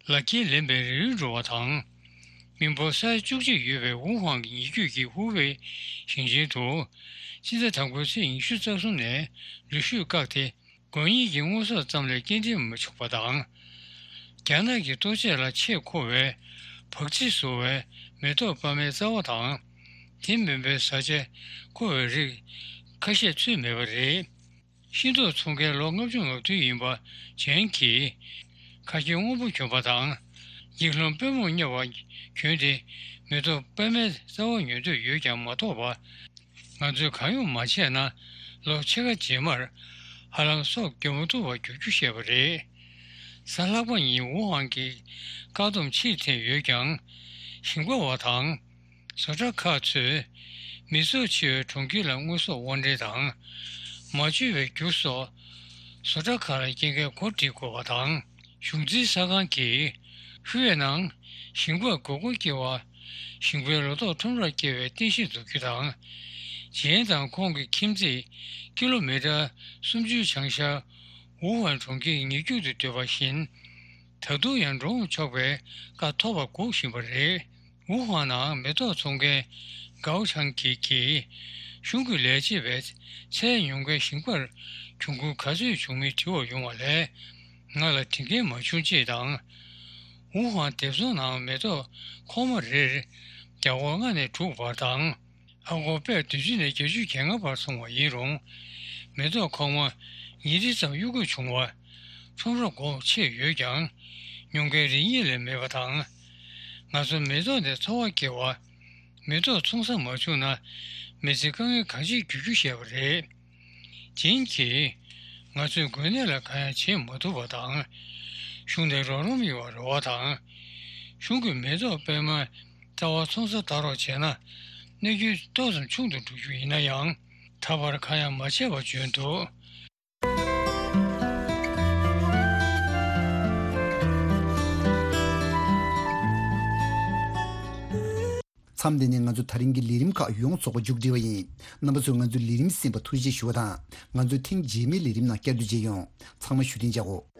ལག་འཁྱེར་ལེན་པའི་རིལ་འགྲོ་བ་དང་། མི་འབོར་ས་ཡ་བཅུ་གཅིག་ཡོད་པའི་ཝུ་ཧན་གྱི་ཉེ་བརྒྱུད་ཀྱི་ཧུའུ་ཝེ་ཞིང་ཆེན་དུ། སྤྱི་ཟླ་དང་པོའི་ཚེས་ཉི་ཤུ་རྩ་གསུམ་ནས་རི་ཤོད་བཀག་སྟེ། དགོས་ངེས་ཀྱི་དངོས་ཟོག་ཙམ་ལས་སྐྱེལ་འདྲེན་མ་བྱུང་བ་དང་། རྒྱ་ནག་གི་ལྟོ་ཆས་ལ་ཆེས་མཁོ་བའི་བག་ཚིལ་བཟོ་བའི་མེ་ཏོག་པད་མའི་རྩ་བ་དང་། དེ་མིན་པའི་བཟའ་བཅའ་མཁོ་བའི་རིགས་ཁ་ཤས་ཚུད་མེད་པ་རེད། ཤིང་ཏོག་འཚོ་མཁན་ལོ་ལྔ་བཅུ་ང་བདུན་ཡིན་པ་ཇན་གྱིས། ཁ་རྒྱན་སྔོན་པོ་གྱོན་པ་དང་། ཡིག་ལྷམ་པུས་མོར་གཡར་བ་གྱོན་ཏེ། མེ་ཏོག་པད་མའི་རྩ་བ་ཉོ་འདོད་ཡོད་ཀྱང་མ་ཐོབ་པ། ང་ཚོས་གང་ཡང་མ་བྱས་ན། ལོ་ཕྱེད་ཀ་རྗེས་མར་ཧ་ལམ་སྲོག་སྐྱོབ་མ་ཐུབ་པར་འགྱུར་རྒྱུ་བཤད་པ་རེད། གཟའ་ལྷག་པ་ཉིན་ཝུ་ཧན་གྱི་བཀག་སྡོམ་ཕྱིར་འཐེན་ཡོད་ཀྱང་། ཞིང་པ་བ་དང་། བཟོ་གྲྭ་ཁག་ཚོས་མི་ཚོགས་ཆེ་བའི་གྲོང་ཁྱེར་ལ་དངོས་ཟོག་དབོར་འདྲེན་དང་། མ་བཅོས་པའི་རྒྱུ་སོགས་བཟོ་གྲྭ་ཁག་ལ་སྐྱེལ་མཁན་སྒོ་སྒྲིག་དགོས་པ་དང་། གཞུང་འཛིན་གསར་ཁང་གིས་ཧུའུ་ཝེ་ནང་ཞིང་པར་དགོས་མཁོ་སྐྱེ་བ། ཞིང་པའི་ལོ་ཏོག་ཁྲོམ་རར་སྐྱེལ་བའི་རྟེན་གཞི་འཛུགས་རྒྱུ་དང་། ཇན་དང་ཁོང་གི་ཁྱིམ་མཚེས་ཀི་ལོ་མི་ཊར་སུམ་ཅུའི་བྱང་ཤར་ཝུ་ཧན་གྲོང་ཁྱེར་ཉེ་རྒྱུད་དུ་སྡོད་པ་བཞིན། ད་དུང་ཡང་འགྲོ་འོང་ཆོག་པའི་བཀའ་ཐོབ་པར་སྒུག་བཞིན་པ་རེད། ཝུ་ཧན་ནང་མེ་ཏོག་འཚོང་མཁན་གའོ་ཆང་གིས་ཀྱིས། གཞུང་གི་ལས་བྱེད་པས་ཚལ་ཉོ་མཁན་ཞིང་པར་གྱོང་གུན་ག་ཚོད་བྱུང་མིན་དྲི་བར་ཡོང་བ་ལས། ང་ལ་དྲི་མཁན་མ་བྱུང་ཅེས་དང་། ཝུ་ཧན་སྡེབ་ཚོང་ནང་མེ་ཏོག་ཁོག་མ་རེར་རྒྱ་སྒོར་ལྔ་ནས་དྲུག་བར་དང་། ཨ་སྒོར་པད་བདུན་ཅུ་ནས་བརྒྱད་ཅུ་གྱ་ལྔ་བར་སོང་བ་ཡིན་རུང་། མེ་ཏོག་ཁོག་མ་ཉིས་ཁྲི་ཙམ་གཡུག་དགོས་བྱུང་བ། ཁྲོམ་ར་སྒོ་ཕྱེ་ཡོད་ཀྱང་། ཉོ་མཁན་རིན་ཡེ་ལས་མེད་པ་དང་། ང་ཚོ་མེ་ཏོག་ནས་འཚོ་བ་སྐྱེལ་བ། མེ་ཏོག་འཚོང་ས་མ་བྱུང་ན། མི་ཚེ་དཀའ་ངལ་གང་ཅིར་འགྱུར་རྒྱུ་བཤད་པ་རེད། ཇིན་གྱིས། ང་ཚོས་འགོས་ནད་ལ་གང་ཡང་བྱེད་མ་ཐུབ་པ་དང་། གཞུང་ནས་རོགས་རམ་ཡོང་བར་རེ་བ་དང་། གཞུང་གིས་མེ་ཏོག་པད་མ་རྩ་བ་འཚོང་ས་ལྟ་རོགས་བྱས་ན། གནོད་སྐྱོན་ཏོག་ཙམ་ཆུང་དུ་འགྲོ་རྒྱུ་ཡིན་ན་ཡང་། ད་བར་གང་ཡང་མ་བྱས་པ་བརྗོད་འདུག་མཚམས་འདི་ནས་ང་ཚོ་ད་རིང་གི་ལས་རིམ་ཁག་ཡོངས་རྫོགས་པ་མཇུག་སྒྲིལ་བ་ཡིན། རྣམ་པ་ཚོས་ང་ཚོའི་ལས་རིམ་གསན་པར་ཐུགས་རྗེ་ཆེ་ཞུ་བ་དང་། ང་ཚོའི་ཐེངས་རྗེས་མའི་ལས་རིམ་ནང་བསྐྱར་དུ་མཇལ་ཡོང་། ཚང་མ་བཞུགས་གདན་འཇགས་གོ།